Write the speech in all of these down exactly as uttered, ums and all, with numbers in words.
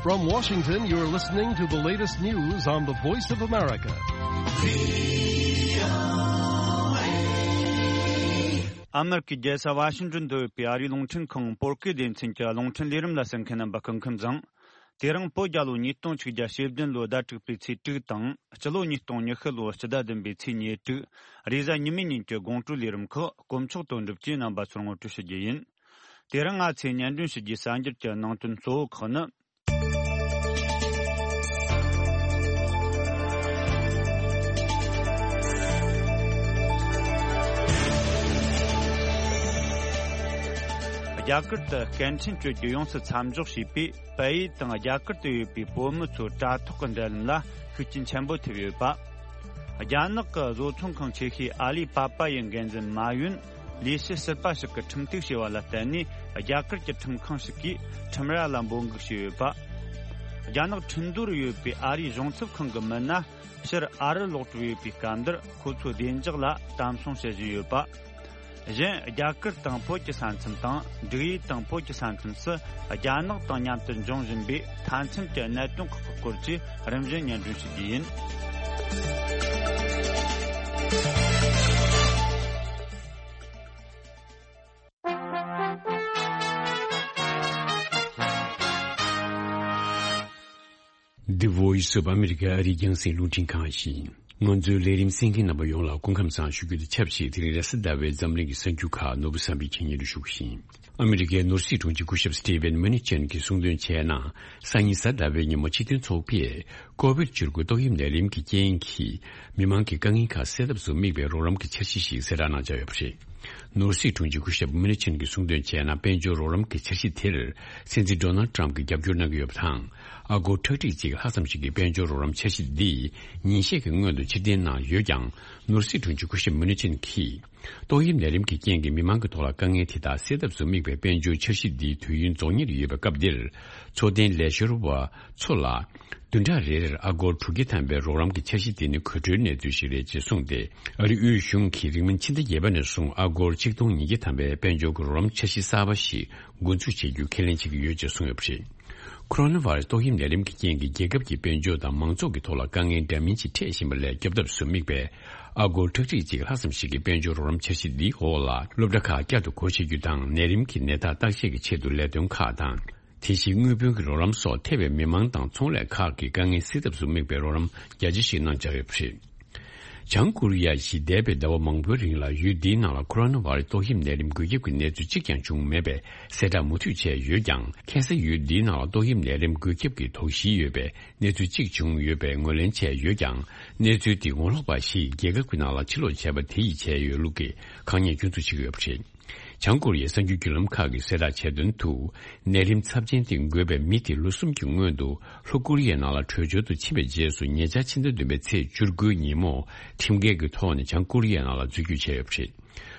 From Washington, you're listening to the latest news on the Voice of America. ཨ་མེ་རི་ཀའི་རྒྱལ་ས་ཝ་ཤིང་ཏོན་དུ་ཡོད་པའི་ཨ་རིའི་རླུང་འཕྲིན་ཁང་བོད་སྐད་སྡེ་ཚན་གྱི་རླུང་འཕྲིན་ལས་རིམ་ལ་གསན་མཁན་རྣམ་པ་སྐུ་ཁམས་བཟང་། དེ་རིང་བོད་རྒྱལ་ལོ་ཉིས་སྟོང་ཆིག་བརྒྱ་ཞེ་བདུན་ལོའི་ཟླ་དྲུག་པའི་ཚེས་དྲུག་དང་། སྤྱི་ལོ་ཉིས་སྟོང་ཉི་ཤུ་ལོའི་སྤྱི་ཟླ་བདུན་པའི་ཚེས་ཉེར་དྲུག་རེས་གཟའ་ཉི་མའི་ཉིན་གྱི་དགོང་དྲོའི་ལས་རིམ་ཁག་དཀོན་མཆོག་དོན་གྲུབ་ཀྱིས་རྣམ་པ་ཚོར་ངོ་སྤྲོད་ཞུ་རྒྱུ་ཡིན། དེ་རིང་ང་ཚོས་སྙན་སྒྲོན་ཞུ་རྒྱུའི་གསར་འགྱུར་གྱི་ནང་དོན་གཙོ་བོ་ཁག་ནི། རྒྱ་གར་དུ་སྐད་འཕྲིན་སྤྱོད་རྒྱུ་ཡོངས་སུ་མཚམས་འཇོག་བྱས་པས། པེ་ཡི་དང་རྒྱ་གར་དུ་ཡོད་པའི་བོད་མི་ཚོའི་དྲ་ཐོག་གི་འབྲེལ་ལམ་ལ་ཤུགས་རྐྱེན་ཆེན་པོ་ཐེབས་ཡོད་པ། རྒྱ་ནག་གི་བཟོ་ཚོང་ཁང་ཆེ་ཤོས་ཨ་ལི་པ་པ་ཡི་འགན་འཛིན་མ་ཡུན་ལས་བྱེད་ཟུར་པ་ཞིག་གིས་ཁྲིམས་གཏུག་བྱས་པ་ལ་བརྟེན་ནས། རྒྱ་གར་གྱི་ཁྲིམས་ཁང་ཞིག་གིས་ཁྲིམས་ར་ལ་འབོད་འགུག་བྱས་ཡོད་པ། རྒྱ་ནག་ཁྲིན་ཏུའུ་རུ་ཡོད་པའི་ཨ་རིའི་གཞུང་ཚབ་ཁང་གི་མི་སྣ་ཕྱིར་ཨ་རི་ལོག་གྲབས་ཡོད་པའི་སྐབས་འདིར། ཁོ་ཚོའི་བདེ་འཇགས་ལ་གཏམ་གསང་བྱེད་བཞིན་ཡོད་པ། གཞན། རྒྱ་གར་དང་བོད་ཀྱི་ས་མཚམས་དང་། འབྲུག་ཡུལ་དང་བོད་ཀྱི་ས་མཚམས་སུ་རྒྱ་ནག་དང་མཉམ་དུ་འབྱུང་བཞིན་པའི་མཐའ་མཚམས་ཀྱི་གནད་དོན་ཁག་གི་སྐོར་གྱི་རིམ་བཞིན་སྙན་སྒྲོན་ཞུ་རྒྱུ་ཡིན། The Voice of America ཨ་རིའི་རྒྱང་སྲིང་རླུང་འཕྲིན་ཁང་ཡིན། ང་ཚོའི་ལས་རིམ་གསན་མཁན་རྣམ་པ་ཡོངས་ལ་སྐུ་ཁམས་བཟང་ཞུ་རྒྱུ་དང་ཆབས་ཅིག་དེ་རིང་རེས་གཟའ་ཟླ་བའི་འཛམ་གླིང་གི་གསར་འགྱུར་ཁག་ནོར་བུ་བསམ་འཕེལ་གྱིས་སྙན་སྒྲོན་ཞུ་གི་ཡིན། ཨ་མི་རི་ཀའི་ནོར་སྲིད་དྲུང་ཆེ་སྐུ་ཞབས་Steven Mnuchin གྱིས་གསུངས་དོན་བྱས་ན། སང་ཉིན་གཟའ་ཟླ་བའི་ཉིན་མོ་སྤྱི་མཐུན་ཚོགས་པས་ཀོ་བིད་བཅུ་དགུ་ཏོག་དབྱིབས་ནད་རིམས་ཀྱི་རྐྱེན་གྱིས་མི་མང་གི་དཀའ་ངལ་ཁག་སེལ་ཐབས་སུ་དམིགས་པའི་རོགས་རམ་གྱི་འཆར་གཞི་ཞིག་གསལ་བསྒྲགས་གནང་འཆར་ཡོད་པ་རེད། ནོར་སྲིད་དྲུང་ཆེ་སྐུ་ཞབས་Mnuchin གྱིས་གསུངས་དོན་བྱས་ན། དཔལ་འབྱོར་རོགས་རམ་གྱི་འཆར་གཞི་དེར་སྲིད་འཛིན་Donald Trump གྱིས་རྒྱབ་སྐྱོར་གནང་གི་ཡོད་པ་དང་། ཨ་སྒོར་ཁྲག་ཁྲིག་གཅིག་ལྷག་ཙམ་ཞིག་གི་དཔལ་འབྱོར་རོགས་རམ་འཆར་གཞི་འདི་ཉིན་ཤས་ཀྱི་སྔོན་དུ་ཕྱིར་འཐེན་གནང་ཡོད་ཀྱང་། ནོར་སྲིད་དྲུང་ཆེ་སྐུ་ཞབས་Mnuchin གྱིས། ཏོག་དབྱིབས་ནད་རིམས་ཀྱི་རྐྱེན་གྱིས་མི་མང་གི་ཐོག་ལ་དཀའ་ངལ་དེ་དག་སེལ་ཐབས་སུ་དམིགས་པའི་དཔལ་འབྱོར་འཆར་གཞི་འདིའི་དུས་ཡུན་རྫོགས་ཉེར་ཡོད་པའི་སྐབས་འདིར། འཚོ་རྟེན་ལས་བཤེར་བ་ཚོ་ལ། བདུན་ཕྲག་རེ་རེར་ཨ་སྒོར་དྲུག་བརྒྱ་ཐམ་པའི་རོགས་རམ་གྱི་འཆར་གཞི་དེ་ནི་གོ་ཁྲོའི་གནས་ཚུལ་ཞིག་རེད་ཅེས་གསུངས་ཏེ། ཨ་རིའི་དབུས་གཞུང་གིས་རིང་མིན་ཕྱི་ཟླ་བརྒྱད་པ་ནས་བཟུང་ཨ་སྒོར་ཆིག་སྟོང་ཉིས་བརྒྱ་ཐམ་པའི་དཔལ་འབྱོར་གྱི་རོགས་རམ་འཆར་གཞི་གསར་པ་ཞིག་འགོ་འཛུགས་བྱེད་རྒྱུ་ཁས་ལེན་བྱེད་ཀྱི་ཡོད་ཅེས་གསུངས་ཡོད་པ་རེད། ཁོ་རོ་ན་བྷ་རེ་སི་ཏོག་དབྱིབས་ནད་རིམས་ཀྱི་རྐྱེན་གྱིས་རྒྱལ་ཁབ་ཀྱི་དཔལ་འབྱོར་དང་མང་ཚོགས་ཀྱི་ཐོག་ལ་དཀའ་ངལ་འདྲ་མིན་ཅིག་འཕྲད་བཞིན་པ་ལས་སྐྱོབ་ཐབས་སུ་དམིགས་པའི་ཨ་སྒོར་ཁྲག་ཁྲིག་གཅིག་ལྷག་ཙམ་ཞིག་གི་དཔལ་འབྱོར་རོགས་རམ་འཆར་གཞི་འདིའི་འོག་ལ་སློབ་གྲྭ་ཁག་བསྐྱར་དུ་སྒོ་ཕྱེ་རྒྱུ་དང་། ནད་རིམས་ཀྱི་ནད་རྟགས་བརྟག་དཔྱད་ཀྱི་ཆེད་དུ་ལས་དོན་ཁག་དང་། དེ་བཞིན་དངུལ་བུན་གྱི་རོགས་རམ་སོགས་ཐེ་བའི་མི་མང་དང་ཚོང་ལས་ཁག་གི་དཀའ་ངལ་སེལ་ཐབས་སུ་དམིགས་པའི་རོགས་རམ་རྒྱ་ཆེ་ཞིག་གནང་འཆར་ཡོད་པ་རེད། བྱང་ཀོ་རི་ཡ་གཞིས་འདས་པའི་ཟླ་བ་མང་པོའི་རིང་ལ་ཡུལ་འདིའི་ནང་ལ་ཁོ་རོ་ན་བྷ་རེ་སི་ཏོག་དབྱིབས་ནད་རིམས་འགོས་ཁྱབ་ཀྱི་གནས་ཚུལ་གཅིག་ཀྱང་བྱུང་མེད་པས་གསལ་བསྒྲགས་མུ་མཐུད་བྱས་ཡོད་ཀྱང་། ཁ་སང་ཡུལ་འདིའི་ནང་ལ་ཏོག་དབྱིབས་ནད་རིམས་འགོས་ཁྱབ་ཀྱི་དོགས་གཞི་ཡོད་པའི་གནས་ཚུལ་གཅིག་བྱུང་ཡོད་པའི་ངོས་ལེན་བྱས་ཡོད་ཀྱང་། གནས་ཚུལ་དེ་ངོ་ལོག་པ་ཞིག་རྒྱལ་ཁབ་ཀྱི་ནང་ལ་ཕྱིར་ལོག་བྱས་པ་དེ་ཡིས་བྱས་ཡོད་ལུགས་ཀྱི་ཁག་ཉེས་སྐྱོན་འཛུགས་བྱེད་ཀྱི་ཡོད་པ་རེད། བྱང་ཀོ་རི་ཡའི་གསར་འགྱུར་བརྒྱུད་ལམ་ཁག་གིས་གསལ་བསྒྲགས་བྱས་དོན་དུ། ནད་རིམས་ཚབས་ཆེན་དེ་འགོས་པའི་མི་དེ་ལོ་གསུམ་གྱི་སྔོན་དུ་ལྷོ་ཀོ་རི་ཡའི་ནང་ལ་བྲོས་བྱོལ་དུ་ཕྱིན་པའི་རྗེས་སུ། ཉེ་ཆར་ཕྱི་ཟླ་བདུན་པའི་ཚེས་བཅུ་དགུའི་ཉིན་མོ་ཁྲིམས་འགལ་གྱི་ཐོག་ནས་བྱང་ཀོ་རི་ཡའི་ནང་ལ་འཛུལ་སྐྱོད་བྱས་ཡོད་པ་རེད།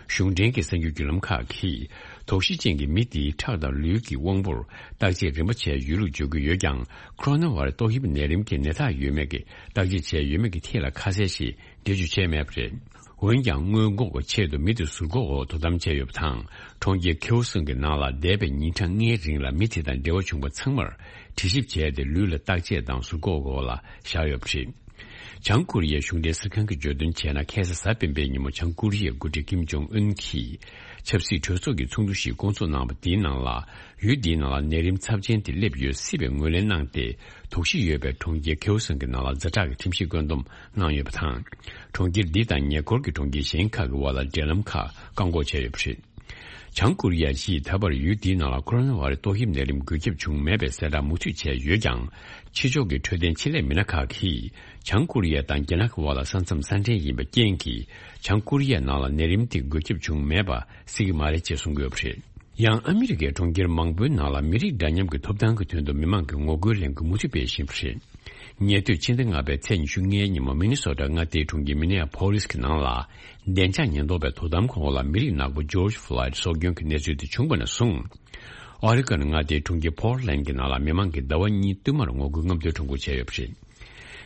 གཞུང་འབྲེལ་གྱི་གསར་འགྱུར་བརྒྱུད་ལམ་ཁག་གིས། དོགས་གཞི་ཅན་གྱི་མི་དེའི་ཁྲག་དང་ལུས་ཀྱི་དབང་པོར་བརྟག་དཔྱད་རིམ་པ་བྱས་ཡོད་ལུགས་བརྗོད་ཀྱི་ཡོད་ཀྱང་། ཁོ་རོ་ན་བྷ་རེ་སི་ཏོག་དབྱིབས་ནད་རིམས་ཀྱི་ནད་རྟགས་ཡོད་མེད་ཀྱི་བརྟག་དཔྱད་བྱས་ཡོད་མེད་ཀྱི་ཐད་ལ་ཁ་གསལ་ཞིག་འགྲེལ་བརྗོད་བྱས་མེད་པ་རེད། འོན་ཀྱང་། སྔོན་འགོག་གི་ཆེད་དུ་མི་དེ་ཟུར་འགོག་འོག་དོ་དམ་བྱས་ཡོད་པ་དང་། གྲོང་ཁྱེར་ཁེའུ་སུང་གི་ནང་ལ་འདས་པའི་ཉིན་གྲངས་ལྔའི་རིང་ལ་མི་དེ་དང་འབྲེལ་བ་བྱུང་བ་ཚང་མར་དྲི་ཞིབ་བྱས་ཏེ། ལུས་ལ་བརྟག་དཔྱད་དང་ཟུར་འགོག་འོག་ལ་བཞག་ཡོད་པ་རེད། བྱང་ཀོ་རི་ཡའི་གཞུང་འབྲེལ་གསར་ཁང་གིས་བརྗོད་དོན་བྱས་ན། ཁ་སང་གཟའ་སྤེན་པའི་ཉིན་མོ་བྱང་ཀོ་རི་ཡའི་འགོ་ཁྲིད་ཀིམ་ཇོང་ཨུན་གྱིས་ཆབ་སྲིད་གྲོས་ཚོགས་ཀྱི་ཚོགས་འདུ་ཞིག་བསྐོང་ཚོགས་གནང་བ་དེའི་ནང་ལ། ཡུལ་དེའི་ནང་ལ་ནད་རིམས་ཚབས་ཆེན་དེ་སླེབས་ཡོད་སྲིད་པའི་ངོས་ལེན་གནང་སྟེ། དོགས་གཞི་ཡོད་པའི་གྲོང་ཁྱེར་ཁེའུ་སུང་གི་ནང་ལ་ཛ་དྲག་གི་ཁྲིམས་ཞིབ་བཀོད་འདོམས་གནང་ཡོད་པ་དང་། གྲོང་ཁྱེར་འདི་དང་ཉེ་འཁོར་གྱི་གྲོང་ཁྱེར་གཞན་ཁག་གི་བར་ལ་འབྲེལ་ལམ་ཁག་བཀག་འགོག་བྱས་ཡོད་པ་རེད། བྱང་ཀོ་རི་ཡ་གཞིས་ད་བར་ཡུལ་འདིའི་ནང་ལ་ཁོ་རོ་ན་བྷ་རེ་སི་ཏོག་དབྱིབས་ནད་རིམས་འགོས་ཁྱབ་བྱུང་མེད་པའི་གསལ་བསྒྲགས་མུ་མཐུད་བྱས་ཡོད་ཀྱང་། ཕྱི་ཕྱོགས་ཀྱི་འཕྲོད་བསྟེན་ཆེད་ལས་མི་སྣ་ཁག་གིས། བྱང་ཀོ་རི་ཡ་དང་རྒྱ་ནག་གི་བར་ལ་ས་མཚམས་ས་འདྲེན་ཡིན་པའི་རྐྱེན་གྱིས། བྱང་ཀོ་རི་ཡའི་ནང་ལ་ནད་རིམས་དེ་འགོས་ཁྱབ་བྱུང་མེད་པ་སྲིད་ཀྱི་མ་རེད་ཅེས་གསུང་གི་ཡོད་པ་རེད། ཡང་ཨ་མི་རི་ཀའི་གྲོང་ཁྱེར་མང་པོའི་ནང་ལ་མི་རིགས་འདྲ་མཉམ་གྱི་ཐོབ་ཐང་གི་དོན་དུ་མི་མང་གིས་ངོ་རྒོལ་ལས་འགུལ་མུ་མཐུད་སྤེལ་བཞིན་པ་རེད། ཉེ་དུས་ཕྱི་ཟླ་ལྔ་པའི་ཚེས་ཉི་ཤུ་ལྔའི་ཉིན་མོ་མི་ནི་སོ་ཊ་མངའ་སྡེའི་གྲོང་ཁྱེར་མི་ནི་ཨ་ཕོ་ལིས་ཀྱི་ནང་ལ། བདེ་འཇགས་ཉེན་རྟོག་པའི་དོ་དམ་ཁང་འོག་ལ་མི་རིགས་ནག་པོ་ཇོརྗ་ཕོ་ལོའིད་སྲོག་སྐྱོན་གྱི་གནས་ཚུལ་དེ་བྱུང་བ་ནས་བཟུང་། ཨོ་རི་གོན་མངའ་སྡེའི་གྲོང་ཁྱེར་ཕོར་ལན་གྱི་ནང་ལ་མི་མང་གིས་ཟླ་བ་གཉིས་བསྟུད་མར་ངོ་རྒོལ་རྔམ་སྟོན་ཁྲོམ་སྐོར་བྱས་ཡོད་པ་རེད།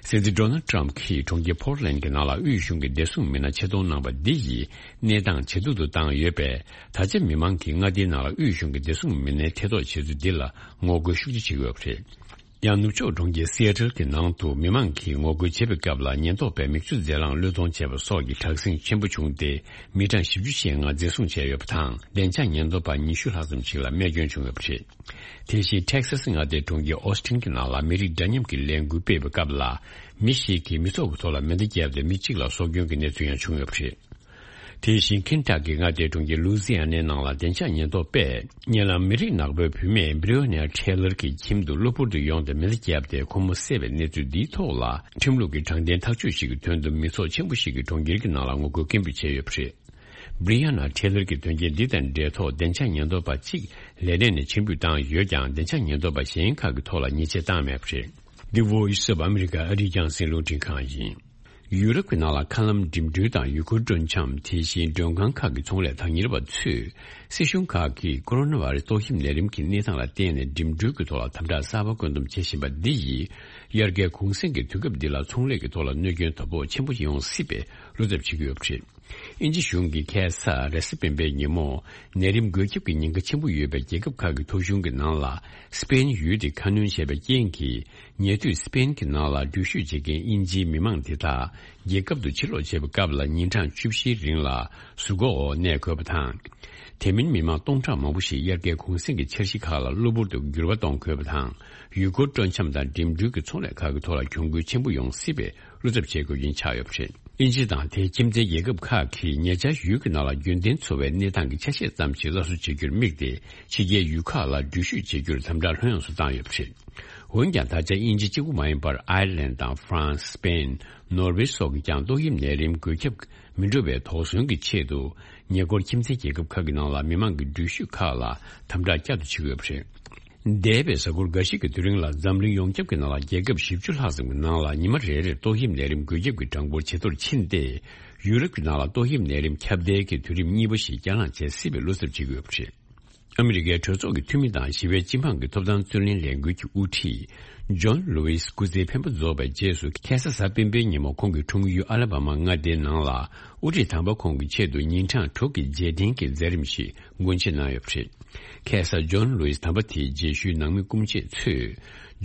སྲིད་འཛིན་ཌོ་ནལ་ཊམ་གྱིས་གྲོང་ཁྱེར་ཕོར་ལན་གྱི་ནང་ལ་དབུས་གཞུང་གི་བདེ་སྲུང་མི་སྣ་ཆེད་གཏོང་གནང་བ་འདི་ཡིས་གནས་སྟངས་ཇེ་སྡུག་ཏུ་བཏང་ཡོད་པས། ད་ཆ་མི་མང་གིས་མངའ་སྡེའི་ནང་ལ་དབུས་གཞུང་གི་བདེ་སྲུང་མི་སྣའི་ཐེ་གཏོགས་བྱེད་ཚུལ་འདི་ལ་ངོ་རྒོལ་ཤུགས་ཆེ་བྱེད་ཀྱི་ཡོད་པ་རེད། ཡང་ནུབ་ཕྱོགས་གྲོང་ཁྱེར་སི་ཨེ་ཊལ་གྱི་ནང་དུ་མི་མང་གིས་ངོ་རྒོལ་བྱེད་པའི་སྐབས་ལ་ཉེན་རྟོག་པས་མིག་ཆུ་རྫས་རླངས་བློས་གཏོང་བྱས་པ་སོགས་ཀྱི་དྲག་ཟིང་ཆེན་པོ་བྱུང་སྟེ། མི་གྲངས་བཞི་བཅུ་ཞེ་ལྔ་འཛིན་བཟུང་བྱས་ཡོད་པ་དང་། བདེ་འཇགས་ཉེན་རྟོག་པ་ཉི་ཤུ་ལྷག་ཙམ་ཞིག་ལ་རྨས་སྐྱོན་བྱུང་ཡོད་པ་རེད། དེ་བཞིན་ཊེག་སཱ་སི་མངའ་སྡེའི་གྲོང་ཁྱེར་ཨོ་སི་ཊིན་གྱི་ནང་ལ་མི་རིགས་འདྲ་མཉམ་གྱི་ལས་འགུལ་སྤེལ་བའི་སྐབས་ལ། མི་ཞིག་གིས་མི་ཚོགས་ཀྱི་ཐོག་ལ་མེ་མདའ་བརྒྱབ་སྟེ་མི་གཅིག་ལ་སྲོག་སྐྱོན་གྱི་གནས་ཚུལ་ཡང་བྱུང་ཡོད་པ་རེད། དེ་བཞིན་ཁེན་ཊ་ཀི་མངའ་སྡེའི་གྲོང་ཁྱེར་ལུའུ་ཛི་ཡ་ནའི་ནང་ལ་བདེ་འཇགས་ཉེན་རྟོག་པས་ཉེ་ལམ་མི་རིགས་ནག་པོའི་བུད་མེད་བྷི་རི་ཨོ་ནེ་ཊེ་ལར་གྱི་ཁྱིམ་དུ་གློ་བུར་དུ་ཡོང་སྟེ་མེ་མདའ་བརྒྱབ་སྟེ་ཁོ་མོ་བསད་པའི་གནས་ཚུལ་འདིའི་ཐོག་ལ། ཁྲིམས་ལུགས་ཀྱི་དྲང་བདེན་ཐག་གཅོད་ཞིག་གི་དོན་དུ་མི་ཚོགས་ཆེན་པོ་ཞིག་གིས་གྲོང་ཁྱེར་གྱི་ནང་ལ་ངོ་རྒོལ་སྐད་འབོད་བྱས་ཡོད་པ་རེད། བྷི་རི་ཡ་ན་ཊེ་ལར་གྱི་དོན་རྐྱེན་འདི་དང་འབྲེལ་ཐོག་བདེ་འཇགས་ཉེན་རྟོག་པ་གཅིག་ལས་གནས་ནས་ཕྱིར་འབུད་བཏང་ཡོད་ཀྱང་། བདེ་འཇགས་ཉེན་རྟོག་པ་གཞན་ཁག་གི་ཐོག་ལ་ཉེས་ཆད་བཏང་མེད་པ་རེད། འདི་Voice of America ཨ་རིའི་རྒྱང་སྲིང་རླུང་འཕྲིན་ཁང་ཡིན། ཡུ་རོབ་ཀྱི་ནང་ལ་མཁའ་ལམ་འགྲིམ་འགྲུལ་དང་ཡུལ་སྐོར་སྤྲོ་འཆམ། དེ་བཞིན་མགྲོན་ཁང་ཁག་གི་ཚོང་ལས་བདག་གཉེར་བ་ཚོས་སྲིད་གཞུང་ཁག་གིས་ཀོ་རོ་ན་བྷ་རེ་སི་ཏོག་དབྱིབས་ནད་རིམས་ཀྱི་གནས་སྟངས་ལ་བརྟེན་ནས་འགྲིམ་འགྲུལ་གྱི་ཐོག་ལ་དམ་དྲག་གསར་པ་བཀོད་འདོམས་བྱེད་བཞིན་པ་འདི་ཡིས། དབྱར་ཁའི་གུང་གསེང་གི་དུས་སྐབས་འདི་ལ་ཚོང་ལས་ཀྱི་ཐོག་ལ་གནོད་སྐྱོན་དོ་ཕོག་ཆེན་པོ་ཡོང་སྲིད་པའི་བློ་འཚབ་བྱེད་ཀྱི་ཡོད་པ་རེད། དབྱིན་ཇི་གཞུང་གིས་ཁ་སང་རེས་གཟའ་སྤེན་པའི་ཉིན་མོ། ནད་རིམས་འགོས་ཁྱབ་ཀྱི་ཉེན་ཁ་ཆེན་པོ་ཡོད་པའི་རྒྱལ་ཁབ་ཁག་གི་ཐོ་གཞུང་གི་ནང་ལ། སི་པེན་ཡུལ་དེ་ཁ་སྣོན་བྱས་པའི་རྐྱེན་གྱིས། ཉེ་དུས་སི་པེན་གྱི་ནང་ལ་འགྲུལ་བཞུད་བྱེད་མཁན་དབྱིན་ཇིའི་མི་མང་དེ་དག་རྒྱལ་ཁབ་ཏུ་ཕྱིར་ལོག་བྱེད་པའི་སྐབས་ལ་ཉིན་གྲངས་བཅུ་བཞིའི་རིང་ལ་ཟུར་འགོག་འོག་གནས་དགོས་པ་དང་། དེ་མིན་མི་མང་སྟོང་ཕྲག་མང་པོ་ཞིག་དབྱར་ཁའི་གུང་གསེང་གི་འཆར་གཞི་ཁག་ལ་གློ་བུར་དུ་འགྱུར་བ་གཏོང་དགོས་པ་དང་། ཡུལ་སྐོར་སྤྲོ་འཆམ་དང་འགྲིམ་འགྲུལ་གྱི་ཚོང་ལས་ཁག་གི་ཐོག་ལ་གྱོང་གུན་ཆེན་པོ་ཡོང་སྲིད་པའི་བློ་འཚབ་བྱེད་དགོས་རྐྱེན་ཆགས་ཡོད་པ་རེད། དབྱིན་ཇི་དང་དེའི་ཁྱིམ་མཚེས་རྒྱལ་ཁབ་ཁག་གིས་ཉེ་ཆར་ཡུལ་གྱི་ནང་ལ་རྒྱུན་ལྡན་འཚོ་བའི་གནས་སྟངས་ཀྱི་ཆ་ཤས་ཙམ་ཞིག་སླར་གསོ་བྱེད་རྒྱུར་དམིགས་ཏེ། ཕྱི་རྒྱལ་ཡུལ་ཁག་ལ་འགྲུལ་བཞུད་བྱེད་རྒྱུར་དམ་དྲག་ལྷོད་ཡངས་སུ་བཏང་ཡོད་པ་རེད། འོན་ཀྱང་། ད་ཆ་དབྱིན་ཇི་གཅིག་པུ་མ་ཡིན་པར། ཨའི་ལན་དང་ཧྥ་རན་སི། སི་པེན། ནོར་ཝེ་སོགས་ཀྱིས་ཀྱང་ཏོག་དབྱིབས་ནད་རིམས་འགོས་ཁྱབ་མི་འགྲོ་བའི་དོགས་ཟོན་གྱི་ཆེད་དུ། ཉེ་འཁོར་ཁྱིམ་མཚེས་རྒྱལ་ཁབ་ཁག་གི་ནང་ལ་མི་མང་གི་འགྲུལ་བཞུད་ཁག་ལ་དམ་དྲག་བསྐྱར་དུ་བྱེད་ཀྱི་ཡོད་པ་རེད། འདས་པའི་གཟའ་འཁོར་འགའ་ཞིག་གི་དུས་རིང་ལ་འཛམ་གླིང་ཡོངས་ཁྱབ་ཀྱི་ནང་ལ་རྒྱལ་ཁབ་བཞི་བཅུ་ལྷག་ཙམ་གྱི་ནང་ལ་ཉི་མ་རེ་རེར་ཏོག་དབྱིབས་ནད་རིམས་འགོས་ཁྱབ་ཀྱི་གྲངས་འབོར་ཇེ་མཐོར་ཕྱིན་ཏེ། ཡུ་རོབ་ཀྱི་ནང་ལ་ཏོག་དབྱིབས་ནད་རིམས་ཁྱབ་གདལ་གྱི་དུས་རིམ་གཉིས་པ་ཞིག་བསྐྱར་ལངས་བྱེད་སྲིད་པའི་བློ་འཚབ་བྱེད་ཀྱི་ཡོད་པ་རེད། ཨ་མི་རི་ཀའི་གྲོས་ཚོགས་ཀྱི་འཐུས་མི་དང་ཞི་བའི་སྤྱི་འབངས་ཀྱི་ཐོབ་ཐང་རྩོད་ལེན་ལས་འགུལ་གྱི་དབུ་ཁྲིད། ཇོན་ལུ་ཝིས་སྐུ་ཚེའི་འཕེན་པ་རྫོགས་པའི་རྗེས་སུ། ཁ་སང་གཟའ་སྤེན་པའི་ཉིན་མོ་ཁོང་གི་འཁྲུངས་ཡུལ་ཨ་ལ་བྷ་མ་མངའ་སྡེའི་ནང་ལ། དབུ་ཁྲིད་དམ་པ་ཁོང་གི་ཆེད་དུ་ཉིན་གྲངས་དྲུག་གི་རྗེས་དྲན་གྱི་མཛད་རིམ་ཞིག་སྒོ་འབྱེད་གནང་ཡོད་པ་རེད། ཁ་སང་ཇོན་ལུ་ཝིས་དམ་པ་དེའི་རྗེས་ཤུལ་ནང་མི་སྐུ་མཆེད་ཚོས།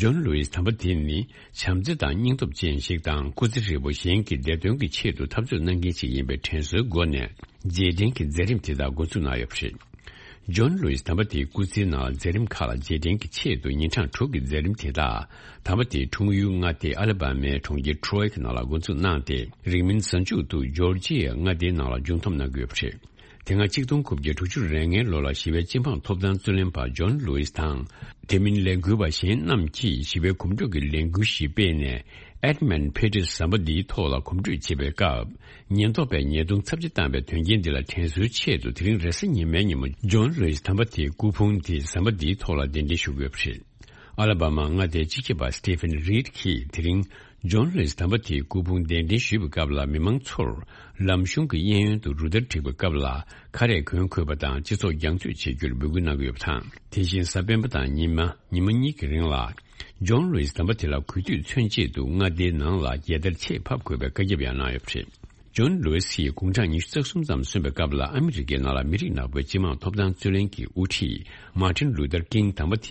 ཇོན་ལུ་ཝིས་དམ་པ་དེ་ནི་བྱམས་བརྩེ་དང་སྙིང་སྟོབས་ཅན་ཞིག་དང་། སྐུ་ཚེ་ཧྲིལ་པོ་གཞན་གྱི་བདེ་དོན་གྱི་ཆེད་དུ་འཐབ་རྩོད་གནང་མཁན་ཞིག་ཡིན་པའི་དྲན་གསོའི་སྒོ་ནས། རྗེས་དྲན་གྱི་མཛད་རིམ་དེ་དག་འགོ་འཛུགས་གནང་ཡོད་པ་རེད། ཇོན་ལུ་ཝིས་དམ་པ་དེའི་སྐུ་ཚེའི་ནང་ལ་མཛད་རིམ་ཁག་ལ་རྗེས་དྲན་གྱི་ཆེད་དུ་ཉིན་གྲངས་དྲུག་གི་མཛད་རིམ་དེ་དག་དམ་པ་དེའི་འཁྲུངས་ཡུལ་མངའ་སྡེ་ཨ་ལ་བྷ་མའི་གྲོང་ཁྱེར་ཊོ་རོའི་གི་ནང་ལ་འགོ་འཛུགས་གནང་སྟེ། རིང་མིན་གཟའ་མཇུག་ཏུ་ཇོར་ཇི་ཡའི་མངའ་སྡེའི་ནང་ལ་མཇུག་བསྡོམས་གནང་གི་ཡོད་པ་རེད། དེ་སྔ་གཅིག་སྟོང་དགུ་བརྒྱ་དྲུག་ཅུ་རེ་ལྔའི་ལོ་ལ་ཞི་བའི་སྤྱི་འབངས་ཐོབ་ཐང་རྩོད་ལེན་པ་ཇོན་ལུ་ཝིས་དང་། དེ་མིན་ལས་འགུལ་བ་གཞན་རྣམས་ཀྱིས་ཞི་བའི་གོམ་བགྲོད་ཀྱི་ལས་འགུལ་ཞིག་སྤེལ་ནས། ཨེཌ་མན་ཕེ་ཏིས་ཟམ་པ་འདིའི་ཐོག་ལ་གོམ་བགྲོད་བྱེད་པའི་སྐབས། ཉེན་རྟོག་པས་ཉེས་རྡུང་ཚབས་ཆེ་བཏང་བའི་དོན་རྐྱེན་འདི་ལ་དྲན་གསོའི་ཆེད་དུ། དེ་རིང་རེས་གཟའ་ཉི་མའི་ཉིན་མོ་ཇོན་ལུ་ཝིས་དམ་པ་དེའི་སྐུ་ཕུང་དེ་ཟམ་པ་འདིའི་ཐོག་ལ་གདན་འདྲེན་ཞུ་དགོས་པ་རེད། ཨ་ལ་བྷ་མ་མངའ་སྡེའི་སྤྱི་ཁྱབ་པ་སི་ཏི་ཕན་རིད་ཀྱིས་དེ་རིང་ཇོན་ལུ་ཝིས་དམ་པ་དེའི་སྐུ་ཕུང་གདན་འདྲེན་ཞུས་པའི་སྐབས་ལ། མི་མང་ཚོར་ལམ་གཞུང་གི་གཡས་གཡོན་དུ་རུ་སྟར་བསྒྲིགས་པའི་སྐབས་ལ། ཁ་རས་གོན་དགོས་པ་དང་སྤྱི་ཚོགས་རྒྱང་མཐུད་བྱེད་རྒྱུར་འབོད་སྐུལ་གནང་གི་ཡོད་པ་དང་། དེ་བཞིན་གཟའ་སྤེན་པ་དང་ཉི་མ། ཉི་མ་གཉིས་ཀྱི་རིང་ལ། ཇོན་ལུ་ཝིས་དམ་པ་དེ་ལ་གུས་འདུད་མཚོན་ཆེད་དུ་མངའ་སྡེའི་ནང་ལ་རྒྱལ་དར་ཆེད་ཕབ་དགོས་པའི་བཀའ་ཁྱབ་ཡང་གནང་ཡོད་པ་རེད། ཇོན་ལུ་ཝིས་ཡིས་དགུང་གྲངས་ཉི་ཤུ་རྩ་གསུམ་ཙམ་སོན་པའི་སྐབས་ལ། ཨ་མི་རི་ཀའི་ནང་ལ་མི་རིགས་ནག་པོའི་སྤྱི་དམངས་ཐོབ་ཐང་རྩོད་ལེན་གྱི་དབུ་ཁྲིད་མར་ཊིན་ལུ་ཐར་ཀིང་དམ་པ་དེས་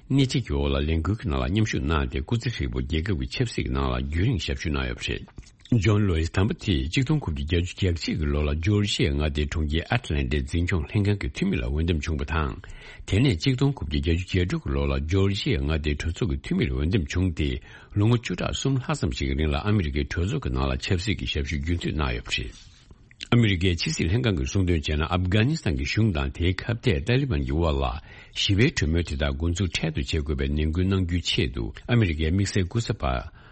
སྣེ་ཁྲིད་ཀྱི་འོག་ལ་ལས་འགུལ་གྱི་ནང་ལ་མཉམ་ཞུགས་གནང་སྟེ། སྐུ་ཚེ་ཧྲིལ་པོ་རྒྱལ་ཁབ་ཀྱི་ཆབ་སྲིད་ཀྱི་ནང་ལ་རྒྱུན་རིང་ཞབས་ཞུ་གནང་ཡོད་པ་རེད། ཇོན་ལུ་ཝིས་དམ་པ་དེས་གཅིག་སྟོང་དགུ་བརྒྱ་བརྒྱད་ཅུ་གྱ་གཅིག་གི་ལོ་ལ་ཇོར་ཇི་ཡའི་མངའ་སྡེའི་གྲོང་ཁྱེར་ཨེཊ་ལན་ཊའི་འཛིན་སྐྱོང་ལྷན་ཁང་གི་འཐུས་མི་ལ་འོས་འདེམས་བྱུང་བ་དང་། དེ་ནས་གཅིག་སྟོང་དགུ་བརྒྱ་བརྒྱད་ཅུ་གྱ་དྲུག་གི་ལོ་ལ་ཇོར་ཇི་ཡའི་མངའ་སྡེའི་གྲོས་ཚོགས་ཀྱི་འཐུས་མིར་འོས་འདེམས་བྱུང་སྟེ། ལོ་ངོ་བཅུ་ཕྲག་གསུམ་ལྷག་ཙམ་ཞིག་གི་རིང་ལ་ཨ་མི་རི་ཀའི་གྲོས་ཚོགས་ཀྱི་ནང་ལ་ཆབ་སྲིད་ཀྱི་ཞབས་ཞུ་རྒྱུན་མཐུད་གནང་ཡོད་པ་རེད། ཨ་མི་རི་ཀའི་ཕྱི་སྲིད་ལྷན་ཁང་གིས་གསུངས་དོན་བྱས་ན། ཨབ་གྷ་ནི་སི་ཐན་གྱི་གཞུང་དང་དེའི་ཁ་གཏད་ཏཱ་ལི་བན་གྱི་དབར་ལ་ཞི་བའི་གྲོས་མོལ་དེ་དག་འགོ་འཛུགས་འཕྲལ་དུ་བྱེད་དགོས་པའི་ནན་སྐུལ་གནང་རྒྱུའི་ཆེད་དུ། ཨ་མི་རི་ཀའི་དམིགས་བསལ་སྐུ་ཚབ་པ་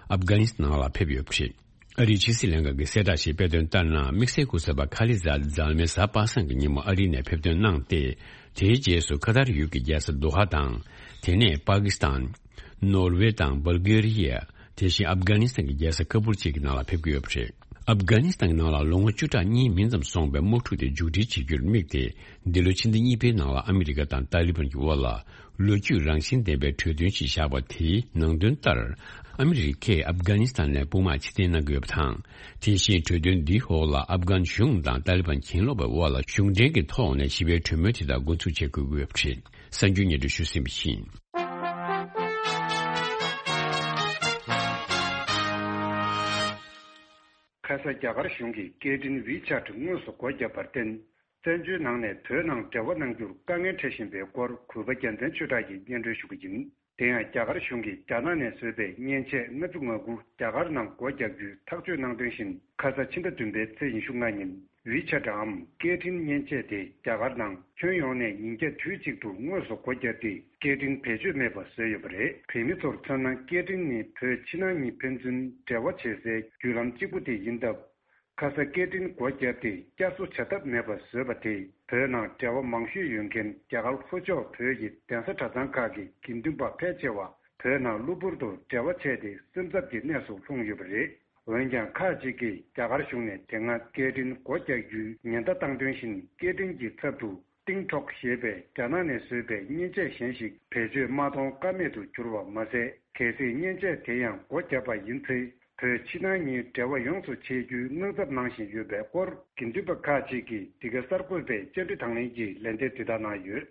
ཨབ་གྷ་ནི་སི་ཐན་ནང་ལ་ཕེབས་ཡོད་པ་རེད། ཨ་རིའི་ཕྱི་སྲིད་ལྷན་ཁང་གིས་གསལ་བསྒྲགས་ཤིག་སྤེལ་དོན་ལྟར་ན། དམིགས་བསལ་སྐུ་ཚབ་པ་ཁ་ལི་ཛཱད་ཛཱལ་མེ་གཟའ་པ་སངས་ཀྱི་ཉིན་མོ་ཨ་རིའི་ནས་ཕེབས་ཐོན་གནང་སྟེ། དེའི་རྗེས་སུ་ཁ་ཐར་ཡུལ་གྱི་རྒྱལ་ས་དོ་ཧ་དང་། དེ་ནས་པ་ཀི་སི་ཐན། ནོར་ཝེ་དང་བལ་གྷེ་རི་ཡ། དེ་བཞིན་ཨབ་གྷ་ནི་སི་ཐན་གྱི་རྒྱལ་ས་ཁ་པུར་བཅས་ཀྱི་ནང་ལ་ཕེབས་ཀྱི་ཡོད་པ་རེད། ཨབ་གྷ་ནི་སི་ཐན་གྱི་ནང་ལ་ལོ་ངོ་བཅུ་ཕྲག་གཉིས་མིན་ཙམ་སོང་བའི་དམག་འཁྲུག་དེ་མཇུག་སྒྲིལ་བྱེད་རྒྱུར་དམིགས་ཏེ། འདི་ལོའི་ཕྱི་ཟླ་གཉིས་པའི་ནང་ལ་ཨ་མི་རི་ཀ་དང་ཏཱ་ལི་བན་གྱི་དབར་ལ་ལོ་རྒྱུས་རང་བཞིན་ལྡན་པའི་གྲོས་མཐུན་ཞིག་བཞག་པ། དེའི་ནང་དོན་ལྟར། ཨ་མི་རི་ཀས་ཨབ་གྷ་ནི་སི་ཐན་ནས་དཔུང་དམག་ཕྱིར་འཐེན་གནང་གི་ཡོད་པ་དང་། དེ་བཞིན་གྲོས་མཐུན་འདིའི་འོག་ལ་ཨབ་གྷན་གཞུང་དང་ཏཱ་ལི་བན་གྱེན་ལོག་པའི་དབར་ལ་གཞུང་འབྲེལ་གྱི་ཐོག་ནས་ཞི་བའི་གྲོས་མོལ་དེ་དག་འགོ་འཛུགས་བྱེད་དགོས་ཀྱི་ཡོད་པ་རེད། གསར་འགྱུར་སྙན་སྒྲོན་ཞུས་ཟིན་པ་ཡིན། ཁ་ས་རྒྱ་གར་གཞུང་གིས་སྐད་འཕྲིན་ཝི་ཆེ་ཊི་དངོས་སུ་སྒོ་བརྒྱབ་པར་བརྟེན། བཙན་བྱོལ་ནང་ནས་བོད་ནང་འབྲེལ་བ་གནང་རྒྱུར་དཀའ་ངལ་འཕྲད་བཞིན་པའི་སྐོར་གུས་པ་རྒྱལ་མཚན་ཆོས་གྲགས་ཀྱིས་སྙན་སྒྲོན་ཞུ་གི་ཡིན། དེ་ཡང་རྒྱ་གར་གཞུང་གིས་རྒྱ་ནག་ནས་བཟོས་པའི་མཉེན་ཆས་ལྔ་བཅུ་ང་དགུ་རྒྱ་གར་ནང་སྒོ་རྒྱག་རྒྱུའི་ཐག་གཅོད་གནང་དོན་བཞིན། ཁ་ས་ཕྱི་ཟླ་བདུན་པའི་ཚེས་ཉི་ཤུ་ལྔ་ཉིན་ཝི་ཆེ་ཊི་འམ་སྐད་འཕྲིན་མཉེན་ཆས་དེ་རྒྱ་གར་ནང་ཁྱོན་ཡོངས་ནས་ཉིན་བརྒྱ་དུས་གཅིག་ཏུ་དངོས་སུ་སྒོ་བརྒྱབ་སྟེ། སྐད་འཕྲིན་བེད་སྤྱོད་མེད་པ་བཟོས་ཡོད་པ་རེད། བོད་མི་ཚོར་མཚོན་ན། སྐད་འཕྲིན་ནི་བོད་ཕྱི་ནང་གཉིས་ཕན་ཚུན་འབྲེལ་བ་བྱེད་སའི་བརྒྱུད་ལམ་གཅིག་པུ་དེ་ཡིན་སྟབས། ཁ་ས་སྐད་འཕྲིན་སྒོ་བརྒྱབ་སྟེ་བསྐྱར་གསོ་བྱ་ཐབས་མེད་པ་བཟོས་པ་དེས། བོད་ནང་འབྲེལ་བ་མང་ཤོས་ཡོད་མཁན་རྒྱ་གར་ལྷོ་ཕྱོགས་བོད་ཀྱི་གདན་ས་གྲྭ་ཚང་ཁག་གི་དགེ་འདུན་པ་ཕལ་ཆེ་བ་བོད་ནང་གློ་བུར་དུ་འབྲེལ་བ་ཆད་དེ་སེམས་འཚབ་ཀྱི་གནས་སུ་ལྷུང་ཡོད་པ་རེད། འོན་ཀྱང་། ཁག་ཅིག་གིས་རྒྱ་གར་གཞུང་ནས་དེ་སྔ་སྐད་འཕྲིན་སྒོ་རྒྱག་རྒྱུའི་ཉེན་བརྡ་བཏང་དོན་བཞིན། སྐད་འཕྲིན་གྱི་ཚབ་ཏུ་ཏིང་ཀྲོག་ཞེས་པའི་རྒྱ་ནག་ནས་བཟོས་པའི་མཉེན་ཆས་གཞན་ཞིག་བེད་སྤྱོད་མ་གཏོང་ཀ་མེད་དུ་གྱུར་བ་མ་ཟད། གལ་སྲིད་མཉེན་ཆས་དེ་ཡང་སྒོ་བརྒྱབ་པ་ཡིན་ཚེ། བོད་ཕྱི་ནང་གཉིས་འབྲེལ་བ་ཡོངས་སུ་ཆད་རྒྱུའི་དངངས་འཚབ་གནང་བཞིན་ཡོད་པའི་སྐོར། དགེ་འདུན་པ་ཁག་ཅིག་གིས་འདི་ག་གསར་འགོད་པའི་བཅར་འདྲི་དང་ལེན་གྱི་ལན་འདེབས་དེ་ལྟར་གནང་ཡོད།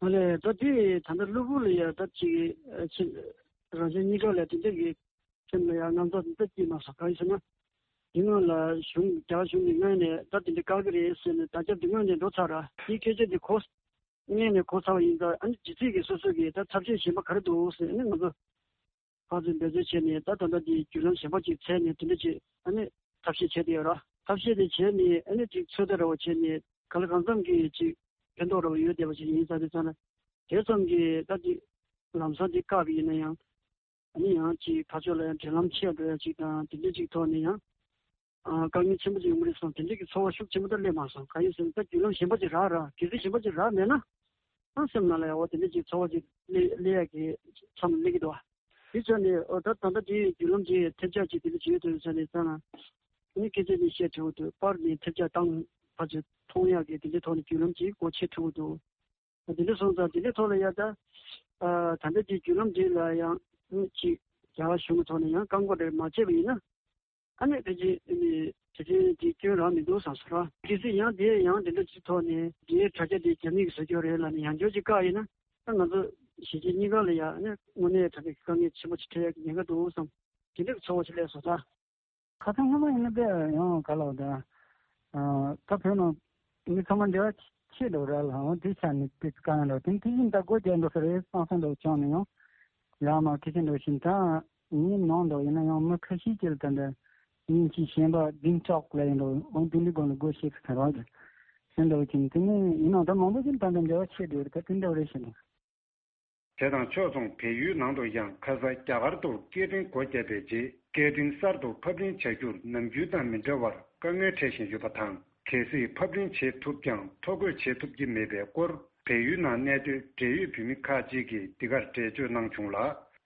ཨ་ལས། ད་དེ་ད་ལྟ་གློ་བུར་ལ་ཡ་ད་ཅིག་ཨ་ཅིག་རང་བཞིན་གཉིས་ཀ་ལ་དེ་འདྲ་གི་སེམས་ལ་ཡ་དངངས་འཚབ་འདི་སྐྱེས་མ་སོང་། གང་ཡིན་ཟེར་ན། དེ་སྔོན་ལ་གཞུང་རྒྱ་གཞུང་གི་ངོས་ནས་ད་དེ་འདྲ་བཀག་གི་རེད་ཟེར་ནས་བརྡ་ཁྱབ་དེ་སྔོན་ནས་འགྲོ་ཚར་ར། དེའི་སྐད་ཆ་དེ་གོ་སྔོན་ནས་གོ་ཚར་བ་ཡིན་ཙང་། ཨ་ནི་ཇི་སྲིད་ཀྱི་སོ་སོ་གི་ད་ཐབས་ཤེས་གཞན་པ་ག་རེ་འདུག་ཟེར། ཨ་ནི་ང་ཚོ་ཕར་ཚུར་འབད་རྩོལ་བྱས་ནས། ད་ད་ལྟ་དེ་བརྒྱུད་ལམ་གཞན་པ་ཅིག་བཙལ་ནས་དེ་འདྲ་ཅིག་ཨ་ནི་ཐབས་ཤེས་བྱས་བསྡད་ཡོད་ར། ཐབས་ཤེས་དེ་བྱས་ནས་ཨ་ནི་ཅིག་ཚོད་ལྟ་འདྲ་བོ་བྱས་ནས། གང་ལ་གང་འཚམ་གྱི་ཅིག་ཕན་ཐོགས་འདྲ་བོ་ཡོད་བསྡད་པ་ཅིག་ཡིན་ཙང་། དེ་ཙང་ན་དེ་ཙམ་གྱིས་ད་དེ་ལམ་སང་དེ་བཀག་གི་ཡིན་ན་ཡང་། ཨ་ནི་ཡང་ཅིག་ཕར་ཕྱོགས་ལ་ཡང་འབྲེལ་ལམ་ཆད་འགྲོ་ཡ་ཅིག་དང་། དེ་འདྲ་ཅིག་ཐོག་ནས་ཡང་ཨ་དཀའ་ངལ་ཆེན་པོ་ཅིག་ཡོང་གི་རེད་བསམ། དེ་འདྲ་གི་ཚོར་བ་ཤུགས་ཆེན་པོ་ད་སླེབས་མ་སོང་། གང་ཡིན་ཟེར་ན། ད་བརྒྱུད་ལམ་གཞན་པ་ཅིག་རག་ར། གལ་སྲིད་གཞན་པ་ཅིག་རག་མེད་ན། ཨ་སེམས་ནང་ལ་ཡང་འོ་དེ་འདྲ་ཅིག་ཚོར་བ་ཅིག་སླེབས་སླེབས་ཡ་གི་མཚམས་སླེབས་ཀྱི་འདུག་བ། དེ་ཆ་ནས་འོ་ད་ད་ལྟ་དེའི་བརྒྱུད་ལམ་ཅིག་ཐེབས་ཆག་ཅིག་དེ་འདྲ་བྱེད་ཐུབ་ཡོད་ས་རེད་ཙང་ན། ཨ་ནི་སྐད་ཆ་ཅིག་བཤད་ཐུབ་ཀྱི་འདུག་པར་ནས་ཐེབས་ཆག་བཏང་ཕར་ཚུར་མཐོང་ཡག་གི་དེ་འདྲའི་ཐོག་ནས་བརྒྱུད་ལམ་ཅིག་སྒོ་ཕྱེ་ཐུབ་ཀྱི་འདུག་དེ་འདྲ་སོང་ཙང་དེ་འདྲའི་ཐོག་ལ་ཡ་ད། ཨ་ད་ལྟ་དེ་བརྒྱུད་ལམ་འདི་ལ་ཡང་ཅིག་རྒྱ་གར་གཞུང་གི་ཐོག་ནས་ཡང་བཀག་འགོག་རེ་མ་བྱས་པ་ཡིན་ན། ཨ་ནི་ཕལ་ཆེར་ཨ་ནི་དེ་ཚོའི་དེ་སྐྱོན་རང་མི་འདུག་བསམ་སོང་ར། གལ་སྲིད་ཡང་དེ་ཡང་དེ་འདྲ་ཅིག་ཐོག་ནས་དེའི་དྲ་རྒྱ་དེ་རྒྱ་མི་གིས་བཟོ་རྒྱུ་རེད་ལབ་ནས་ཡང་བསྐྱར་ཅིག་བཀག་ཡིན་ན། ད་ང་ཚོ་གཞིས་བྱེས་གཉིས་ཀ་ལ་ཡ་ཨ་ནི་དངོས་གནས་དྲང་གནས་དཀའ་ངལ་ཆེན་པོ་ཅིག་འཕྲད་ཡག་གི་ཉེན་ཁ་འདུག་བསམ། དེ་འདྲ་གི་ཚོར་བ་ཅིག་སླེབས་སོང་ད། ཁ་སང་སྔོན་མ་ཡིན་ན་དཔེ་ཡང་ག་ལབ་དང་། ཨ་ད་བོད་ནང་མི་ཚང་མ་འབྲེལ་བ་ཆེ་འགྲོ་ར་ལ། འོ་དེ་ཆ་ནས་དཔེ་དཀའ་ངལ་འགྲོ། དེ་དེ་བཞིན་ད་སྒོ་རྒྱག་འགྲོ་ས་རེད་བསམ་བསམ་འདྲ་བོ་བྱུང་ནས་ཡང་ཡང་མ་ཁེ་ཆེ་འགྲོ་བཞིན། ད་ངའི་ནང་འགྲོ་ཡིན་ན་ཡང་མི་ཁ་ཤས་ཀྱིས་ད་འདྲ་མཉེན་ཆས་གཞན་པ་ཏིང་ཀྲོག་ལབ་ཡིན་འགྲོ། འོ་དེ་འདྲའི་སྒོ་ནས་སྒོ་ཕྱེ་ཚར་བ་རེད་ཟེར་འདྲ་བོ་བྱུང་། དེ་ནས་ཡིན་ནའང་ད་མང་པོ་ཅིག་ད་འདྲ་འབྲེལ་བ་ཆེ་འགྲོ་རེད། ད་དེ་འདྲ་བ་རེད་ཟེར་ནས། དེ་དང་ཕྱོགས་མཚུངས། བལ་ཡུལ་ནང་དུ་ཡང་ཁ་སང་རྒྱ་གར་དུ་སྐད་འཕྲིན་སྒོ་བརྒྱབ་པའི་རྗེས། སྐད་འཕྲིན་གསར་དུ་ཕབ་ལེན་བྱ་རྒྱུར་ནམ་རྒྱུན་དང་མི་འདྲ་བར་དཀའ་ངལ་འཕྲད་བཞིན་ཡོད་པ་དང་། གལ་སྲིད་ཕབ་ལེན་བྱེད་ཐུབ་ཀྱང་ཐོ་འགོད་བྱེད་ཐུབ་ཀྱི་མེད་པའི་སྐོར། བལ་ཡུལ་ནང་གནས་སྡོད་འབྲེལ་ཡོད་བོད་མི་ཁག་ཅིག་གིས་འདི་གར་འགྲེལ་བརྗོད་གནང་བྱུང་ལ།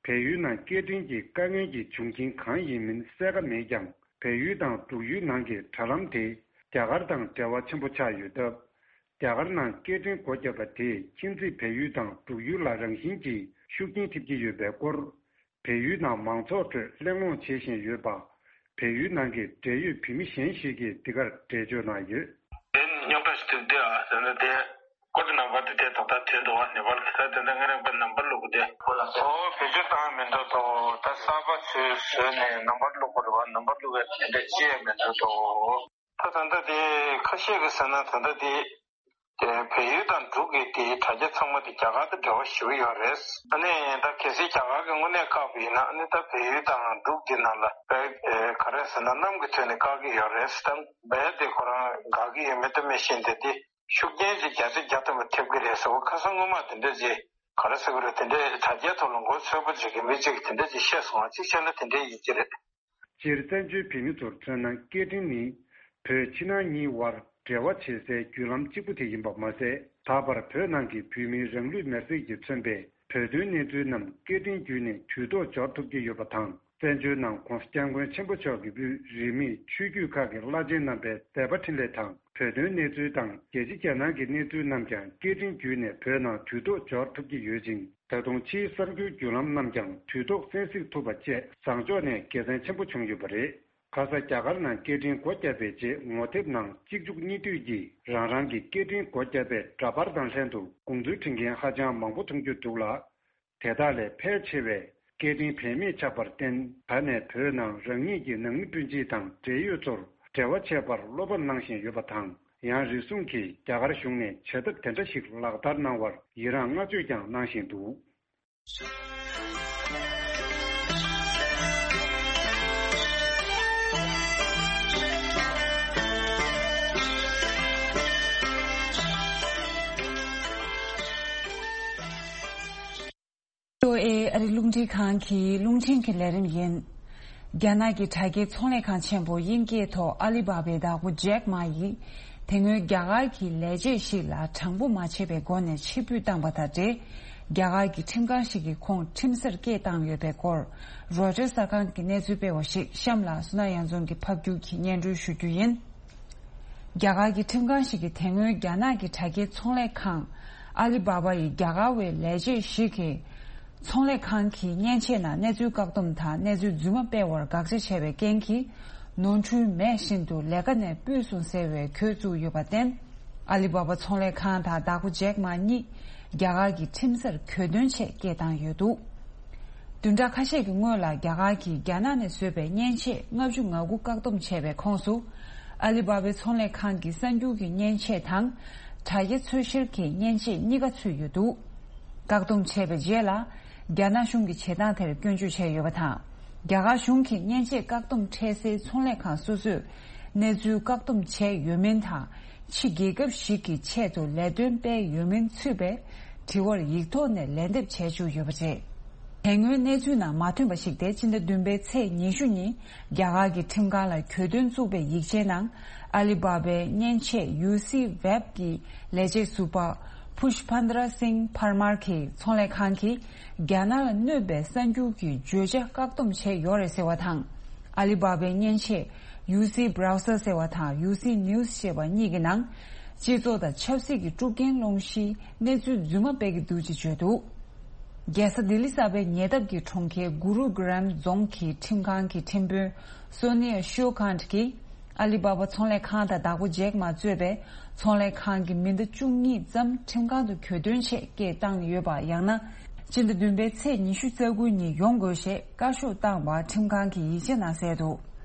བལ་ཡུལ་ནང་སྐད་འཕྲིན་གྱི་དཀའ་ངལ་གྱི་འབྱུང་རྐྱེན་གང་ཡིན་མིན་གསལ་ཁ་མེད་ཀྱང་། བལ་ཡུལ་དང་འབྲུག་ཡུལ་ནང་གི་དྲ་ལམ་དེ་རྒྱ་གར་དང་འབྲེལ་བ་ཆེན་པོ་ཆགས་ཡོད་སྟབས། རྒྱ་གར་ནང་སྐད་འཕྲིན་སྒོ་བརྒྱབ་པ་དེས་ཁྱིམ་མཚེས་བལ་ཡུལ་དང་འབྲུག་ཡུལ་ལ་རང་བཞིན་གྱིས་ཤུགས་རྐྱེན་ཐེབས་ཀྱི་ཡོད་པའི་སྐོར། བལ་ཡུལ་ནང་མང་ཚོགས་ཁྲོད་གླེང་སློང་བྱེད་བཞིན་ཡོད་པ། བལ་ཡུལ་ནང་གི་འབྲེལ་ཡོད་བོད་མི་གཞན་ཞིག་གིས་འདི་གར་འགྲེལ་བརྗོད་གནང་ཡོད། དེ་རྙོག་དྲ་ཞིག་ཐེབས་དུས་ཨ་ཟེར་ན། དེ་ཀོཌ་ནམ་བར་དེ་དེ་ད་ལྟ་ཐོན་འདུག་བ། ནེ་པཱལ་གི་ད་དེ་འདྲ་ང་རང་པའི་ནམ་བར་བླུགས་དེ། ཨོ་བེད་སྤྱོད་བཏང་མི་འདུག་དོ། ད་གསར་པ་ཚུར་བཟོས་ནས་ནམ་བར་བླུགས་དགོས་རེད་བ། ནམ་བར་བླུགས་པའི་དེ་འདྲ་ཅི་ཡང་མི་འདུག་དོ། ད་ད་ལྟ་དེ་ཁ་ཤས་ཀྱིས་ཟེར་ན། ད་ལྟ་དེ་དེ་བལ་ཡུལ་དང་འབྲུག་གི་དེའི་དྲ་རྒྱ་ཚང་མ་དེ་རྒྱ་གར་དང་འབྲེལ་བ་ཞེ་པོ་ཡོད་རེད། ཨ་ནི་ད་གལ་སྲིད་རྒྱ་གར་གྱིས་དངོས་གནས་བཀག་པ་ཡིན་ན། ཨ་ནི་ད་བལ་ཡུལ་དང་འབྲུག་གི་ནང་ལ་དཔེ་ག་རེ་ཟེར་ན། གནམ་གྱི་ཐོག་ནས་བཀག་གི་ཡོད་རེད། ད་བལ་དེ་ཁོ་རང་དགའ་གི་ཡོད་མེད་དེ་མི་ཤེས། དེ་དེ་ཤུགས་རྐྱེན་ཅིག་བརྒྱ་ཆ་བརྒྱ་ཐམ་པ་ཐེབས་ཀྱི་རེད་ཟེར་བ། ཁ་སང་སྔོན་མ་དེ་འདྲ་ཅིག་ག་རེ་ཟེར་དགོས་རེད། དེ་འདྲའི་དྲ་རྒྱའི་ཐོག་ལ་མགོ་ཚོས་པོ་ཅིག་གི་མི་ཅིག་གིས་དེ་འདྲ་ཅིག་བཤད་སོང་བ། གཅིག་བྱས་ན་དེ་འདྲའི་ཡིན་གྱི་རེད། སྤྱིར་བཙན་བྱོལ་བོད་མི་ཚོར་མཚོན་ན། སྐད་འཕྲིན་ནི་བོད་ཕྱི་ནང་གཉིས་དབར་འབྲེལ་བ་བྱེད་སའི་བརྒྱུད་ལམ་གཅིག་པུ་དེ་ཡིན་པ་མ་ཟད། ད་བར་བོད་ནང་གི་བོད་མིའི་རང་ལུས་མེར་སྲེག་གིས་མཚོན་པའི་བོད་དོན་གནས་ཚུལ་རྣམས་སྐད་འཕྲིན་བརྒྱུད་ནས་དུས་ཐོག་འབྱོར་ཐུབ་ཀྱི་ཡོད་པ་དང་། བཙན་བྱོལ་ནང་༧གོང་ས་༧སྐྱབས་མགོན་ཆེན་པོ་མཆོག་གི་དབུས་རིས་མེད་ཆོས་བརྒྱུད་ཁག་གི་བླ་ཆེན་རྣམ་པའི་མཛད་པ་འཕྲིན་ལས་དང་། བོད་དོན་གནས་ཚུལ་དང་རྒྱལ་སྤྱི་རྒྱལ་ནང་གི་གནས་ཚུལ་རྣམས་ཀྱང་སྐད་འཕྲིན་བརྒྱུད་ནས་བོད་ནང་དུས་ཐོག་འབྱོར་ཐུབ་ཀྱི་ཡོད་ཅིང་། ད་དུང་ཕྱིའི་གསར་འགྱུར་བརྒྱུད་ལམ་རྣམས་ཀྱང་དུས་ཐོག་གསན་གཟིགས་ཐུབ་པ་བཅས་བཟང་ཕྱོགས་ནས་དགེ་མཚན་ཆེན་པོ་བྱུང་ཡོད་པ་རེད། ཁ་ས་རྒྱ་གར་ནང་སྐད་འཕྲིན་སྒོ་བརྒྱབ་པའི་རྗེས། ངོ་དེབ་ནང་གཅིག་མཇུག་གཉིས་མཐུད་ཀྱིས་རང་རང་གི་སྐད་འཕྲིན་སྒོ་བརྒྱབ་པའི་འདྲ་པར་དང་ལྷན་དུ་དགོངས་ཚུལ་འབྲི་མཁན་ཧ་ཅང་མང་པོ་མཐོང་རྒྱུ་འདུག་ལ། དེ་དག་ལས་ཕལ་ཆེ་བས་ སྐད་འཕྲིན་བེད་མེད་ཆགས་པར་བརྟེན། ད་ནས་བོད་ནང་རང་ཉིད་ཀྱི་ནང་མི་སྤུན་མཆེད་དང་འབྲེལ་ཡོད་ཚོར་འབྲེལ་བ་བྱེད་པར་བློ་ཕམ་གནང་བཞིན་ཡོད་པ་དང་། ཡང་རེ་ཟུང་གིས་རྒྱ་གར་གཞུང་ནས་བྱ་ཐབས་དེ་འདྲ་ཞིག་ལག་བསྟར་གནང་བར་ཡི་རངས་བསྔགས་བརྗོད་ཀྱང་གནང་བཞིན་འདུག། ཨེ་ཨ་རི་རླུང་འཕྲིན་ཁང་གི་རླུང་འཕྲིན་གྱི་ལས་རིམ་ཡིན། རྒྱ་ནག་གི་དྲ་རྒྱའི་ཚོང་ལས་ཁང་ཆེན་པོ་དབྱིན་སྐད་ཐོག་ཨ་ལི་བྷ་བའི་བདག་པོ་ཇེག་མ་ཡིས། དེ་སྔོན་རྒྱ་གར་གྱི་ལས་བྱེད་ཞིག་ལ་དྲང་པོ་མ་བྱས་པའི་སྒོ་ནས་ཕྱིར་འབུད་བཏང་པ་དང་འབྲེལ། རྒྱ་གར་གྱི་ཁྲིམས་ཁང་ཞིག་གིས་ཁོང་ཁྲིམས་སར་སྐད་བཏང་ཡོད་པའི་སྐོར། རོའི་ཊར་གསར་ཁང་གི་གནས་ཚུལ་སྤེལ་བ་ཞིག་གཤམ་ལ་བསོད་ནམས་གཡང་འཛོམས་ཀྱིས་ཕབ་སྒྱུར་གྱིས་སྙན་སྒྲོན་ཞུ་རྒྱུ་ཡིན། རྒྱ་གར་གྱི་ཁྲིམས་ཁང་ཞིག་གིས་དེ་སྔོན་རྒྱ་ནག་གི་དྲ་རྒྱའི་ཚོང་ལས་ཁང་ཨ་ལི་བྷ་བྷ་ཡི་རྒྱ་གར་བའི་ལས་བྱེད་ཞིག་གིས། ཚོང་ལས་ཁང་གི་མཉེན་ཆས་ནང་གནས་ཚུལ་བཀག་སྡོམ་དང་གནས་ཚུལ་རྫུན་མ་སྤེལ་བར་དགག་བྱ་བྱས་པའི་རྐྱེན་གྱིས། ནོར་འཁྲུལ་མེད་བཞིན་དུ་ལས་ཀ་ནས་ཕུད་སོང་ཟེར་བའི་གྱོད་བཙུགས་ཡོད་པར་བརྟེན། ཨ་ལི་བྷ་བྷ་ཚོང་ལས་ཁང་དང་བདག་པོ་ཇེག་མ་གཉིས་རྒྱ་གར་གྱི་ཁྲིམས་སར་གྱོད་དོན་ཆེད་སྐད་བཏང་ཡོད་འདུག། བདུན་ཕྲག་ཁ་ཤས་ཀྱི་སྔོན་ལ་རྒྱ་གར་གྱིས་རྒྱ་ནག་ནས་བཟོས་པའི་མཉེན་ཆས་ལྔ་བཅུ་ང་དགུ་བཀག་སྡོམ་བྱས་པའི་ཁོངས་སུ། ཨ་ལི་བྷ་བྷའི་ཚོང་ལས་ཁང་གི་གསར་འགྱུར་གྱི་མཉེན་ཆས་དང་། དྲ་རྒྱ་འཚོལ་བཤེར་གྱི་མཉེན་ཆས་གཉིས་ཀ་ཚུད་ཡོད་འདུག། བཀག་སྡོམ་བྱས་པའི་རྗེས་ལ། རྒྱ་ནག་གཞུང་གིས་བྱེད་སྟངས་དེར་སྐྱོན་བརྗོད་བྱས་ཡོད་པ་དང་། རྒྱ་གར་གཞུང་གིས་མཉེན་ཆས་བཀག་སྡོམ་འཕྲལ་སེལ་ཚོང་ལས་ཁང་སོ་སོས་གནས་ཚུལ་བཀག་སྡོམ་བྱས་ཡོད་མིན་དང་། ཕྱི་རྒྱལ་ཁབ་ཞིག་གི་ཆེད་དུ་ལས་དོན་སྤེལ་ཡོད་མིན་ཚུད་པའི་དྲི་བར་ཡིག་ཐོག་ནས་ལན་འདེབས་བྱས་བཅུག་ཡོད་པ་རེད། དེ་སྔོན་གནས་ཚུལ་ནང་མ་ཐོན་པ་ཞིག་སྟེ། སྤྱི་ཟླ་བདུན་པའི་ཚེས་ཉི་ཤུ་ཉིན་རྒྱ་གར་གྱི་ཁྲིམས་ཁང་ལ་གྱོད་དོན་བཙུགས་པའི་ཡིག་ཆའི་ནང་། ཨ་ལི་བྷ་བྷའི་མཉེན་ཆས་ཡུ་སི་ཝེབ་ཀྱི་ལས་བྱེད་ཟུར་པ་ཕུཤ་ཕན་དྲ་སིང་ཕར་མར་གྱིས་ཚོང་ལས་ཁང་གིས་རྒྱ་ནག་ལ་གནོད་པའི་གསར་འགྱུར་གྱི་བརྗོད་བྱ་བཀག་སྡོམ་བྱས་ཡོད་རེད་ཟེར་བ་དང་། ཨ་ལི་བྷ་བྷའི་མཉེན་ཆས་ཡུ་སི་བྷ་རའུ་སར་ཟེར་བ་དང་ཡུ་སི་ནིའུ་སི་ཞེས་པ་གཉིས་ཀྱི་ནང་། སྤྱི་ཚོགས་དང་ཆབ་སྲིད་ཀྱི་དཀྲུག་རྐྱེན་སློང་གཞིའི་གནས་ཚུལ་རྫུན་མ་སྤེལ་གྱི་འདུག་ཅེས་བརྗོད་འདུག། རྒྱལ་ས་ལྡི་ལི་གསར་པའི་ཉེ་འདབས་ཀྱི་གྲོང་ཁྱེར་གུ་རུ་གྷ་རམ་རྫོང་གི་ཁྲིམས་ཁང་གི་ཁྲིམས་དཔོན་སོ་ནི་ཡ་ཤོ་ཁཱན་གྱིས། ཨ་ལི་བྷ་བྷ་ཚོང་ལས་ཁང་དང་བདག་པོ་ཇེག་མ་གཙོས་པའི་ཚོང་ལས་ཁང་གི་མི་སྣ་བཅུ་གཉིས་ཙམ་ཁྲིམས་ཁང་དུ་གྱོད་དོན་ཆེད་སྐད་བཏང་ཡོད་པ། ཡང་ན་སྤྱི་ཟླ་བདུན་པའི་ཚེས་ཉི་ཤུ་རྩ་དགུ་ཉིན་ཡོང་དགོས་ཞེས་བཀའ་ཤོག་བཏང་བ་ཁྲིམས་ཁང་གི་ཡིག་ཆ་ནང་གསལ་འདུག།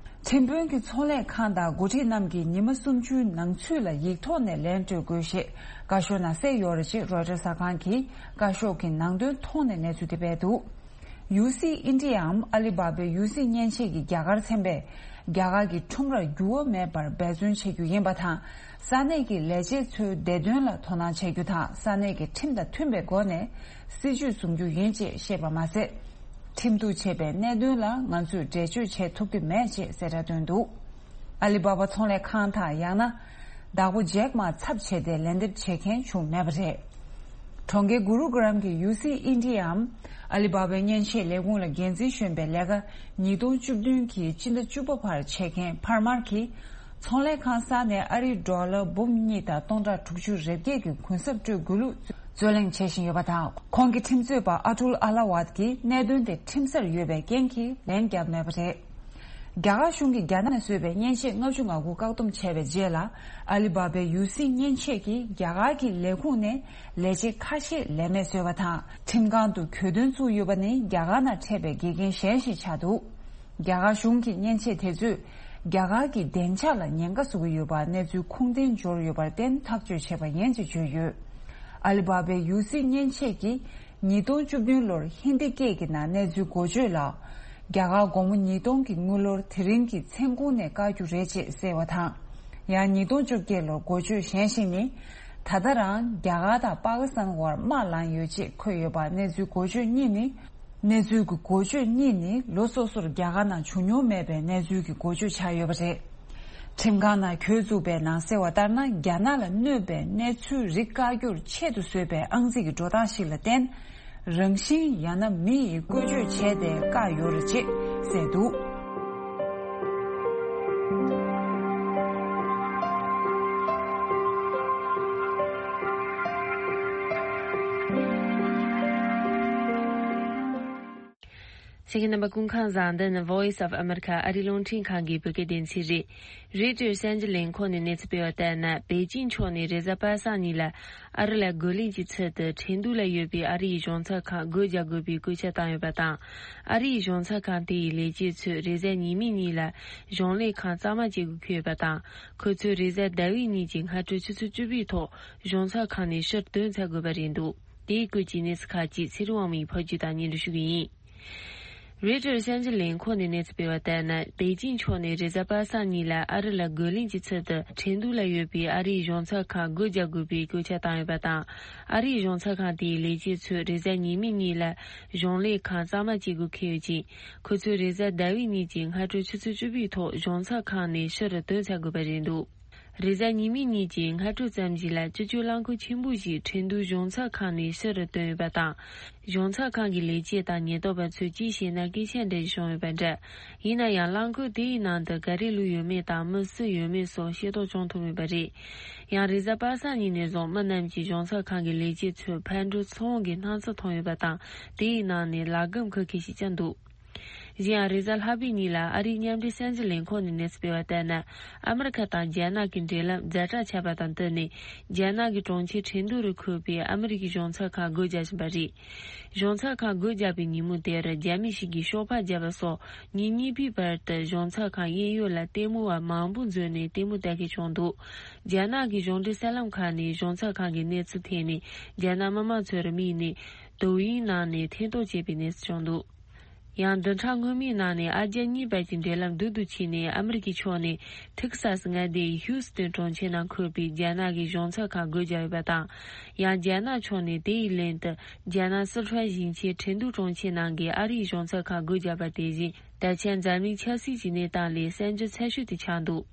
ཁྲིམས་དཔོན་གྱིས་ཚོང་ལས་ཁང་དང་འགོ་ཁྲིད་རྣམས་ཀྱིས་ཉི་མ་སུམ་ཅུའི་ནང་ཚུད་ལ་ཡིག་ཐོག་ནས་ལན་སྤྲོད་དགོས་ཞེས་བཀའ་ཤོག་ནང་གསལ་ཡོད་རེད་ཅེས་རོའི་ཊར་གསར་ཁང་གིས་བཀའ་ཤོག་གི་ནང་དོན་ཐོག་ནས་གནས་ཚུལ་དེ་སྤེལ་འདུག། ཡུ་སི་ཨིན་ཌི་ཡའམ་ཨ་ལི་བྷ་བྷའི་ཡུ་སི་མཉེན་ཆས་ཀྱི་རྒྱ་གར་ཚན་པས་རྒྱ་གར་གྱི་ཁྲོམ་རར་འགྱུར་བ་མེད་པར་འབད་བརྩོན་བྱེད་རྒྱུ་ཡིན་པ་དང་། ས་གནས་ཀྱི་ལས་བྱེད་ཚོའི་བདེ་དོན་ལ་དོ་སྣང་བྱེད་རྒྱུ་དང་། ས་གནས་ཀྱི་ཁྲིམས་དང་མཐུན་པའི་སྒོ་ནས་སྲིད་ཇུས་བཟུང་རྒྱུ་ཡིན་ཅེས་བཤད་པ་མ་ཟད། ཁྲིམས་གཏུག་བྱས་པའི་གནད་དོན་ལ་ང་ཚོས་འགྲེལ་བརྗོད་བྱེད་ཐུབ་ཀྱི་མེད་ཅེས་གསལ་བསྒྲགས་བཏོན་འདུག། ཨ་ལི་བྷ་བྷ་ཚོང་ལས་ཁང་དང་ཡང་ན་བདག་པོ་ཇེག་མ་ཚབ་བྱས་ཏེ་ལན་འདེབས་བྱེད་མཁན་བྱུང་མེད་པ་རེད། གྲོང་ཁྱེར་གུ་རུ་གྷ་རམ་གྱི་ཡུ་སི་ཨིན་ཌི་ཡའམ་ཨ་ལི་བྷ་བྷའི་མཉེན་ཆས་ལས་ཁུངས་ལ་འགན་འཛིན་གཞོན་པའི་ལས་ཀ་ཉིས་སྟོང་བཅུ་བདུན་གྱི་སྤྱི་ཟླ་བཅུ་པ་བར་བྱེད་མཁན་ཕར་མར་གྱིས། ཚོང་ལས་ཁང་གསར་ནས་ཨ་རིའི་ཌོ་ལར་འབུམ་གཉིས་དང་སྟོང་ཕྲག་དྲུག་ཅུ་རེ་བརྒྱད་ཀྱི་གུན་གསབ་སྤྲོད་དགོས་ལུགས་རྩོད་གླེང་བྱེད་བཞིན་ཡོད་པ་དང་། ཁོང་གི་ཁྲིམས་རྩོད་པ་ཨ་ཏུལ་ཨ་ལ་ཝད་ཀྱིས་གནད་དོན་དེ་ཁྲིམས་སར་ཡོད་པའི་རྐྱེན་གྱིས་ལན་བརྒྱབ་མེད་པ་རེད། རྒྱ་གར་གཞུང་གིས་རྒྱ་ནག་ནས་བཟོས་པའི་མཉེན་ཆས་ལྔ་བཅུ་ང་དགུ་བཀག་སྡོམ་བྱས་པའི་རྗེས་ལ། ཨ་ལི་བྷ་བྷའི་ཡུ་སི་མཉེན་ཆས་ཀྱིས་རྒྱ་གར་གྱི་ལས་ཁུངས་ནས་ལས་བྱེད་ཁ་ཤས་ལས་མེད་བཟོས་པ་དང་། ཁྲིམས་ཁང་དུ་གྱོད་དོན་བཙུགས་ཡོད་པ་ནི་རྒྱ་གར་ནང་འཕྲད་པའི་འགལ་རྐྱེན་གཞན་ཞིག་ཆགས་འདུག། རྒྱ་གར་གཞུང་གི་མཉེན་ཆས་དེ་ཚོས་རྒྱ་གར་གྱི་བདེ་འཇགས་ལ་ཉེན་ཁ་བཟོ་གི་ཡོད་པ་གནས་ཚུལ་ཁུངས་ལྡན་འབྱོར་ཡོད་པར་བརྟེན་ཐག་གཅོད་བྱས་པ་ཡིན་ཅེས་བརྗོད་ཡོད། ཨ་ལི་བྷ་བྷའི་ཡུ་སི་མཉེན་ཆས་ཀྱིས་ཉིས་སྟོང་བཅུ་བདུན་ལོར་ཧིན་དི་སྐད་ཀྱི་ནང་གནས་ཚུལ་འགོ་བརྗོད་ལ། རྒྱ་གར་དགོང་མོ་ཉིས་སྟོང་གི་དངུལ་ལོར་དེ་རིང་གི་མཚན་གུང་ནས་བཀག་རྒྱུ་རེད་ཅེས་གསལ་བ་དང་། ཡང་ཉིས་སྟོང་བཅོ་བརྒྱད་ལོར་འགོ་བརྗོད་གཞན་ཞིག་ནི། ད་ལྟ་རང་རྒྱ་གར་དང་པ་ཀི་སི་ཐན་བར་དམག་ལངས་ཡོད་ཅེས་འཁོད་ཡོད་པ་གནས་ཚུལ་འགོ་བརྗོད་གཉིས་ནི། གནས་ཚུལ་གྱི་འགོ་བརྗོད་གཉིས་ནི་ལོ་སོ་སོར་རྒྱ་གར་ནང་བྱུང་མྱོང་མེད་པའི་གནས་ཚུལ་གྱི་འགོ་བརྗོད་ཆགས་ཡོད་པ་རེད། ཁྲིམས་ཁང་ནང་གྱོད་བཙུགས་པའི་ནང་གསལ་བ་ལྟར་ན། རྒྱ་ནག་ལ་གནོད་པའི་གནས་ཚུལ་རིགས་བཀག་རྒྱུར་ཆེད་དུ་བཟོས་པའི་ཨང་རྩིས་ཀྱི་འགྲོ་སྟངས་ཤིག་ལ་བརྟེན། རང་བཞིན་ཡང་ན་མི་ཡིས་བཀོལ་སྤྱོད་བྱས་ཏེ་བཀག་ཡོད་རེད་ཅེས་གསལ་འདུག། ཁྱེད་ཀྱི་རྣམ་པ་སྐུ་ཁམས་བཟང་། འདི་ནི་Voice of America ཨ་རིའི་རླུང་འཕྲིན་ཁང་གི་བོད་སྐད་སྡེ་ཚན་རེད། རོའི་ཊར་གསར་འགྱུར་ལས་ཁུངས་ནས་གནས་ཚུལ་སྤེལ་བ་ལྟར་ན། པེ་ཅིང་ཕྱོགས་ནས་རེས་གཟའ་པ་སངས་ཉིན་ལ་ཨ་རི་ལ་རྒོལ་ལན་གྱི་ཚུལ་དུ་ཁྲིན་ཏུའུ་ལ་ཡོད་པའི་ཨ་རིའི་གཞུང་ཚབ་ཁང་སྒོ་རྒྱག་དགོས་པའི་བཀོད་ཁྱབ་བཏང་ཡོད་པ་དང་། ཨ་རིའི་གཞུང་ཚབ་ཁང་དེའི་ལས་བྱེད་ཚོས་རེས་གཟའ་ཉི་མའི་ཉིན་ལ་གཞུང་ལས་ཁང་གཙང་མ་བྱེད་དགོས་འཁོད་ཡོད་པ་དང་། ཁོ་ཚོས་རེས་གཟའ་ཟླ་བའི་ཉིན་གྱི་སྔ་དྲོ་ཆུ་ཚོད་བཅུ་པའི་ཐོག་གཞུང་ཚབ་ཁང་ནས་ཕྱིར་ཐོན་ཚར་དགོས་པ་རེད་འདུག་དེའི་སྐོར་གྱི་གནས་ཚུལ་ཁག་ཅིག་ཚེ་རིང་དབང་མོས་ཕབ་སྒྱུར་དང་སྙན་སྒྲོན་ཞུ་གི་ཡིན། རོའི་ཊར་གསར་འགྱུར་ལས་ཁུངས་ནས་གནས་ཚུལ་སྤེལ་བ་ལྟར་ན། པེ་ཅིང་ཕྱོགས་ནས་རེས་གཟའ་པ་སངས་ཉིན་ལ་ཨ་རི་ལ་རྒོལ་ལན་གྱི་ཚུལ་དུ་ཁྲིན་ཏུའུ་ལ་ཡོད་པའི་ཨ་རིའི་གཞུང་ཚབ་ཁང་སྒོ་རྒྱག་དགོས་པའི་བཀོད་ཁྱབ་བཏང་ཡོད་པ་དང་། ཨ་རིའི་གཞུང་ཚབ་ཁང་དེའི་ལས་བྱེད་ཚོས་རེས་གཟའ་ཉི་མའི་ཉིན་ལ་གཞུང་ལས་ཁང་གཙང་མ་བྱེད་དགོས་འཁོད་ཡོད་ཅིང་། ཁོ་ཚོས་རེས་གཟའ་ཟླ་བའི་ཉིན་གྱི་སྔ་དྲོ་ཆུ་ཚོད་བཅུ་པའི་ཐོག་གཞུང་ཚབ་ཁང་ནས་ཕྱིར་ཐོན་ཚར་དགོས་པ་རེད་འདུག་རེས་གཟའ་ཉི་མའི་ཉིན་གྱི་སྔ་དྲོ་ཙམ་ཞིག་ལ་སྤྱི་སྤྱོད་རླངས་འཁོར་ཆེན་པོ་ཞིག་ཁྲིན་ཏུའུ་གཞུང་ཚབ་ཁང་ནས་ཕྱིར་བཏོན་ཡོད་པ་དང་། གཞུང་ཚབ་ཁང་གི་ལས་བྱེད་དང་ཉེན་རྟོག་པ་ཚོས་གཅིག་བྱས་ན་སྐད་ཆ་འདྲ་ཞིག་བྱུང་ཡོད་པ་འདྲ། ཡིན་ན་ཡང་རླངས་འཁོར་དེའི་ནང་དུ་ག་རེ་བླུགས་ཡོད་མེད་དང་མི་སུ་ཡོད་མེད་སོགས་ཤེས་རྟོགས་བྱུང་ཐུབ་མེད་པ་རེད། ཡང་རེས་གཟའ་པ་སངས་ཉིན་ནས་བཟུང་མི་རྣམས་ཀྱིས་གཞུང་ཚབ་ཁང་གི་ལས་བྱེད་ཚོས་ཕར་འགྲོ་ཚུར་འོང་གི་སྣང་ཚུལ་མཐོང་ཡོད་པ་དང་། དེའི་ནང་ནས་ལག་སྒམ་འཁུར་མཁན་ཞིག་ཀྱང་འདུག་གཞན་ཡང་རེས་གཟའ་ལྷག་པའི་ཉིན་ལ་ཨ་རིའི་མཉམ་འབྲེལ་གསར་འགྱུར་ལས་ཁུངས་ནས་གནས་ཚུལ་སྤེལ་བ་ལྟར་ན། ཨ་མི་རི་ཁ་དང་རྒྱ་ནག་གི་འབྲེལ་ལམ་ཛ་དྲག་ཆགས་པ་དང་བསྟུན་ནས། རྒྱ་ནག་གི་གྲོང་ཁྱེར་ཁྲིན་ཏུའུ་རུ་འཁོད་པའི་ཨ་མི་རི་ཀའི་གཞུང་ཚབ་ཁང་སྒོ་རྒྱག་བཞིན་པ་རེད། གཞུང་ཚབ་ཁང་སྒོ་རྒྱག་པའི་ཉིན་མོ་དེར་རྒྱ་མི་ཞིག་གིས་ཤོག་སྦག་བརྒྱབ་པ་སོགས་ཉིན་གཉིས་པའི་བར་དུ་གཞུང་ཚབ་ཁང་གཡས་གཡོན་ལ་ལྟད་མོ་བ་མང་པོ་འཛོམས་ནས་ལྟད་མོ་ལྟ་མཁན་བྱུང་འདུག་རྒྱ་ནག་གི་གཞུང་འབྲེལ་གསར་ལམ་ཁག་ནས་གཞུང་ཚབ་ཁང་གི་གནས་ཚུལ་ཐད་ནས་རྒྱ་ནག་མི་མང་ཚོར་དམིགས་ནས་ཏོའུ་ཡིན་ནང་ནས་ཐེར་གཏོང་བྱས་པའི་གནས་ཚུལ་བྱུང་འདུག་ཡང་བདུན་ཕྲག་སྔོན་མའི་ནང་ནས་ཨ་རྒྱ་གཉིས་བར་གྱི་འབྲེལ་ལམ་སྡུག་ཏུ་ཕྱིན་ནས། ཨ་མི་རི་ཀའི་ཕྱོགས་ནས་ཐེག་སཱ་སི་མངའ་སྡེའི་ཧིའུ་སི་ཏོན་གྲོང་ཁྱེར་ནང་འཁོད་པའི་རྒྱ་ནག་གི་གཞུང་ཚབ་ཁང་སྒོ་བརྒྱབ་ཡོད་པ་དང་། ཡང་རྒྱ་ནག་ཕྱོགས་ནས་དེའི་ལན་དུ་རྒྱ་ནག་སི་ཁྲོན་ཞིང་ཆེན་ཁྲིན་ཏུའུ་གྲོང་ཁྱེར་ནང་གི་ཨ་རིའི་གཞུང་ཚབ་ཁང་སྒོ་བརྒྱབ་པ་དེ་བཞིན། ད་ཆ་འཛམ་གླིང་ཆབ་སྲིད་ཀྱི་གནས་སྟངས་ལས་གསར་འགྱུར་ཚ་ཤོས་དེ་ཆགས་འདུག་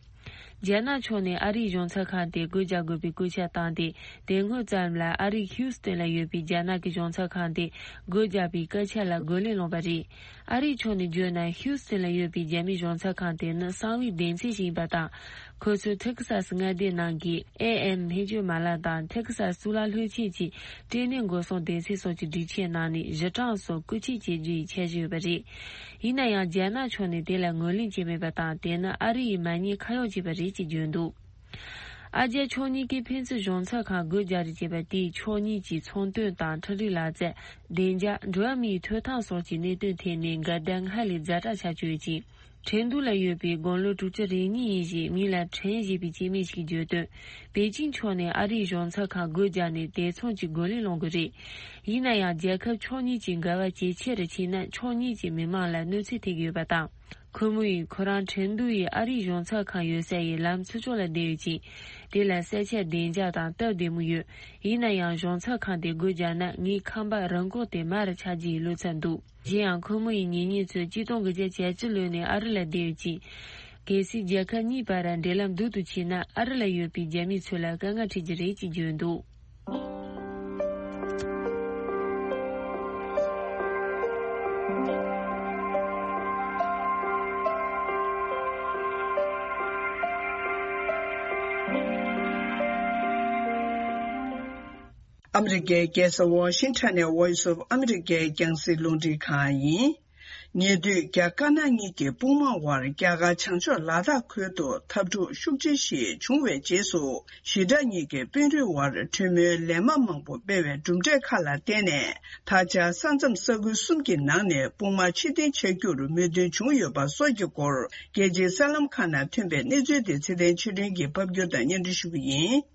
རྒྱ་ནག་ཕྱོགས་ནས་ཨ་རིའི་གཞུང་ཚབ་ཁང་དེ་སྒོ་རྒྱག་དགོས་པའི་བཀོད་ཁྱབ་བཏང་སྟེ། དེ་སྔོན་ཙམ་ལ་ཨ་རིའི་ཧིའུ་སི་ཏོན་ལ་ཡོད་པའི་རྒྱ་ནག་གི་གཞུང་ཚབ་ཁང་དེ་སྒོ་རྒྱག་པའི་བཀའ་ཁྱབ་ལ་རྒོལ་ལན་སློང་བ་རེད། ཨ་རིའི་ཕྱོགས་ནས་བརྗོད་ན། ཧིའུ་སི་ཏོན་ལ་ཡོད་པའི་རྒྱ་མིའི་གཞུང་ཚབ་ཁང་དེ་ནི་གསང་བའི་སྡེ་ཚན་ཞིག་ཡིན་པ་དང་། ཁོ་ཚོས་ཐེག་སཱ་སི་མངའ་སྡེ་ནང་གི་ཨེ་ཨེམ་སྨན་བཅོས་མ་ལག་དང་། ཐེག་སཱ་སི་གཙུག་ལག་སློབ་ཆེན་གྱི་སྐྲན་ནད་འགོག་སྲུང་སྡེ་ཚན་སོགས་ཀྱི་སྒྲིག་ཆས་ནང་ནས་གཞི་གྲངས་སོགས་རྐུ་འཁྱེར་བྱེད་རྒྱུ་ཡི་འཆར་གཞི་ཡོད་པ་རེད། ཡིན་ན་ཡང་རྒྱ་ནག་ཕྱོགས་ནས་དེ་ལ་ངོས་ལེན་བྱས་མེད་པ་དང་། དེ་ནི་ཨ་རི་ཡིས་མ་ཉེས་ཁ་གཡོགས་བྱས་པ་རེད་ཅེས་བརྗོད་འདུག་ཨ་རྒྱ་ཕྱོགས་གཉིས་ཀས་ཕན་ཚུན་གཞུང་ཚབ་ཁང་སྒོ་རྒྱག་རེས་བྱས་པ་དེས་ཕྱོགས་གཉིས་ཀྱི་ཚོང་དོན་དང་འཕྲུལ་རིག་ལག་རྩལ། བདེ་འཇགས། འགྲོ་བ་མིའི་ཐོབ་ཐང་སོགས་ཀྱི་གནད་དོན་ཐད་ནས་འགལ་ཟླ་སྔར་ལས་ཛ་དྲག་ཆགས་བཅུག་ཡོད་ཅིང་། ཁྲིན་ཏུའུ་ལ་ཡོད་པའི་དགུང་ལོ་དྲུག་ཅུ་རེ་གཉིས་ཡིན་ཞེས་མིང་ལ་ཁྲིན་ཞེས་པའི་སྐྱེ་དམན་ཞིག་གིས་བརྗོད་དོན། པེ་ཅིང་ཕྱོགས་ནས་ཨ་རིའི་གཞུང་ཚབ་ཁང་སྒོ་རྒྱག་ནས་དེ་མཚུངས་ཀྱི་རྒོལ་ལན་སློང་དགོས་རེད། ཡིན་ན་ཡང་རྒྱལ་ཁབ་ཕྱོགས་གཉིས་ཀྱི་འགལ་བ་ཇེ་ཆེ་རུ་ཕྱིན་ན། ཕྱོགས་གཉིས་ཀྱི་མི་མང་ལ་གནོད་འཚེ་ཐེབས་ཀྱི་ཡོད་པ་དང་། ཁོ་མོ་ཡིས་ཁོ་རང་ཁྲིན་ཏུའུ་ཡི་ཨ་རིའི་གཞུང་ཚབ་ཁང་ཡོད་ས་ཡི་ལམ་ཚུར་ཕྱོགས་ལ་བསྡད་ཡོད་ཅིང་། དེ་ལ་ས་ཆ་བདེ་འཇགས་དང་སྟབས་བདེ་མོ་ཡོད། ཡིན་ན་ཡང་གཞུང་ཚབ་ཁང་དེ་སྒོ་རྒྱག་ན་ངའི་ཁང་པ་རང་འགུལ་ཏེ་མར་ཆག་རྒྱུ་ཡི་བློ་འཚབ་འདུག་གཞན་ཡང་ཁོ་མོ་ཡི་གཉེན་ཉེ་ཚོས་གཅིག་སྟོང་དགུ་བརྒྱ་གྱ་གཅིག་ལོན་ནས་ཨ་རི་ལ་བསྡད་ཡོད་ཅིང་། གལ་སྲིད་རྒྱལ་ཁབ་གཉིས་བར་འབྲེལ་ལམ་སྡུག་ཏུ་ཕྱིན་ན། ཨ་རི་ལ་ཡོད་པའི་རྒྱ་མི་ཚོ་ལ་དཀའ་ངལ་འཕྲད་ཀྱི་རེད་ཅེས་བརྗོད་འདུག་ཨ་མི་རི་ཀའི་རྒྱལ་ས་ཝོ་ཤིང་ཊོན་ནས་Voice of America་རྒྱང་སྲིང་རླུང་འཕྲིན་ཁང་ཡིན། ཉེ་དུས་རྒྱ་དཀར་ནག་གཉིས་ཀྱི་དཔུང་དམག་དབར་རྒྱ་གར་བྱང་ཕྱོགས་ལ་དྭགས་ཁུལ་དུ་འཐབ་འཁྲུག་ཤུགས་ཆེ་ཞིག་བྱུང་བའི་རྗེས་སུ། ཞི་དྲག་གཉིས་ཀྱི་དཔོན་རིགས་དབར་གྲོས་མོལ་ལན་མ་མང་པོ་སྤེལ་བའི་གྲུབ་འབྲས་ཁག་ལ་བརྟེན་ནས། ད་ཆ་ས་མཚམས་ས་ཁུལ་གསུམ་གྱི་ནང་ནས་དཔུང་དམག་ཕྱིར་འཐེན་བྱ་རྒྱུར་མོས་མཐུན་བྱུང་ཡོད་པ་སོགས་ཀྱི་སྐོར། རྒྱལ་སྤྱིའི་གསར་ལམ་ཁག་ནང་ཐོན་པའི་གནས་ཚུལ་དེ་ཚེ་བརྟན་ཆོས་སྒྲོན་གྱིས་ཕབ་སྒྱུར་དང་སྙན་སྒྲོན་ཞུ་གི་ཡིན།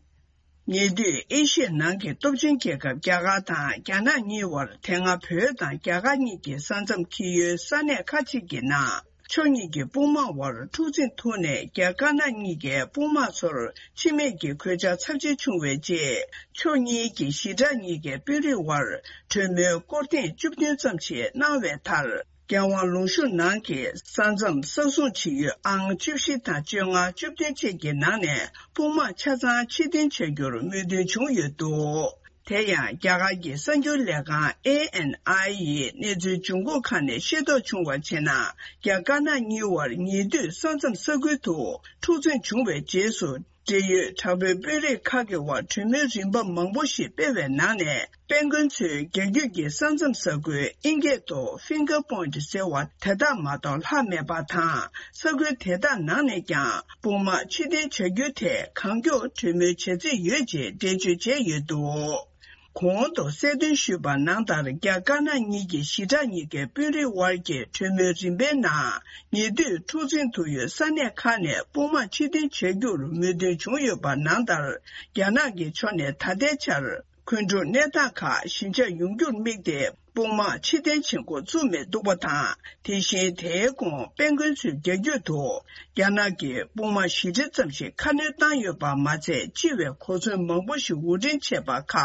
ཉེ་དུས་ཨེ་ཤི་ཡའི་ནང་གི་སྟོབས་ཆེན་རྒྱལ་ཁབ་རྒྱ་གར་དང་རྒྱ་ནག་གཉིས་དབར། དེ་སྔ་བོད་དང་རྒྱ་གར་གཉིས་ཀྱི་ས་མཚམས་འཁེལ་ཡུལ་ས་གནས་ཁག་ཅིག་གི་ནང་། ཕྱོགས་གཉིས་ཀྱི་དཔུང་དམག་དབར་འཁྲུག་འཛིང་ཐུག་ནས། རྒྱ་དཀར་ནག་གཉིས་ཀའི་དཔུང་དམག་ཚོར་འཆི་རྨས་ཀྱི་གོད་ཆག་ཚབས་ཆེ་བྱུང་བའི་རྗེས། ཕྱོགས་གཉིས་ཀྱི་ཞི་དྲག་གཉིས་ཀའི་དཔོན་རིགས་དབར་གྲོས་མོལ་སྐོར་ཐེངས་བཅུ་བདུན་ཙམ་ཞིག་གནང་བའི་མཐར། རྒྱལ་དབང་ལུང་གཤོང་ནང་གི་ས་མཚམས་ས་སྲུང་བྱེད་ཡུལ་ཨང་བཅུ་བཞི་དང་བཅོ་ལྔ། བཅུ་བདུན་བཅས་ཀྱི་ནང་ནས་དཔུང་དམག་ཆ་ཚང་ཕྱིར་འཐེན་བྱ་རྒྱུར་མོས་མཐུན་བྱུང་ཡོད་འདུག་དེ་ཡང་རྒྱ་གར་གྱི་གསར་འགྱུར་ལས་ཁང་ཨེ་ཨེན་ཨའི་ཡི་གནས་ཚུལ་འབྱུང་ཁུངས་ཁག་ནས་ཤེས་རྟོགས་བྱུང་བར་བྱས་ན། རྒྱ་དཀར་ནག་གཉིས་དབར་ཉེ་དུས་ས་མཚམས་ས་ཁུལ་དུ་འཁྲུག་འཛིང་བྱུང་བའི་རྗེས་སུ། འབྲེལ་ཡོད་དྲག་པོའི་དཔོན་རིགས་ཁག་གི་དབར་གྲོས་མོལ་རིམ་པ་མང་པོ་ཞིག་སྤེལ་བའི་ནང་ནས། དཔལ་མགོན་ཚོས་རྒྱ་བརྒྱུད་ཀྱི་ས་མཚམས་ས་ཁུལ་ཨིན་སྐད་དུ་Finger Point ཟེར་བ་དེ་དག་མ་གཏོགས་ལྷག་མེད་པ་དང་། ས་ཁུལ་དེ་དག་ནང་ནས་ཀྱང་དཔུང་དམག་ཕྱིར་འཐེན་བྱ་རྒྱུའི་ཐད་གང་མགྱོགས་གྲོས་མོལ་བྱ་རྩིས་ཡོད་ཅེས་འགྲེལ་བརྗོད་བྱས་ཡོད་འདུག། གོང་དུ་གསལ་སྟོན་ཞུས་པ་ནང་ལྟར། རྒྱ་དཀར་ནག་གཉིས་ཀྱི་ཞི་དྲག་གཉིས་ཀའི་དཔོན་རིགས་དབར་གྱི་གྲོས་མོལ་རིམ་པའི་ནང་། ཉེ་དུས་འཁྲུག་འཛིང་དུ་ཡོད་ས་གནས་ཁག་ནས་དཔུང་དམག་ཕྱིར་འཐེན་བྱ་རྒྱུར་མོས་མཐུན་བྱུང་ཡོད་པ་ནང་ལྟར། རྒྱ་ནག་གི་ཕྱོགས་ནས་ད་ལྟའི་ཆར། འགོན་སྒྲུབ་གནས་སྟངས་ཁག་ཞི་འཇགས་ཡོང་རྒྱུར་དམིགས་ཏེ། དཔུང་དམག་ཕྱིར་འཐེན་བྱེད་འགོ་བཙུགས་མི་འདུག་པ་དང་། དེ་བཞིན་དེའི་གོང་དཔལ་མགོན་ཚོས་རྒྱ་བརྒྱུད་དུ་རྒྱ་ནག་གི་དཔུང་དམག་ཞི་འགྲིག་ཙམ་ཞིག་ཁ་སྣོན་བཏང་ཡོད་པ་མ་ཚད། སྤྱི་བའི་གོ་མཚོན་མང་པོ་ཞིག་དབོར་འདྲེན་བྱས་པ་ཁག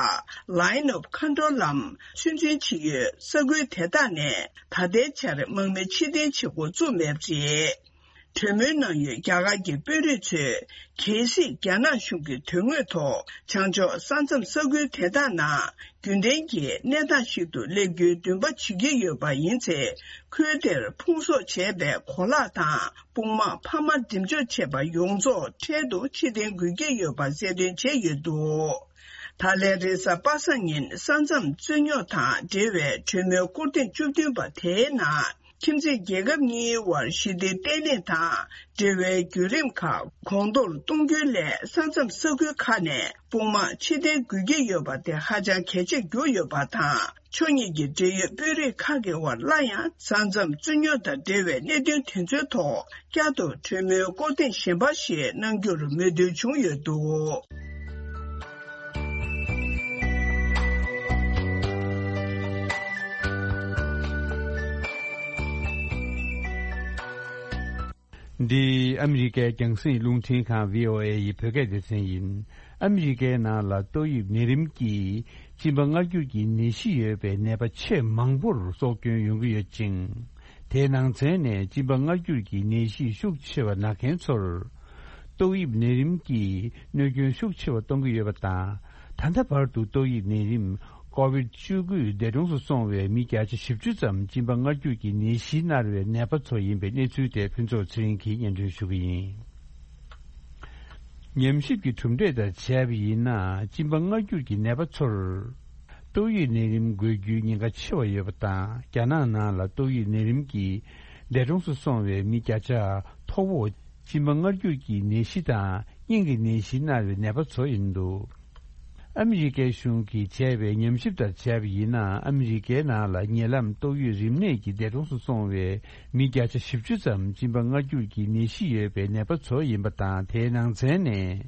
Line of Control ལམ་ཚོད་འཛིན་བྱེད་ཡུལ་ས་ཁུལ་དེ་དག་ནས་ད་ལྟའི་ཆར་དམག་མི་ཕྱིར་འཐེན་བྱེད་འགོ་བཙུགས་མེད་པ་རེད། གྲོས་མོལ་གནང་ཡུལ་རྒྱ་གར་གྱི་དཔོན་རིགས་ཚོས། གལ་སྲིད་རྒྱ་ནག་གཞུང་གི་དོན་དངོས་ཐོག་བྱང་ཕྱོགས་ས་མཚམས་ས་ཁུལ་དེ་དག་ནང་རྒྱུན་ལྡན་གྱི་གནས་སྟངས་ཤིག་ཏུ་སླེབས་རྒྱུའི་འདུན་པ་བྱེད་ཀྱི་ཡོད་པ་ཡིན་ཚེ། ཁུལ་དེར་ཕུང་གསོག་བྱས་པའི་གོ་ལག་དང་དཔུང་དམག་འཕར་མ་འགྲེམས་འཇོག་བྱས་པ་ཡོངས་རྫོགས་འཕྲལ་དུ་ཕྱིར་འཐེན་དགོས་ཀྱི་ཡོད་པ་གསལ་སྟོན་བྱས་ཡོད་འདུག། ད་ལན་རེས་གཟའ་པ་སངས་ཉིན་ས་མཚམས་རྩོད་རྙོག་དང་འབྲེལ་བའི་གྲོས་མོལ་སྐོར་ཐེངས་བཅུ་བདུན་པ་དེའི་ནང་། ཁྱིམ་མཚེས་རྒྱལ་ཁབ་གཉིས་བར་ཞི་བདེ་བརྟན་ལྷིང་དང་འབྲེལ་བའི་བརྒྱུད་རིམ་ཁག་གོང་མཐོར་གཏོང་རྒྱུའི་སླད། ས་མཚམས་ས་ཁུལ་ཁག་ནས་དཔུང་དམག་ཕྱིར་འཐེན་དགོས་ཀྱི་ཡོད་པ་དེ་ཧ་ཅང་གལ་ཆེར་གྱུར་ཡོད་པ་དང་། ཕྱོགས་གཉིས་ཀྱི་འབྲེལ་ཡོད་དཔོན་རིགས་ཁག་གི་དབར་སླར་ཡང་ས་མཚམས་རྩོད་རྙོག་དང་འབྲེལ་བའི་གནད་དོན་དེ་ཚོའི་ཐོག་བསྐྱར་དུ་གྲོས་མོལ་སྐོར་ཐེངས་གཞན་པ་ཞིག་གནང་རྒྱུར་མོས་མཐུན་བྱུང་ཡོད་འདུག། འདི་ཨ་མི་རི་ཀའི་རྒྱང་སྲིང་རླུང་འཕྲིན་ཁང་བྷི་ཨོ་ཨེ་ཡི་བོད་སྐད་སྡེ་ཚན་ཡིན། ཨ་མི་རི་ཀའི་ནང་ལ་ཏོག་དབྱིབས་ནད་རིམས་ཀྱིས་གཅིན་པ་མངར་སྐྱུར་གྱི་ནད་གཞི་ཡོད་པའི་ནད་པ་ཆེས་མང་པོར་སྲོག་སྐྱོན་ཡོང་གི་ཡོད་ཅིང་། དེའི་ནང་ཚན་ནས་གཅིན་པ་མངར་སྐྱུར་གྱི་ནད་གཞི་ཤུགས་ཆེ་བ་ན་མཁན་ཚོར། ཏོག་དབྱིབས་ནད་རིམས་ཀྱིས་གནོད་སྐྱོན་ཤུགས་ཆེ་བ་གཏོང་གི་ཡོད་པ་དང་། ད་ལྟ་བར་དུ་ཏོག་དབྱིབས་ནད་རིམས་ཀོ་བིད་བཅུ་དགུ་འདས་གྲོངས་སུ་སོང་བའི་མི་བརྒྱ་ཆ་བཞི་བཅུ་ཙམ་གཅིན་པ་མངར་སྐྱུར་གྱི་ནད་གཞི་མནར་བའི་ནད་པ་ཚོ་ཡིན་པའི་གནས་ཚུལ་དེ་ཕུན་ཚོགས་ཚེ་རིང་གིས་སྙན་སྒྲོན་ཞུ་གི་ཡིན། ཉམས་ཞིབ་ཀྱི་གྲུབ་འབྲས་ལྟར་བྱས་པ་ཡིན་ན། གཅིན་པ་མངར་སྐྱུར་གྱི་ནད་པ་ཚོར་ཏོག་དབྱིབས་ནད་རིམས་འགོས་རྒྱུའི་ཉེན་ཁ་ཆེ་བ་ཡོད་པ་དང་། རྒྱ་ནག་ནང་ལ་ཏོག་དབྱིབས་ནད་རིམས་ཀྱིས་འདས་གྲོངས་སུ་སོང་བའི་མི་བརྒྱ་ཆ་མཐོ་བོ། གཅིན་པ་མངར་སྐྱུར་གྱི་ནད་གཞི་དང་སྙིང་གི་ནད་གཞི་མནར་བའི་ནད་པ་ཚོ་ཡིན་འདུག། ཨ་མི་རི་ཀའི་གཞུང་གིས་བྱས་པའི་ཉམས་ཞིབ་ལྟར་བྱས་པ་ཡིན་ན། ཨ་མི་རི་ཀའི་ནང་ལ་ཉེ་ལམ་ཏོག་དབྱིབས་རིམས་ནད་ཀྱིས་འདས་གྲོངས་སུ་སོང་བའི་མི་བརྒྱ་ཆ་བཞི་བཅུ་ཙམ་གཅིན་པ་མངར་སྐྱུར་གྱི་ནད་གཞི་ཡོད་པའི་ནད་པ་ཚོ་ཡིན་པ་དང་། དེའི་ནང་ཚན་ནས་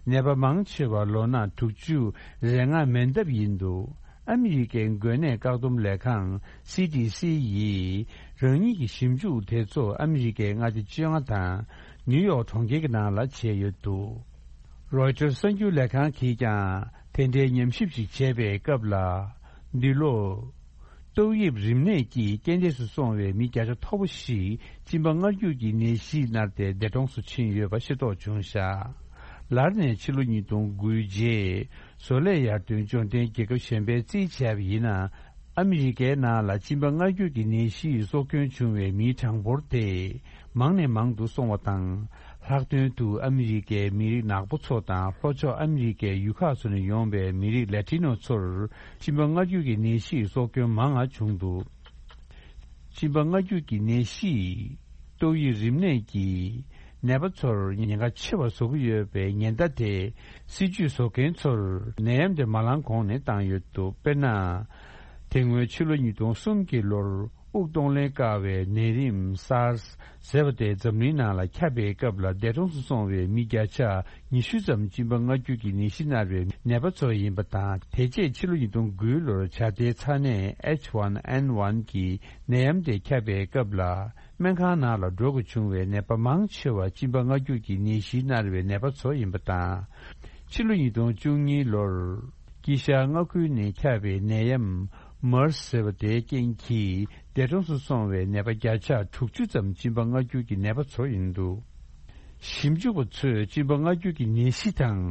ནད་པ་མང་ཆེ་བ་ལོ་ན་དྲུག་ཅུ་རེ་ལྔ་མན་འདབ་ཡིན་འདུག། ཨ་མི་རི་ཀའི་འགོས་ནད་བཀག་སྡོམ་ལས་ཁང་སི་ཌི་སི་ཡིས་རང་ཉིད་ཀྱི་ཞིབ་འཇུག་དེ་ཚོ་ཨ་མི་རི་ཀའི་མངའ་སྡེ་བཅོ་ལྔ་དང་ནིའུ་ཡོག་གྲོང་ཁྱེར་གྱི་ནང་ལ་བྱས་ཡོད་འདུག། རོའི་ཊར་གསར་འགྱུར་ལས་ཁང་གིས་ཀྱང་དེ་འདྲའི་ཉམས་ཞིབ་ཅིག་བྱས་པའི་སྐབས་ལ། འདི་ལོ། ཏོག་དབྱིབས་རིམས་ནད་ཀྱིས་རྐྱེན་འདས་སུ་སོང་བའི་མི་བརྒྱ་ཆ་མཐོ་པོ་ཞིག་གཅིན་པ་མངར་སྐྱུར་གྱི་ནད་གཞིས་མནར་ཏེ་འདས་གྲོངས་སུ་ཕྱིན་ཡོད་པ་ཤེས་རྟོགས་བྱུང་བཞག། ལར་ནས་ཕྱི་ལོ་ཉིས་སྟོང་དགུའི་རྗེས། བཟོ་ལས་ཡར་ཐོན་འབྱོར་ལྡན་རྒྱལ་ཁབ་གཞན་པའི་རྩིས་བྱས་པ་ཡིན་ན། ཨ་མི་རི་ཀའི་ནང་ལ་གཅིན་པ་མངར་སྐྱུར་གྱི་ནད་གཞིས་སྲོག་སྐྱོན་བྱུང་བའི་མིའི་གྲངས་འབོར་དེ་མང་ནས་མང་དུ་སོང་བ་དང་། ལྷག་དོན་དུ་ཨ་མི་རི་ཀའི་མི་རིགས་ནག་པོ་ཚོ་དང་། ལྷོ་ཕྱོགས་ཨ་མི་རི་ཀའི་ཡུལ་ཁག་ཚོ་ནས་ཡོང་བའི་མི་རིགས་ལ་ཏི་ནོ་ཚོར་གཅིན་པ་མངར་སྐྱུར་གྱི་ནད་གཞིས་སྲོག་སྐྱོན་མང་ང་བྱུང་འདུག། གཅིན་པ་མངར་སྐྱུར་གྱི་ནད་གཞིས་ཏོག་དབྱིབས་རིམས་ནད་ཀྱིས་ནད་པ་ཚོར་ཉེན་ཁ་ཆེ་བ་བཟོ་གི་ཡོད་པའི་ཉེན་བརྡ་དེ་སྲིད་ཇུས་བཟོ་མཁན་ཚོར་ནད་ཡམས་དེ་མ་ལངས་གོང་ནས་བཏང་ཡོད་འདུག། དཔེར་ན། དེ་སྔོན་ཕྱི་ལོ་ཉིས་སྟོང་གསུམ་གྱི་ལོར་དབུགས་གཏོང་ལེན་དཀའ་བའི་ནད་རིམས་སཱར་སི་ཟེར་བ་དེ་འཛམ་གླིང་ནང་ལ་ཁྱབ་པའི་སྐབས་ལ། འདས་གྲོངས་སུ་སོང་བའི་མི་བརྒྱ་ཆ་ཉི་ཤུ་ཙམ་གཅིན་པ་མངར་སྐྱུར་གྱི་ནད་གཞི་མནར་བའི་ནད་པ་ཚོ་ཡིན་པ་དང་། དེ་རྗེས་ཕྱི་ལོ་ཉིས་སྟོང་དགུའི་ལོར་བྱ་དེའི་ཚ་ནད་ཨེཆ་ཝན་ཨེན་ཝན་གྱི་ནད་ཡམས་དེ་ཁྱབ་པའི་སྐབས་ལ། སྨན་ཁང་ནང་ལ་འགྲོ་དགོས་བྱུང་བའི་ནད་པ་མང་ཆེ་བ་གཅིན་པ་མངར་སྐྱུར་གྱི་ནད་གཞིས་མནར་བའི་ནད་པ་ཚོ་ཡིན་པ་དང་། ཕྱི་ལོ་ཉིས་སྟོང་བཅུ་གཉིས་ལོར་དཀྱིལ་ཤར་མངའ་ཁུལ་ནས་ཁྱབ་པའི་ནད་ཡམས་མར་སི་ཟེར་བ་དེའི་རྐྱེན་གྱིས་འདས་གྲོངས་སུ་སོང་བའི་ནད་པ་བརྒྱ་ཆ་དྲུག་ཅུ་ཙམ་གཅིན་པ་མངར་སྐྱུར་གྱི་ནད་པ་ཚོ་ཡིན་འདུག། ཞིབ་འཇུག་པ་ཚོས་གཅིན་པ་མངར་སྐྱུར་གྱི་ནད་གཞི་དང་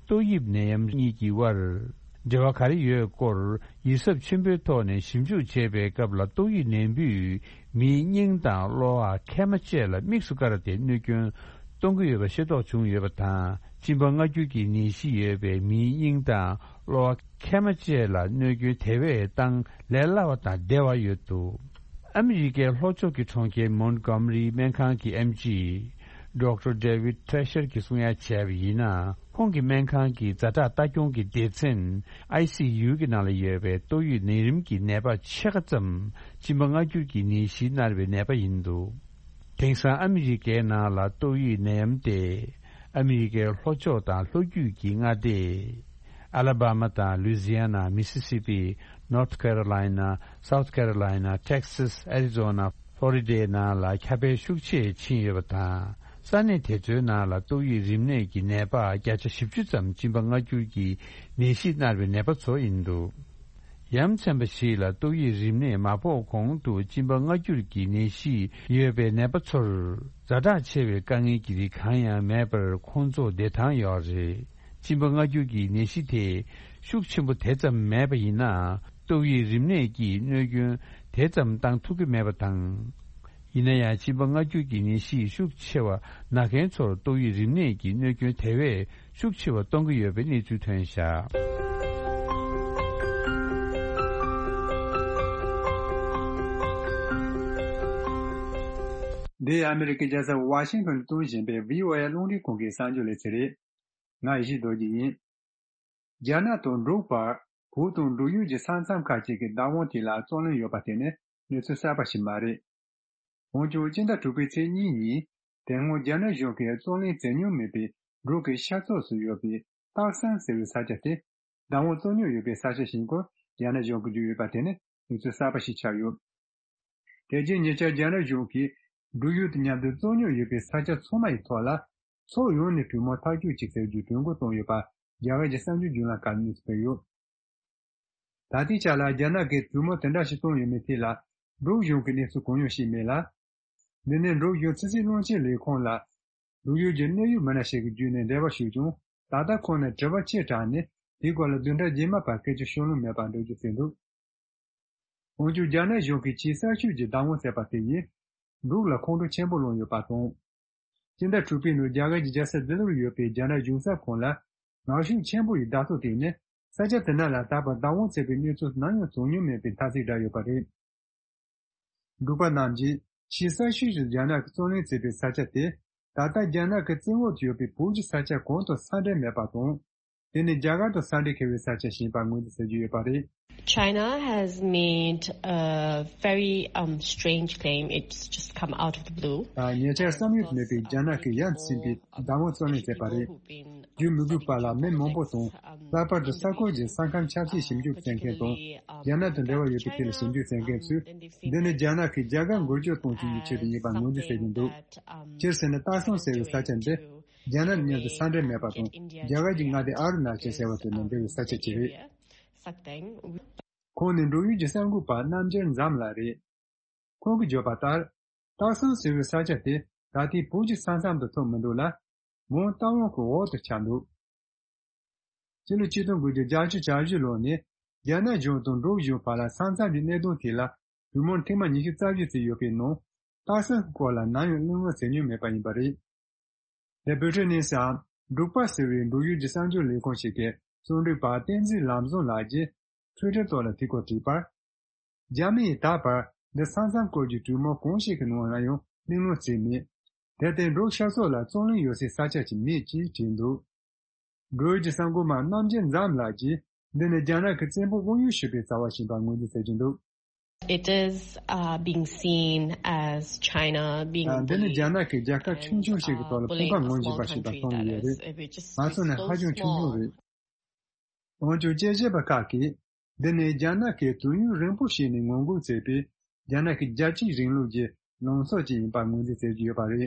ཏོག་དབྱིབས་ནད་ཡམས་གཉིས་ཀྱི་དབར་འབྲེལ་བ་ག་རེ་ཡོད་སྐོར་ཡིད་གཟབ་ཆེན་པོའི་ཐོག་ནས་ཞིབ་འཇུག་བྱེད་པའི་སྐབས་ལ། ཏོག་དབྱིབས་ནད་འབུས་མིའི་སྙིང་དང་གློ་བ། མཁལ་མ་བཅས་ལ་དམིགས་སུ་བཀར་ཏེ་གནོད་སྐྱོན་ གཏོང་གི་ཡོད་པ་ཤེས་རྟོགས་བྱུང་ཡོད་པ་དང་། གཅིན་པ་མངར་སྐྱུར་གྱི་ནད་གཞི་ཡོད་པའི་མིའི་སྙིང་དང་གློ་བ། མཁལ་མ་བཅས་ལ་གནོད་སྐྱོན་དེ་བས་བཏང་ལས་སླ་བ་དང་བདེ་བ་ཡོད་འདུག་ཨ་མི་རི་ཀའི་ལྷོ་ཕྱོགས་ཀྱི་གྲོང་ཁྱེར་མོན་གྷོ་མ་རི་སྨན་ཁང་གི་ཨེམ་ཆི་ཌོག་ཊར་ཌེ་ཝིད་ཁྲེ་ཤར་གྱིས་གསུང་ཡ་བྱས་པ་ཡིན་ན། ཁོང་གི་སྨན་ཁང་གི་ཛ་དྲག་ལྟ་སྐྱོང་གི་སྡེ་ཚན་ཨའི་སི་ཡུ་གི་ནང་ལ་ཡོད་པའི་ཏོག་དབྱིབས་ནད་རིམས་ཀྱི་ནད་པ་ཕྱེད་ཀ་ཙམ་གཅིན་པ་མངར་སྐྱུར་གྱི་ནད་གཞིས་མནར་བའི་ནད་པ་ཡིན་འདུག་དེང་སང་ཨ་མི་རི་ཀའི་ནང་ལ་ཏོག་དབྱིབས་ནད་ཡམས་དེ་ཨ་མི་རི་ཀའི་ལྷོ་ཕྱོགས་དང་ལྷོ་རྒྱུད་ཀྱི་མངའ་སྡེ་ཨ་ལ་བྷ་མ་དང་ལུའི་ཛི་ཡ་ན། མི་སི་སི་པི། ནོར་ཐི་ཁེ་རོ་ལའི་ན། སའུ་ཐི་ཁེ་རོ་ལའི་ན། ཊེག་སཱ། ཨེ་རི་ཛོ་ན། ཕློ་རི་ཌའི་ནང་ལ་ཁྱབ་སྤེལ་ཤུགས་ཆེ་ཕྱིན་ཡོད་པ་དང་། ས་གནས་དེ་ཚོའི་ནང་ལ་ཏོག་དབྱིབས་རིམས་ནད་ཀྱི་ནད་པ་བརྒྱ་ཆ་བཞི་བཅུ་ཙམ་གཅིན་པ་མངར་སྐྱུར་གྱི་ནད་གཞིས་མནར་བའི་ནད་པ་ཚོ་ཡིན་འདུག་ཡ་མཚན་པ་ཞིག་ལ་ཏོག་དབྱིབས་རིམས་ནད་མ་ཕོག་གོང་དུ་གཅིན་པ་མངར་སྐྱུར་གྱི་ནད་གཞི་ཡོད་པའི་ནད་པ་ཚོར་ཛ་དྲག་ཆེ་བའི་དཀའ་ངལ་གྱི་རིགས་གང་ཡང་མེད་པར་ཁོང་ཚོ་བདེ་ཐང་ཡོད་རེད། གཅིན་པ་མངར་སྐྱུར་གྱི་ནད་གཞི་དེ་ཤུགས་ཆེན་པོ་དེ་ཙམ་མེད་པ་ཡིན་ན། ཏོག་དབྱིབས་རིམས་ནད་ཀྱིས་གནོད་སྐྱོན་དེ་ཙམ་བཏང་ཐུབ་ཀྱི་མེད་པ་དང་། ཡིན་ན་ཡང་། གཅིན་པ་མངར་སྐྱུར་གྱི་ནད་གཞི་ཤུགས་ཆེ་བ་ན་མཁན་ཚོར་ཏོག་དབྱིབས་རིམས་ནད་ཀྱི་གནོད་སྐྱོན་དེ་བས་ཤུགས་ཆེ་བ་གཏོང་གི་ཡོད་པའི་གནས་ཚུལ་ཐོན་བཞག་འདི་ཨ་མི་རི་ཀའི་རྒྱལ་ས་ཝ་ཤིང་ཊོན་དུ་གཏོང་བཞིན་པའི་ཝི་ཨོ་ཨེ་རླུང་འཕྲིན་ཁང་གི་གསར་འགྱུར་ལེ་ཚན་རེད། ང་ཡེ་ཤེས་རྡོ་རྗེ་ཡིན། རྒྱ་ནག་དང་འབྲུག་བར་བོད་དང་འབྲུག་ཡུལ་གྱི་ས་མཚམས་ཁག་ཅིག་གི་བདག་དབང་ཐད་ལ་རྩོད་གླེང་ཡོད་པ་དེ་ནི་གནས་ཚུལ་གསར་པ་ཞིག་མ་རེད། འོན་ཀྱང་སྤྱི་ཟླ་དྲུག་པའི་ཚེས་གཉིས་ཉིན་དེ་སྔོན་རྒྱ་ནག་གཞུང་གིས་རྩོད་གླེང་མཛད་མྱོང་མེད་པའི་འབྲུག་གི་ཤར་ཕྱོགས་སུ་ཡོད་པའི་སྟག་ཚང་ཟེར་བའི་ས་ཆ་དེ་བདག་དབང་རྩོད་མྱོང་ཡོད་པའི་ས་ཆ་ཞིག་སྐོར་རྒྱ་ནག་གཞུང་གིས་བརྗོད་ཡོད་པ་དེ་ནི་གནས་ཚུལ་གསར་པ་ཞིག་ཆགས་ཡོད། དེ་རྗེས་ཉེ་ཆར་རྒྱ་ནག་གཞུང་གིས་འབྲུག་ཡུལ་དང་མཉམ་དུ་རྩོད་རྙོག་ཡོད་པའི་ས་ཆ་ཚང་མ་ཡི་ཐོག་ལ་ཕྱོགས་ཡོངས་ནས་གྲོས་མོལ་ཐག་གཅོད་ཅིག་བྱ་རྒྱུའི་གྲོས་འགོ་བཏོན་ཡོད་པ་རྒྱ་གར་གྱི་གསར་འགྱུར་བརྒྱུད་ལམ་ཁག་ནས་གསལ་ཡོད། ད་ལྟའི་ཆ་ལ་རྒྱ་ནག་གིས་གྲོས་མོལ་དེ་འདྲ་ཞིག་བཏོན་ཡོད་མེད་ཐད་ལ་འབྲུག་གཞུང་གིས་གནས་ཚུལ་གང་ཡང་བཤད་མེད་ལ། འདི་ནི་འབྲུག་གཞུང་ཕྱི་སྲིད་བློན་ཆེན་ལས་ཁུངས་ལ་འབྲུག་ཡུལ་གྱི་གནད་ཡོད་མི་སྣ་ཞིག་གིས་བརྒྱུད་ནས་འབྲེལ་བ་ཞུས་ཀྱང་། ད་ལྟ་ཁོང་ནས་དྲི་བ་ཆེ་དྲགས་ནས་དེའི་སྐོར་ལ་བདུན་ཕྲག་རྗེས་མ་བར་སྐད་ཆ་བཤད་ལོང་མེད་པར་འགྲོ་རྒྱུ་བྱས་འདུག་འོན་ཀྱང་རྒྱ་ནག་གཞུང་གིས་ཆེས་གསར་ཤོས་ཀྱི་བདག་དབང་བཙལ་བ་དེ་ཡིས་འབྲུག་ལ་ཁོང་ཁྲོ་ཆེན་པོ་སློང་ཡོད་པ་དང་། སྤྱི་ཟླ་དྲུག་པའི་ནང་རྒྱ་གར་གྱི་རྒྱལ་ས་ལྡི་ལིར་ཡོད་པའི་རྒྱ་ནག་གཞུང་ཚབ་ཁང་ལ་ངར་ཤུགས་ཆེན་པོ་ཡིས་བརྡ་ཐོ་བཏང་ནས་ས་ཆ་དེ་ནང་ལ་ད་བར་བདག་དབང་བཙལ་བའི་གནས་ཚུལ་ནམ་ཡང་བྱུང་མྱོང་མེད་པའི་ཐ་ཚིག་བསྒྲགས་ཡོད་པ་རེད། འབྲུག་པ་རྣམས་ཀྱིས་ཆེས་གསར་ཤོས་ཀྱི་རྒྱ་ནག་གིས་རྩོད་གླེང་བྱེད་པའི་ས་ཆ་དེ་ད་ལྟ་རྒྱ་ནག་གི་བཙན་འོག་ཏུ་ཡོད་པའི་བོད་ཀྱི་ས་ཆ་གང་དང་ས་འབྲེལ་མེད་པ་དང་། དེ་ནི་རྒྱ་གར་དང་ས་འབྲེལ་འཁེལ་བའི་ས་ཆ་ཞིག་ཡིན་པར་ངོས་འཛིན་བྱེད་ཀྱི་ཡོད་པ་རེད། China has made a very um, strange claim. It's just come out of the blue. ད་ཉེ་ཆར་བསམ་ཡུལ་དུ་མེད་པའི་རྒྱ་ནག་གིས་ཡ་མཚན་པའི་བདག་དབང་རྩོད་གླེང་བྱས་པ་རེད། རྒྱུས་མི་དགོས་པ་ལ་མི་མང་པོ་དང་། ལྷག་པར་དུ་ས་ཁུལ་གྱི་ས་ཁམས་ཆབ་སྲིད་ཞིབ་འཇུག་བྱེད་མཁན་དང་། རྒྱ་ནག་དང་འབྲེལ་བ་ཡོད་པའི་ཐད་ལ་ཞིབ་འཇུག་བྱེད་མཁན་ཚོས། འདི་ནི་རྒྱ་ནག་གིས་རྒྱ་གར་འགུལ་སྐྱོད་གཏོང་བྱེད་ཀྱི་ཆེད་དུ་ཡིན་པར་ངོས་འཛིན་བྱེད་ཀྱིན་འདུག་སྤྱིར་ཟེར་ན། སྟག་ཚང་ཟེར་བའི་ས་ཆ་འདི་རྒྱ་ནག་མཉམ་དུ་ས་འབྲེལ་མེད་པ་དང་། རྒྱ་གར་གྱི་མངའ་སྡེ་ཨ་རུ་ན་ཅལ་ཟེར་བ་དེ་ནང་འབྲེལ་བའི་ས་ཆ་ཅིག་རེད། ཁོང་ནི་འབྲུག་ཡུལ་གྱི་གསར་འགོད་པ་རྣམ་རྒྱལ་འཛམ་ལགས་རེད། ཁོང་གིས་བརྗོད་པ་ལྟར། སྟག་ཚང་ཟེར་བའི་ས་ཆ་དེ་ད་ལྟའི་བོད་ཀྱི་ས་མཚམས་དང་ཐུག་མི་འདུག་ལ། མོན་རྟ་དབང་གི་འོག་ཏུ་ཆགས་འདུག་སྤྱི་ལོ་ཆིག་སྟོང་དགུ་བརྒྱ་བརྒྱད་ཅུ་གྱ་བཞི་ལོ་ནས་རྒྱ་ནག་གཞུང་དང་འབྲུག་གཞུང་བར་ལ་ས་མཚམས་ཀྱི་གནད་དོན་ཐད་ལ་གྲོས་མོལ་ཐེངས་མ་ཉི་ཤུ་རྩ་བཞི་ཙམ་ཡོད་པའི་ནང་། སྟག་ཚང་གི་སྐོར་ལ་ནམ་ཡང་གླེང་སློང་བྱེད་མྱོང་མེད་པ་ཡིན་པ་རེད། དེ་བོད་ཕྲུག་གནས་སའམ་འབྲུག་པ་ཟེར་བའི་འབྲུག་ཡུལ་གྱི་གསར་འགྱུར་ལས་ཁུངས་ཤིག་གི་རྩོམ་སྒྲིག་པ་བསྟན་འཛིན་ལམ་བཟང་ལགས་ཀྱིས་ཊུའི་ཊར་ཐོག་ལ་དེ་སྐོར་བྲིས་པར། རྒྱ་མི་ཡིས་ད་བར་འདི་ས་མཚམས་སྐོར་གྱི་གྲོས་མོལ་གང་ཞིག་གི་ནང་ལ་ཡང་གླེང་སློང་བྱས་མེད། དེར་བརྟེན་འབྲུག་ཤར་ཕྱོགས་ལ་རྩོད་གླེང་ཡོད་སའི་ས་ཆ་ཞིག་མེད་ཅེས་བྲིས་འདུག་འབྲུག་ཡུལ་གྱི་གསར་འགོད་པ་རྣམ་རྒྱལ་འཛམ་ལགས་ཀྱིས་འདི་ནི་རྒྱ་ནག་གི་བཙན་པོ་དབང་ཡོད་ཞུ་བའི་རྩ་བ་ཞིག་ཡིན་པར་ངོས་འཛིན་བྱེད་ཀྱིན་འདུག It is uh, being seen as China being འདི་ནི་རྒྱ་ནག་གིས་རྒྱལ་ཁབ་ཆུང་ཆུང་ཞིག་གི་ཐོག་ལ་ཕོགས་པ་ངོས་འཛིན་པ་ཞིག་ལ་མཐོང་གི་ཡོད་རེད། ང་ཚོ་ནི་ཧ་ཅང་ཆུང་ཆུང་རེད། འོན་ཀྱང་དཔྱད་ཞིབ་པ་ཁག་གིས་འདི་ནི་རྒྱ་ནག་གིས་དུས་ཡུན་རིང་པོ་ཞིག་ནས་ངོ་རྒོལ་བྱས་པའི་རྒྱ་ནག་གི་རྒྱལ་གཅེས་རིང་ལུགས་ཀྱི་ལངས་ཕྱོགས་ཅིག་ཡིན་པར་ངོས་འཛིན་བྱེད་ཀྱི་ཡོད་པ་རེད།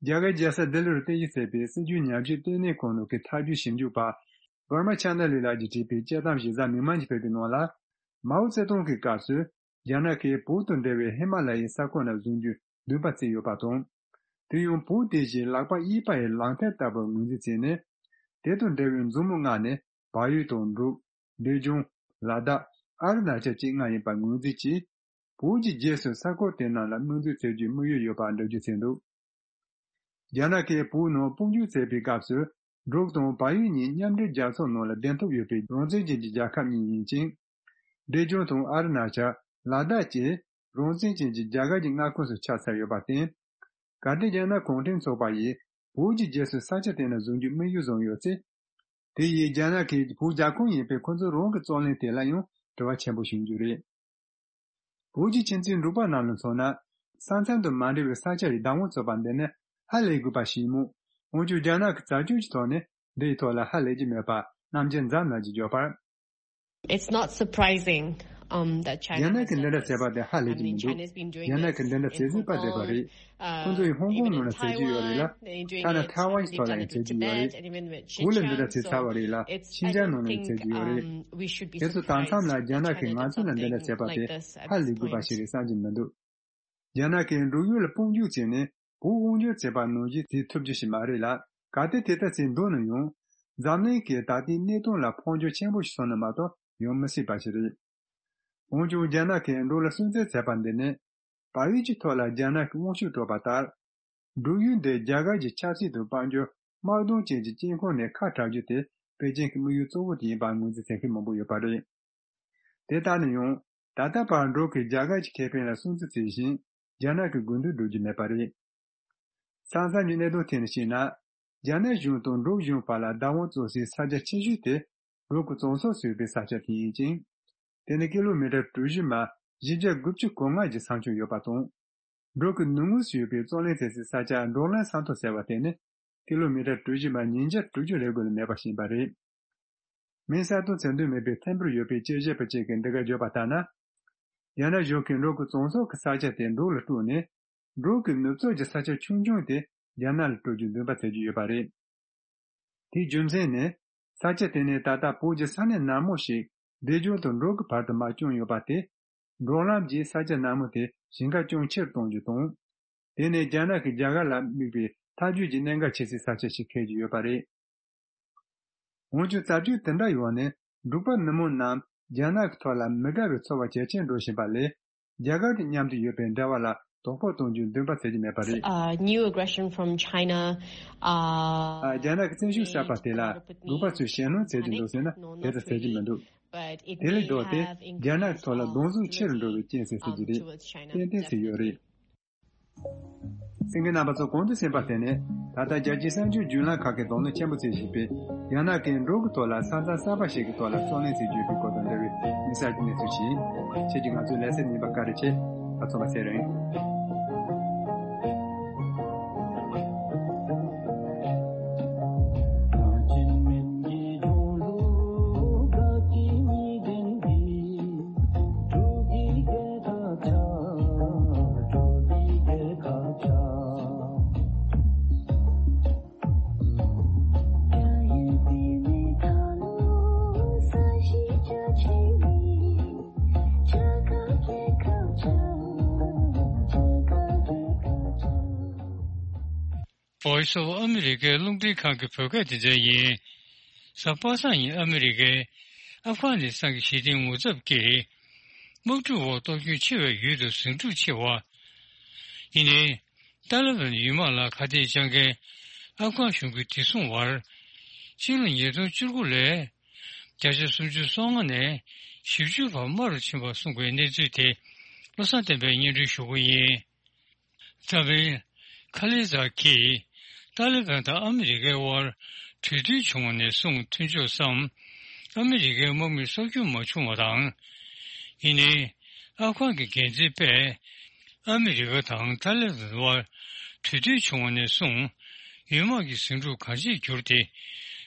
རྒྱ་གར་རྒྱལ་ས་ལྡི་ལིར་རྟེན་གཞི་བྱས་པའི་སྲིད་བྱུས་ཉམས་ཞིབ་ལྟེ་གནས་ཁང་ནང་གི་ཐབས་ཇུས་ཞིབ་འཇུག་པ་Burma China Lee ལགས་ཀྱིས་བྲིས་པའི་དཔྱད་གཏམ་གཞི་རྩ་མིག་དམར་གྱིས་ཕུལ་བའི་ནང་ལ། མའོ་ཙེ་ཏུང་གི་སྐབས་སུ་རྒྱ་ནག་གིས་བོད་དང་འབྲེལ་བའི་ཧི་མ་ལ་ཡའི་ས་ཁུལ་ནང་བཟུང་རྒྱུའི་འདུན་པ་བརྩིས་ཡོད་པ་དང་། དེ་ཡང་བོད་དེ་བཞིན་ལག་པ་གཡས་པ་ཡི་ལག་མཐིལ་ལྟ་བུར་ངོས་འཛིན་བྱས་ནས། དེ་དང་འབྲེལ་བའི་མཛུབ་མོ་མངགས་ནས་བལ་ཡུལ་དང་འབྲུག་འབྲས་ལྗོངས། ལ་དྭགས། ཨ་རུ་ན་ཅལ་བཅས་ལྔ་ཡིན་པར་ངོས་འཛིན་གྱིས། བོད་ཀྱི་རྗེས་སུ་ས་ཁུལ་དེ་རྣམས་ལ་དམིགས་འཛུགས་བྱེད་རྒྱུའི་དམིགས་ཡུལ་ཡོད་པར་འགྲེལ་བརྗོད་བྱས་འདུག་རྒྱ་ནག་གིས་བོད་ནང་དཔུང་འཇུག་བྱས་པའི་སྐབས་སུ། འབྲུག་དང་བལ་ཡུལ་གཉིས་མཉམ་འབྲེལ་རྒྱལ་ཚོགས་ནང་ལ་གདན་ཐོབ་ཡོད་པའི་རང་བཙན་ཅན་གྱི་རྒྱལ་ཁབ་གཉིས་ཡིན་ཅིང་། འབྲས་ལྗོངས་དང་ཨ་རུ་ན་ཅལ། ལ་དྭགས་བཅས་རང་བཙན་ཅན་གྱི་རྒྱ་གར་གྱི་མངའ་ཁོངས་སུ་ཆགས་ཚར་ཡོད་པར་བརྟེན། གལ་ཏེ་རྒྱ་ནག་གུང་ཁྲན་ཚོགས་པ་ཡིས་བོད་ཀྱི་རྗེས་སུ་ས་ཆ་དེ་ནས་བཟུང་རྒྱུའི་དམིགས་ཡུལ་བཟུང་ཡོད་ཚེ། དེ་ཡིས་རྒྱ་ནག་གིས་བོད་རྒྱ་ཁོངས་ཡིན་པའི་ཁོ་ཚོའི་རང་གི་རྩོད་གླེང་དེ་ལ་ཡང་དྲི་བ་ཆེན་པོ་ཞིག་ཡིན་རྒྱུ་རེད། བོད་ཀྱི་ཁྱིམ་མཚེས་འབྲུག་པ་རྣམས་ལ་མཚོན་ན། ས་མཚམས་དང་མ་འབྲེལ་བའི་ས་ཆ་ཡི་བདག་དབང་རྩོད་པ་འདི་ནི་ཧ་ལས་དགོས་པ་ཞིག་ཡིན་མོད། འོན་ཀྱང་རྒྱ་ནག་གི་རྩ་ཁྲིམས་ཀྱི་ཐོག་ནས་འདི་ཡི་ཐོག་ལ་ཧ་ལས་ཀྱི་མེད་པ་རྣམ་འགྱུར་འཛམ་ལ་གྱིས་བརྗོད་པར། It's not surprising, um, that China རྒྱ་ནག་གིས་འདི་འདྲ་བྱས་པ་དེ་ཧ་ལས་ཀྱི་མི་འདུག་རྒྱ་ནག་གིས་འདི་འདྲ་བྱེད་སྲིད་པ་བསྡད་པ་རེད། ཁོང་ཚོ་ཡིས་ཧོང་ཀོང་ནང་ལ་བྱེད་ཀྱི་ཡོད་རེད་ལ། ཐ་ན་ཐའེ་ཝན་གྱི་ཐོག་ལ་ཡང་བྱེད་ཀྱི་ཡོད་རེད། བོད་ལ་འདི་འདྲ་བྱེད་ཚར་བ་རེད་ལ། ཤིན་ཅང་ནང་ལ་ཡང་བྱེད་ཀྱི་ཡོད་རེད། དེ་ཚོ་དེང་མཚམས་ལ་རྒྱ་ནག་གིས་ང་ཚོ་ལ་འདི་འདྲ་བྱས་པ་དེ་ཧ་ལས་དགོས་པ་ཞིག་རེད་བསམ་གྱི་མི་འདུག་རྒྱ་ནག་གིས་འབྲུག་ཡུལ་ལ་དཔུང་འཇུག་བྱས་ནས་བོད་དབང་སྒྱུར་བྱས་པ་ནང་བཞིན་བྱེད་ཐུབ་རྒྱུ་ཞིག་མ་རེད་ལ། གལ་ཏེ་དེ་ལྟར་བྱས་འདུག་ན་ཡང་། འཛམ་གླིང་གིས་ད་ལྟའི་གནས་སྟངས་ལ་ཕམ་ཉེས་ཆེན་པོ་ཞིག་སོང་ན་མ་གཏོགས་ཡོང་མི་སྲིད་པ་ཞིག་རེད། འོན་ཀྱང་རྒྱ་ནག་གིས་འབྲུག་ལ་སུན་གཙེར་བྱས་པ་འདི་ནི། བལ་ཡུལ་གྱི་ཐོག་ལ་རྒྱ་ནག་གིས་དབང་ཤུགས་སྤྲད་པ་ལྟར། འབྲུག་ཡུལ་འདི་རྒྱ་གར་གྱི་ཆབ་སྲིད་དང་དཔལ་འབྱོར་དམག་དོན་བཅས་ཀྱི་དཀྱིལ་འཁོར་ནས་ཁ་བྲལ་རྒྱུ་དེ་པེ་ཅིན་གྱི་དམིགས་ཡུལ་གཙོ་བོ་དེ་ཡིན་པར་ངོས་འཛིན་བྱེད་མཁན་མང་པོ་ཡོད་པ་རེད། དེ་ལྟར་ན་ཡང་། ད་ལྟ་བར་འབྲུག་གིས་རྒྱ་གར་གྱི་ཁེ་ཕན་ལ་སྲུང་བརྩི་བྱེད་བཞིན་རྒྱ་ནག་གི་དགོས་འདུན་སྒྲུབ་རྒྱུ་མེད་པ་རེད། ས་མཚམས་ཀྱི་གནད་དོན་ཐད་ནས་བཤད་ན། རྒྱ་ནག་གཞུང་དང་འབྲུག་གཞུང་བར་ལ་བདག་དབང་རྩོད་སའི་ས་ཆ་ཆེ་ཤོས་དེ་འབྲུག་གི་བཙན་བཟུང་བཟོས་པའི་ས་ཆ་དེ་ཡིན་ཅིང་། དེ་ནི་ཀི་ལོ་མི་ཊར་གྲུ་བཞི་མ་བཞི་བརྒྱ་དགུ་བཅུ་གོ་ལྔ་གྱི་ས་ཁྱོན་ཡོད་པ་དང་། འབྲུག་གི་ནུབ་ངོས་སུ་ཡོད་པའི་རྩོད་གླེང་བྱེད་སའི་ས་ཆ་འབྲོག་གླིང་ས་མཐོ་ཟེར་བ་དེ་ནི་ཀི་ལོ་མི་ཊར་གྲུ་བཞི་མ་ཉིས་བརྒྱ་དྲུག་ཅུ་རེ་དགུ་ལས་མེད་པ་ཞིག་ཡིན་པ་རེད། མིང་གསལ་སྟོན་བྱེད་འདོད་མེད་པའི་ཐིམ་ཕུར་ཡོད་པའི་དཔྱད་ཞིབ་པ་ཅིག་གིས་འདི་ག་བརྗོད་པ་ལྟར་ན། རྒྱ་ནག་གཞུང་གིས་འབྲུག་གི་བཙན་བཟུང་གི་ས་ཆ་དེ་འབྲུག་ལ་སྤྲད་ནས། འབྲུག་གི་ནུབ་ཕྱོགས་ཀྱི་ས་ཆ་ཆུང་ཆུང་དེ་རྒྱ་ནག་ལ་སྤྲོད་རྒྱུའི་འདུན་པ་བྱེད་ཀྱི་ཡོད་པ་རེད། དེའི་རྒྱུ་མཚན་ནི། ས་ཆ་དེ་ནི་ད་ལྟ་བོད་ཀྱི་ས་གནས་ནན་མོ་ཞིག་འབྲས་ལྗོངས་དང་འབྲུག་གི་བར་དུ་མར་བསྐྱོད་ཡོད་པ་དེ། འབྲོག་ལམ་གྱིས་ས་ཆ་ནན་མོ་དེ་ཞིང་ཁ་སྐྱོན་ཆེ་རུ་གཏོང་རྒྱུ་དང་། དེ་ནི་རྒྱ་ནག་གིས་རྒྱ་གར་ལ་དམིགས་པའི་ཐབས་ཇུས་ཀྱི་གནད་འགག་ཆེ་སའི་ས་ཆ་ཞིག་འཁེལ་གྱི་ཡོད་པ་རེད། འོན་ཀྱང་རྩ་ཆེན་དེ་འདྲ་ཡོང་ནས་འབྲུག་པ་ནུབ་མོ་རྣམས་རྒྱ་ནག་གི་ཐོག་ལ་མི་དགའ་བའི་ཚོར་བ་ཇེ་ཆེར་འགྲོ་བཞིན་པ་ལས། རྒྱ་གར་དང་མཉམ་དུ་ཡོད་པའི་འབྲེལ་བ་ལ་དོ་ཕོག་གཏོང་རྒྱུའི་འདུན་པ་བྱེད་ཀྱི་མེད་པ་རེད། Uh, new aggression from China. Uh, རྒྱ་ནག་གི་བཙན་ཤུགས་གསར་པ་དེ་ལ་འབྲུག་པ་ཚོས་ཞེད་སྣང་བྱེད་ཀྱི་འདུག་ཟེར་ན་དེ་ལྟར་བྱེད་ཀྱི་མི་འདུག་དེ་ལས་ལྡོག་སྟེ་རྒྱ་ནག་གི་ཐོག་ལ་གདོང་བཟུང་ཆེ་རུ་འགྲོ་བའི་རྐྱེན་ཟེར་སྲིད་ཀྱི་རེད། ཏན་ཏན་ཟེར་ཡོད་རེད། གསན་མཁན་རྣམ་པ་ཚོ་གོང་དུ་གསན་པ་དེ་ནི་ད་ལྟ་རྒྱལ་སྤྱིའི་གསར་འགྱུར་བརྒྱུད་ལམ་ཁག་གིས་དོ་སྣང་ཆེན་པོ་བྱེད་བཞིན་པའི་རྒྱ་ནག་གིས་འབྲུག་གི་ཐོག་ལ་ས་མཚམས་གསར་པ་ཞིག་གི་ཐོག་ལ་རྩོད་གླེང་བྱེད་རྒྱུ་ཡོད་པའི་སྐོར་དང་འབྲེལ་བའི་དམིགས་བསལ་གྱི་གནས་ཚུལ་ཞིག་ཡིན། ཁྱེད་ཀྱིས་ང་ཚོའི་ལེ་ཚན་གཉིས་པ་བཀའ་དྲིན་ཆེ། ད་ཚོ་མ་ཚེ་རིང་། Voice of America རླུང་འཕྲིན་ཁང་གི་བོད་སྐད་སྡེ་ཚན་ཡིན། གཟའ་པ་སངས་ཉིན་ཨ་མི་རི་ཀའི་ཨབ་གྷ་ནི་སྟན་གྱི་ཞི་བདེའི་ངོ་ཚབ་ཀྱིས་དམག་འཁྲུག་འོག་གཏོར་སྐྱོན་ཆེ་བའི་ཡུལ་དུ་ཟིང་འཁྲུག་ཆེ་བ། ཡིན་ནའི། ཏཱ་ལི་བན་ཡུལ་དམག་ལ་ཁ་གཏད་གཅོག་མཁན་ཨབ་གྷ་གཞུང་གི་བདེ་སྲུང་བར། སྤྱི་ལོ་ཉིས་སྟོང་བཅུ་དགུ་ལོའི་བརྒྱ་ཆ་སུམ་ཅུ་སོ་ལྔ་ནས་བཞི་བཅུ་བར་དམའ་རུ་ཕྱིན་པ་གསུངས་པའི་གནས་ཚུལ་དེ་བློ་བཟང་བསྟན་པས་སྙན་སྒྲོན་ཞུ་གི་ཡིན། རྩ་བའི་ཁ་ལི་ཛ་གིས་ཏཱ་ལི་བན་དང་ཨ་མི་རི་ཀའི་དབར་གྲོས་མཐུན་བྱུང་བ་ནས་བཟུང་མཐུན་ཕྱོགས་སམ་ཨ་མི་རི་ཀའི་དམག་མི་གསོ་སྐྱོང་མ་བྱུང་བ་དང་། ཡིན་ནའི་ཨབ་གྷ་གི་འགན་འཛིན་པས་ཨ་མི་རི་ཀ་དང་ཏཱ་ལི་བན་དབར་གྲོས་མཐུན་བྱུང་བ་ནས་བཟུང་ཡུལ་དམག་གི་ཟིང་འཁྲུག་གང་ཆེར་གྱུར་ཏེ་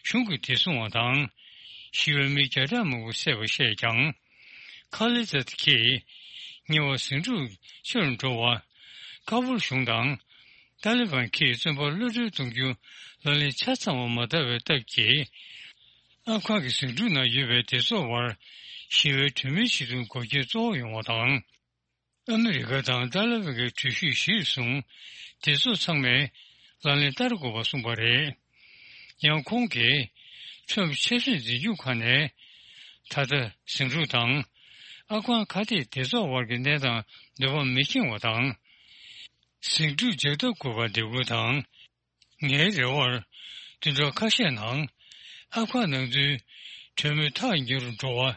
གཞུང་གི་བདེ་སྲུང་བ་དང་ཞི་བའི་མི་བརྒྱ་ཕྲག་མང་པོ་བསད་པ་བཤད་ཀྱང་། ཁ་ལི་ཛད་ཀྱིས་ཉེ་བར་ཟིང་འཁྲུག་ཆེ་རུ་འགྲོ་བར་ཀ་བུལ་གཞུང་དང་ཏཱ་ལི་བན་གྱིས་བཙོན་པར་གློད་གྲོལ་གཏོང་རྒྱུ་ལག་ལེན་ཆ་ཚང་བ་མ་བསྟར་བའི་སྟབས་ཀྱིས། ཨབ་གྷ་གི་ཟིང་འཁྲུག་ནང་ཡོད་པའི་སྡེ་ཚོགས་དབར་ཞི་བའི་གྲོས་མོལ་བྱེད་རྒྱུར་འགོག་རྐྱེན་གཙོ་བོ་ཡོང་བ་དང་། ཨ་མི་རི་ཀ་དང་ཏཱ་ལི་བན་གྱི་གྲོས་གཞི་གཞིར་བཟུང་སྡེ་ཚོགས་ཚང་མས་ལག་ལེན་བསྟར་དགོས་པ་གསུངས་པ་རེད། ཡང་ཁོང་གིས་ཁྲོམ་ཆབ་སྲིད་འཛིན་སྐྱོང་ཁང་ནས་ད་ལྟ་ཟིང་འཁྲུག་དང་ཨབ་གྷ་ཁ་གཏད་སྡེ་ཚོགས་དབར་གྱི་གནས་སྟངས་འདོད་པ་མི་འཁྱོངས་པ་དང་། ཟིང་འཁྲུག་འཇགས་ཐབས་དགོས་པར་འབོད་སྐུལ་དང་ ངའི་རེ་བར་བདུན་ཕྲག་ཁ་ཤས་ནང་ཨབ་གྷན་ནང་ཚུད་གྲོས་མོལ་ཐག་ཉེ་རུ་འགྲོ་བ།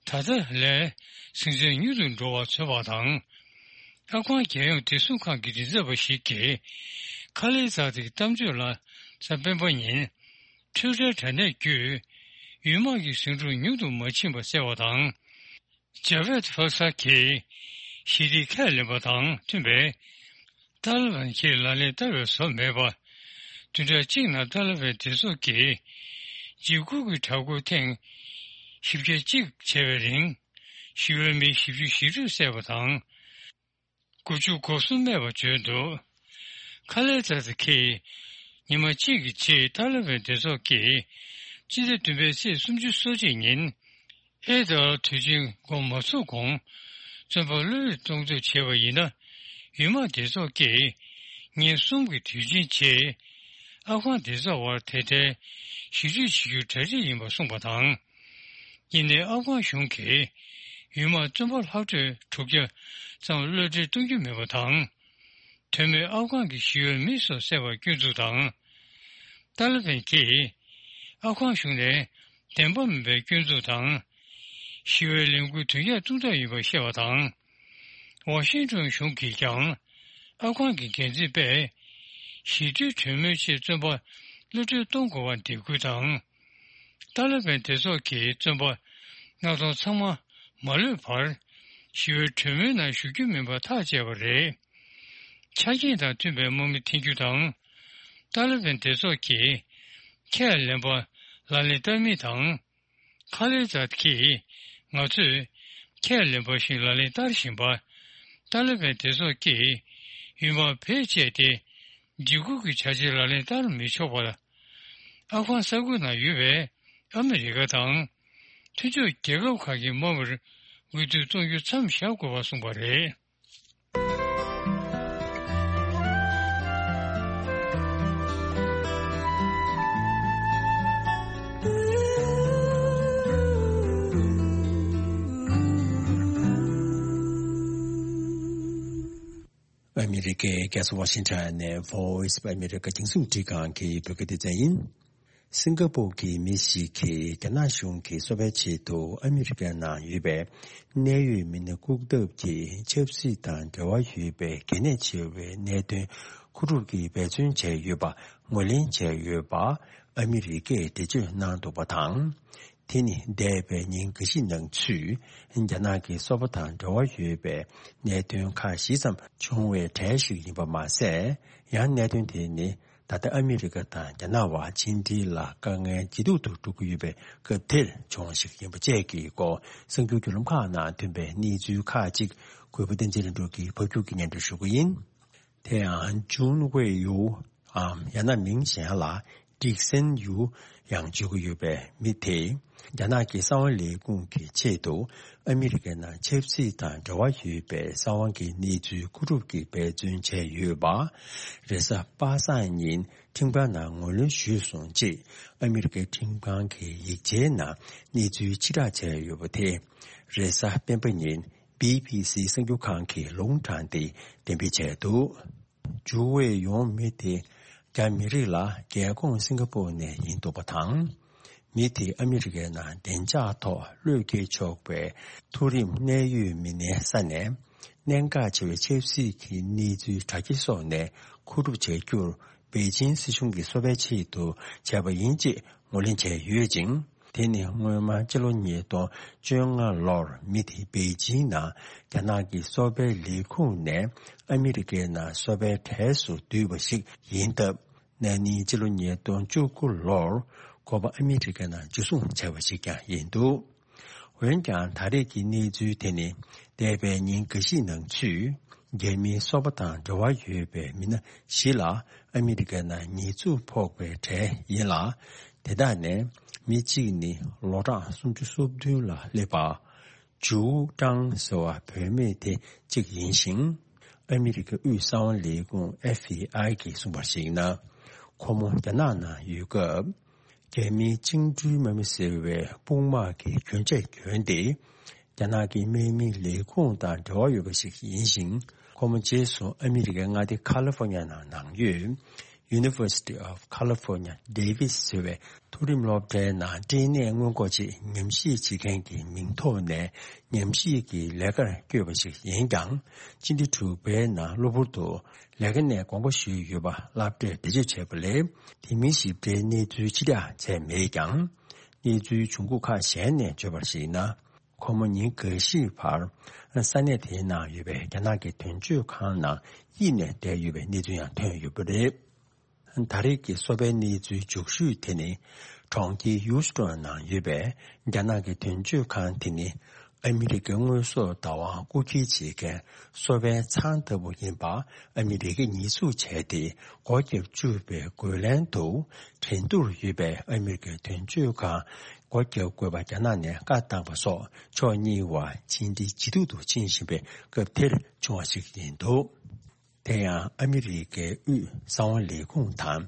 ད་ལྟ་ལས་ཟིང་ཆ་མྱུར་དུ་འགྲོ་བ་བཟོས་པ་དང་། ཨབ་གྷན་རྒྱལ་ཡོངས་བདེ་སྲུང་ཁང་གི་མགྲིན་ཚབ་པ་ཞིག་གིས་ཁ་ལེ་ཛ་ཏིའི་གཏམ་བརྗོད་ལ་གཟའ་སྤེན་པ་ཉིན་ཊི་ཝི་ཊར་དྲ་གནས་བརྒྱུད། ཡུལ་དམག་གི་ཟིང་འཁྲུག་ཉུང་དུ་མ་ཕྱིན་པ་གསལ་བ་དང་། ཇ་བེད་ཧྥ་ས་གིས་ཞི་བདེའི་ཁས་ལེན་པ་དང་མཐུན་པའི་ཏཱ་ལི་བན་གྱིས་ལག་ལེན་བསྟར་བའི་བཟོ་མེད་པ། བདུན་ཕྲག་གཅིག་ནང་ཏཱ་ལི་བན་སྡེ་ཚོགས་ཀྱིས་འཇིགས་སྐུལ་གྱི་དྲག་རྒོལ་ཐེངས་བཞི་བརྒྱ་གཅིག་བྱས་པའི་རིང་། ཞི་བའི་མི་བཞི་བཅུ་ཞེ་དྲུག་བསད་པ་དང་། དགུ་བཅུ་གོ་གསུམ་རྨས་པ་བྱུང་འདུག་ཁ་ལེ་ཛ་ཏི་གིས་ཉི་མ་གཅིག་གི་རྗེས་ཏཱ་ལི་བན་སྡེ་ཚོགས་ཀྱིས་སྤྱི་ཟླ་བདུན་པའི་ཚེས་སུམ་ཅུ་སོ་གཅིག་ཉིན། ཨེ་ད་དུས་ཆེན་འགོ་མ་ཚུགས་གོང་བཙོན་པ་གློད་གློད་གཏོང་འདོད་བྱས་པ་ཡིན་ན། ཡུལ་དམག་སྡེ་ཚོགས་ཀྱིས་ཉིན་གསུམ་གྱི་དུས་ཆེན་རྗེས། ཨབ་གྷན་སྡེ་ཚོགས་དབར་དེ་འཕྲལ་ཞི་གྲོས་བྱེད་རྒྱུ་གྲ་སྒྲིག་ཡིན་པ་གསུངས་པ་དང་། ཡིན་ནའི་ཨབ་གྷན་གཞུང་གིས་ཡུལ་དམག་བཙོན་པ་ལྷག་འཕྲོས་དྲུག་བརྒྱ་ཙམ་གློད་གྲོལ་གཏོང་རྒྱུ་མེད་པ་དང་། དོན་མེད་ཨབ་གྷན་གྱི་ཞི་གཡོག་མི་སོགས་བསད་པར་སྐྱོན་འཛུགས་དང་། ཏཱ་ལི་བན་གྱིས་ཨབ་གྷན་གཞུང་ནས་བདེན་པ་མིན་པའི་སྐྱོན་འཛུགས་དང་། ཞི་བའི་ལས་འགུལ་དོན་འཁྱོལ་གཏོང་ཐབས་ཡིན་པར་བཤད་པ་དང་། ཝ་ཤིང་ཏོན་གཞུང་གིས་ཀྱང་ཨབ་གྷན་གྱི་འགན་འཛིན་པས་ཞི་གྲོས་གྲོས་མོལ་ཆེད་བཙོན་པ་གློད་གྲོལ་གཏོང་དགོས་པར་འདེད་སྐུལ་དང་། ཏཱ་ལི་བན་སྡེ་ཚོགས་ཀྱིས་བཙོན་པ་མངགས་གཏོང་ཚང་མ་མ་གློད་བར། ཞི་བའི་གྲོས་མོལ་ནང་ཞུགས་རྒྱུ་མིན་པ་ཐག་བཅད་པ་རེད། ཆ་རྐྱེན་དང་མཐུན་པའི་དམག་མི་འཐེན་རྒྱུ་དང་། ཏཱ་ལི་བན་སྡེ་ཚོགས་ཀྱིས་ཁས་ལེན་པ་ལག་ལེན་བསྟར་མིན་དང་། ཁ་ལེ་ཛ་གིས་ང་ཚོས་ཁས་ལེན་པ་བཞིན་ལག་ལེན་བསྟར་བཞིན་པ། ཏཱ་ལི་བན་སྡེ་ཚོགས་ཀྱིས་ཡུལ་དམག་བེད་སྤྱད་དེ། འཇིགས་སྐུལ་གྱི་བྱ་བྱེད་ལག་ལེན་བསྟར་མི་ཆོག་པར། ཨབ་གྷན་ས་ཁུལ་ནང་ཡོད་པའི་ཨ་མི་རི་ཀ་དང་མཐུན་ཕྱོགས་རྒྱལ་ཁབ་ཁག་གི་དམག་མིར་འོས་བསྡུ་གཏོང་རྒྱུ་མཚམས་བཞག་དགོས་པ་གསུངས་པ་རེད། ཨ་མི་རི་ཀའི་རྒྱལ་ས་ཝ་ཤིང་ཊོན་ནས་Voice of America་རྒྱང་སྲིང་འཕྲིན་ཁང་གི་བོད་སྐད་སྡེ་ཚན་ཡིན། སིང་ག་པོར་གྱི་མི་ཞིག་གིས་རྒྱ་ནག་གཞུང་གིས་སོ་པའི་ཆེད་དུ་ཨ་མི་རི་ཀའི་ནང་ཡོད་པའི་གནད་ཡོད་མི་སྣ་བཀུག་ཐབས་ཀྱི་ཆབ་སྲིད་དང་འབྲེལ་བ་ཡོད་པའི་གལ་གནད་ཆེ་བའི་གནད་དོན་མཁོ་སྒྲུབ་ཀྱིས་འབད་བརྩོན་བྱས་ཡོད་པ་ངོས་ལེན་བྱས་ཡོད་པ་ཨ་མི་རི་ཀས་འགྲེལ་བརྗོད་གནང་འདུག་པ་དང་། དེ་ནི་འདས་པའི་ཉིན་འགའ་ཞིག་ནང་ཚུད་རྒྱ་ནག་གི་སོ་པ་དང་འབྲེལ་བ་ཡོད་པའི་གནད་དོན་ཁག་ཞིག་ཙམ་བྱུང་བའི་གྲས་ཤིག་ཡིན་པ་མ་ཟད། ཡང་གནད་དོན་དེ་ནི། ད་ལྟ་ཨ་མི་རི་ཀ་དང་རྒྱ་ནག་དབར་ཕྱི་འབྲེལ་ལ་དཀའ་ངལ་ཇེ་སྡུག་ཏུ་འགྲོ་གི་ཡོད་པའི་སྐབས་དེར་བྱུང་བ་ཞིག་ཡིན་པ་བཅས་ཀྱི་སྐོར་གསར་འགྱུར་བརྒྱུད་ལམ་ཁག་ནང་ཐོན་པའི་གནས་ཚུལ་ཁག་ཅིག་གུས་པ་བསྟན་འཛིན་ལྷུན་གྲུབ་ཀྱིས་ཕབ་སྒྱུར་གྱིས་སྙན་སྒྲོན་ཞུ་གི་ཡིན། དེ་ཡང་ཇུན་ཝེ་ཡུའུ་འམ་ཡང་ན་མིང་གཞན་ལ་ཀྲིག་སན་ཡུའུ་ཡང་བརྗོད་ཀྱི་ཡོད་པའི་མི་དེས་རྒྱ་ནག་གི་གསང་བ་ལས་ཁུངས་ཀྱི་ཆེད་དུ་ཨ་མི་རི་ཀའི་ནང་ཆབ་སྲིད་དང་འབྲེལ་བ་ཡོད་པའི་གསང་བ་གི་གནས་ཚུལ་མཁོ་སྒྲུབ་ཀྱིས་འབད་བརྩོན་བྱས་ཡོད་པ། རེས་གཟའ་པ་སངས་ཉིན་ཁྲིམས་ཁང་ནང་ངོས་ལེན་ཞུས་སོང་ཅེས་ཨ་མི་རི་ཀའི་ཁྲིམས་ཁང་གི་ཡིག་ཆའི་ནང་གནས་ཚུལ་ཕྱིར་བསྒྲགས་བྱས་ཡོད་པ་དེ་རེས་གཟའ་སྤེན་པ་ཉིན་བི་བི་སི་གསར་འགྱུར་ཁང་གིས་ལུང་དྲངས་ཏེ་འགྲེམས་སྤེལ་བྱས་འདུག་ཇུ་ཝེ་ཡུའུ་མི་དེ་རྒྱ་མི་རིགས་ལ་རྒྱལ་ཁོངས་སིང་ག་པོར་ནས་ཡིན་འདུག་པ་དང་། མི་དེས་ཨ་མི་རི་ཀའི་ནང་བདེ་འཇགས་ཐོག་བློས་འགེལ་ཆོག་པའི་མཐོ་རིམ་གནད་ཡོད་མི་སྣའི་ས་ནས་གནད་འགག་ཆེ་བའི་ཆབ་སྲིད་ཀྱི་གནས་ཚུལ་དྲ་རྒྱ་སོགས་ནས་མཁོ་སྒྲུབ་བྱ་རྒྱུར་པེ་ཅིང་སྲིད་གཞུང་གིས་སོ་པའི་ཆེད་དུ་བྱས་པ་ཡིན་ཅེས་ངོས་ལེན་བྱས་ཡོད་ཅིང་། དེ་ནི་སྔོན་མ་སྤྱི་ལོ་ཉིས་སྟོང་བཅོ་ལྔ་ལོར་མི་དེ་པེ་ཅིང་ནང་རྒྱ་ནག་གི་སོ་པའི་ལས་ཁུངས་ནས་ཨ་མི་རི་ཀའི་ནང་སོ་པའི་གྲས་སུ་བསྡུས་པ་ཞིག་ཡིན་སྟབས། ན་ནིང་སྤྱི་ལོ་ཉིས་སྟོང་བཅུ་དགུ་ལོར་ཁོ་པ་ཨ་མི་རི་ཀའི་ནང་འཇུ་བཟུང་བྱས་པ་ཞིག་ཀྱང་ཡིན་འདུག་འོན་ཀྱང་ད་རེས་ཀྱི་གནས་ཚུལ་དེ་ནི་འདས་པའི་ཉིན་འགའ་ཞིག་ནང་ཚུད་རྒྱ་མིའི་སོ་པ་དང་འབྲེལ་བ་ཡོད་པའི་མི་སྣ་བཞི་ལ་ཨ་མི་རི་ཀའི་ནང་ཉེས་འཛུགས་ཕོག་པའི་གྲས་ཡིན་ལ། དེ་དག་ནས་མི་གཅིག་ནི་ལོ་གྲངས་སུམ་ཅུ་སོ་བདུན་ལ་སླེབས་པ། ཇུའུ་ཀྲང་ཟེར་བ་བུད་མེད་དེ་གཅིག་ཡིན་ཞིང་། ཨ་མི་རི་ཀའི་དབུས་གསང་བ་ལས་ཁུངས་ཨེཕ་བི་ཨའི་གིས་གསུངས་པར་གཞིགས་ན། ཁོ་མོ་རྒྱ་ནག་ནང་ཡོད་སྐབས། རྒྱ་མིའི་བཅིངས་འགྲོལ་དམག་མི་ཟེར་བའི་དཔུང་དམག་གི་གྱོན་ཆས་གྱོན་ཏེ། རྒྱ་ནག་གི་དམག་མིའི་ལས་ཁུངས་དང་འབྲེལ་བ་ཡོད་པ་ཞིག་ཡིན་ཞིང་། ཁོ་མོ་རྗེས་སུ་ཨ་མི་རི་ཀའི་མངའ་སྡེ་ཁ་ལི་ཧྥོ་ཉ་ནང་ནང་ཡོད། University of California Davis ཟེར་བའི་མཐོ་རིམ་སློབ་གྲྭའི་ནང་སྐྲན་ནད་སྔོན་འགོག་ཆེད་ཉམས་ཞིབ་བྱེད་མཁན་གྱི་མིང་ཐོག་ནས་ཉམས་ཞིབ་ཀྱི་ལས་ཀར་བསྐྱོད་པ་ཞིག་ཡིན་ཀྱང་། སྤྱི་ཟླ་དྲུག་པའི་ནང་གློ་བུར་དུ་ལས་ཀ་ནས་དགོངས་པ་ཞུས་ཡོད་པ་སློབ་གྲྭས་བེད་སྤྱོད་བྱས་པ་ལས། དེ་མིན་ཞིབ་ཕྲའི་གནས་ཚུལ་ཕྱིར་བསྒྲགས་བྱས་མེད་ཀྱང་། གནས་ཚུལ་བྱུང་ཁུངས་ཁག་གཞན་ནས་བརྗོད་པར་གཞིགས་ན། ཁོ་མོ་ཉིན་འགའ་ཤས་བར་ས་གནས་དེའི་ནང་ཡོད་པའི་རྒྱ་ནག་གི་དོན་གཅོད་ཁང་ནང་གཡུགས་ནས་བསྡད་ཡོད་པའི་གནས་ཚུལ་ཡང་ཐོན་ཡོད་པ་རེད། ད་རེས་ཀྱི་སོ་པའི་གནས་ཚུལ་མཇུག་ཤོས་དེ་ནི། གྲོང་ཁྱེར་ཡུ་སི་ཀྲོན་ནང་ཡོད་པའི་རྒྱ་ནག་གི་དོན་གཅོད་ཁང་དེ་ནི། ཨ་མི་རི་ཀའི་དངོས་ཟོག་བདག་དབང་རྐུ་འཁྱེར་བྱེད་མཁན་སོ་པའི་ཚང་ལྟ་བུ་ཡིན་པ་ཨ་མི་རི་ཀས་ཉེས་འཛུགས་བྱས་ཏེ། སྒོ་བརྒྱབ་བཅུག་པའི་རྒོལ་ལན་དུ། ཁྲིན་ཏུར་ཡོད་པའི་ཨ་མི་རི་ཀའི་དོན་གཅོད་ཁང་སྒོ་བརྒྱབ་དགོས་པ་རྒྱ་ནག་ནས་བཀའ་བཏང་པ་སོགས་ཕྱོགས་གཉིས་བར་ཕྱི་འབྲེལ་ཇེ་སྡུག་ཏུ་ཕྱིན་བཞིན་པའི་སྐབས་དེར་བྱུང་བ་ཞིག་ཡིན་འདུག་དེ་ཡང་ཨ་མི་རི་ཀའི་དབུས་གསང་བ་ལས་ཁུངས་དང་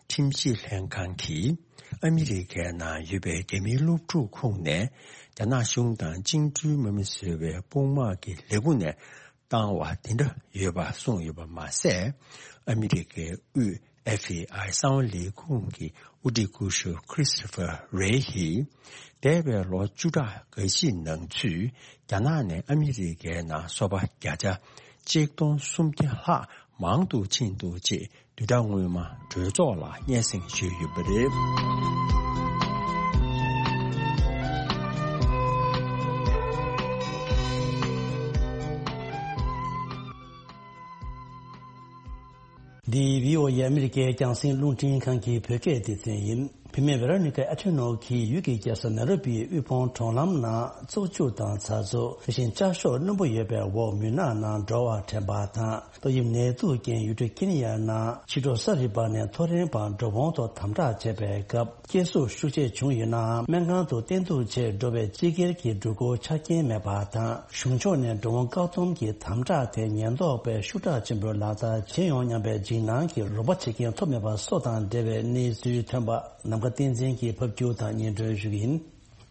ཁྲིམས་ཞིབ་ལྷན་ཁང་གིས། ཨ་མི་རི་ཀའི་ནང་ཡོད་པའི་རྒྱ་མིའི་སློབ་ཕྲུག་ཁོངས་ནས། རྒྱ་ནག་གཞུང་དང་བཅིངས་འགྲོལ་དམག་མི་ཟེར་བའི་དཔུང་དམག་གི་ལས་ཁུངས་ནས་བཏང་བ་དེ་འདྲ་ཡོད་པ་གསུངས་ཡོད་པ་མ་ཟད། ཨ་མི་རི་ཀའི་དབུས་ཨེཕ་བི་ཨའི་གསང་བ་ལས་ཁུངས་ཀྱི་དབུ་ཁྲིད་སྐུ་ཞབས་Christopher Wray ཡིས། འདས་པའི་ལོ་བཅུ་ཕྲག་འགའ་ཞིག་ནང་ཚུད། རྒྱ་ནག་ནས་ཨ་མི་རི་ཀའི་ནང་སོ་པ་བརྒྱ་ཆ་གཅིག་སྟོང་སུམ་བརྒྱ་ལྷག་མང་དུ་ཕྱིན་འདུག་ཅེས་བསྡུས་གྲྭ་སྔོན་མ་གྲོས་ཚོགས་ལ་སྙན་སེང་ཞུས་ཡོད་པ་རེད། འདི་བྷི་ཨོ་ཨེ་ཨ་མི་རི་ཀའི་རྒྱང་སྲིང་རླུང་འཕྲིན་ཁང་གི་བོད་སྐད་སྡེ་ཚན་ཡིན། བུད་མེད་ཝེ་རོ་ནི་ཀ་ཨ་ཐོན་ནོ་གིས་ཡུལ་གྱི་རྒྱལ་ས་ནེ་རོ་བིའི་དབུལ་ཕོངས་གྲོང་ལམ་ནང་བཙོག་ཆུ་དང་ཛ་འཛུགས། དེ་བཞིན་ལྕགས་ཤོག་རྣོན་པོ་ཡོད་པའི་འོག་མུན་ནག་ནང་འགྲོ་བ་དྲན་པ་དང་། ཏོག་དབྱིབས་ནད་དུག་རྐྱེན་ཡུལ་གྲུ་ཁེ་ནི་ཡ་ནང་ཕྱི་དྲོ་གསར་རི་པ་ནས་ཐོ་རེངས་བར་འགྲོ་འོང་ཐོག་དམ་དྲག་བྱས་པའི་སྐབས། སྐྱེ་ཟུར་ཤུགས་ཆེ་བྱུང་ཡོད་ནའང་སྨན་ཁང་དུ་བསྟེན་གཏུགས་ཆེད་འགྲོ་བའི་སྤྱི་སྒེར་གྱི་འགྲུལ་འཁོར་ཆ་རྐྱེན་མེད་པ་དང་། གཞུང་ཕྱོགས་ནས་འགྲོ་འོང་བཀག་སྡོམ་གྱི་དམ་དྲག་དེ་ཉེན་རྟོག་པས་ཤུགས་དྲག་ཆེན་པོས་ལག་བསྟར་བྱེད་ཡོང་སྙམ་པའི་འཇིགས་སྣང་གིས་རོགས་པ་བྱེད་མཁན་ཐོབ་མེད་པ་སོགས་དང་འབྲེལ་བའི་གནས་ཚུལ་ཐོན་པ། ནམ་མཁའ་བསྟན་འཛིན་གྱིས་ཕབ་སྒྱུར་དང་སྙན་སྒྲོན་ཞུ་གི་ཡིན།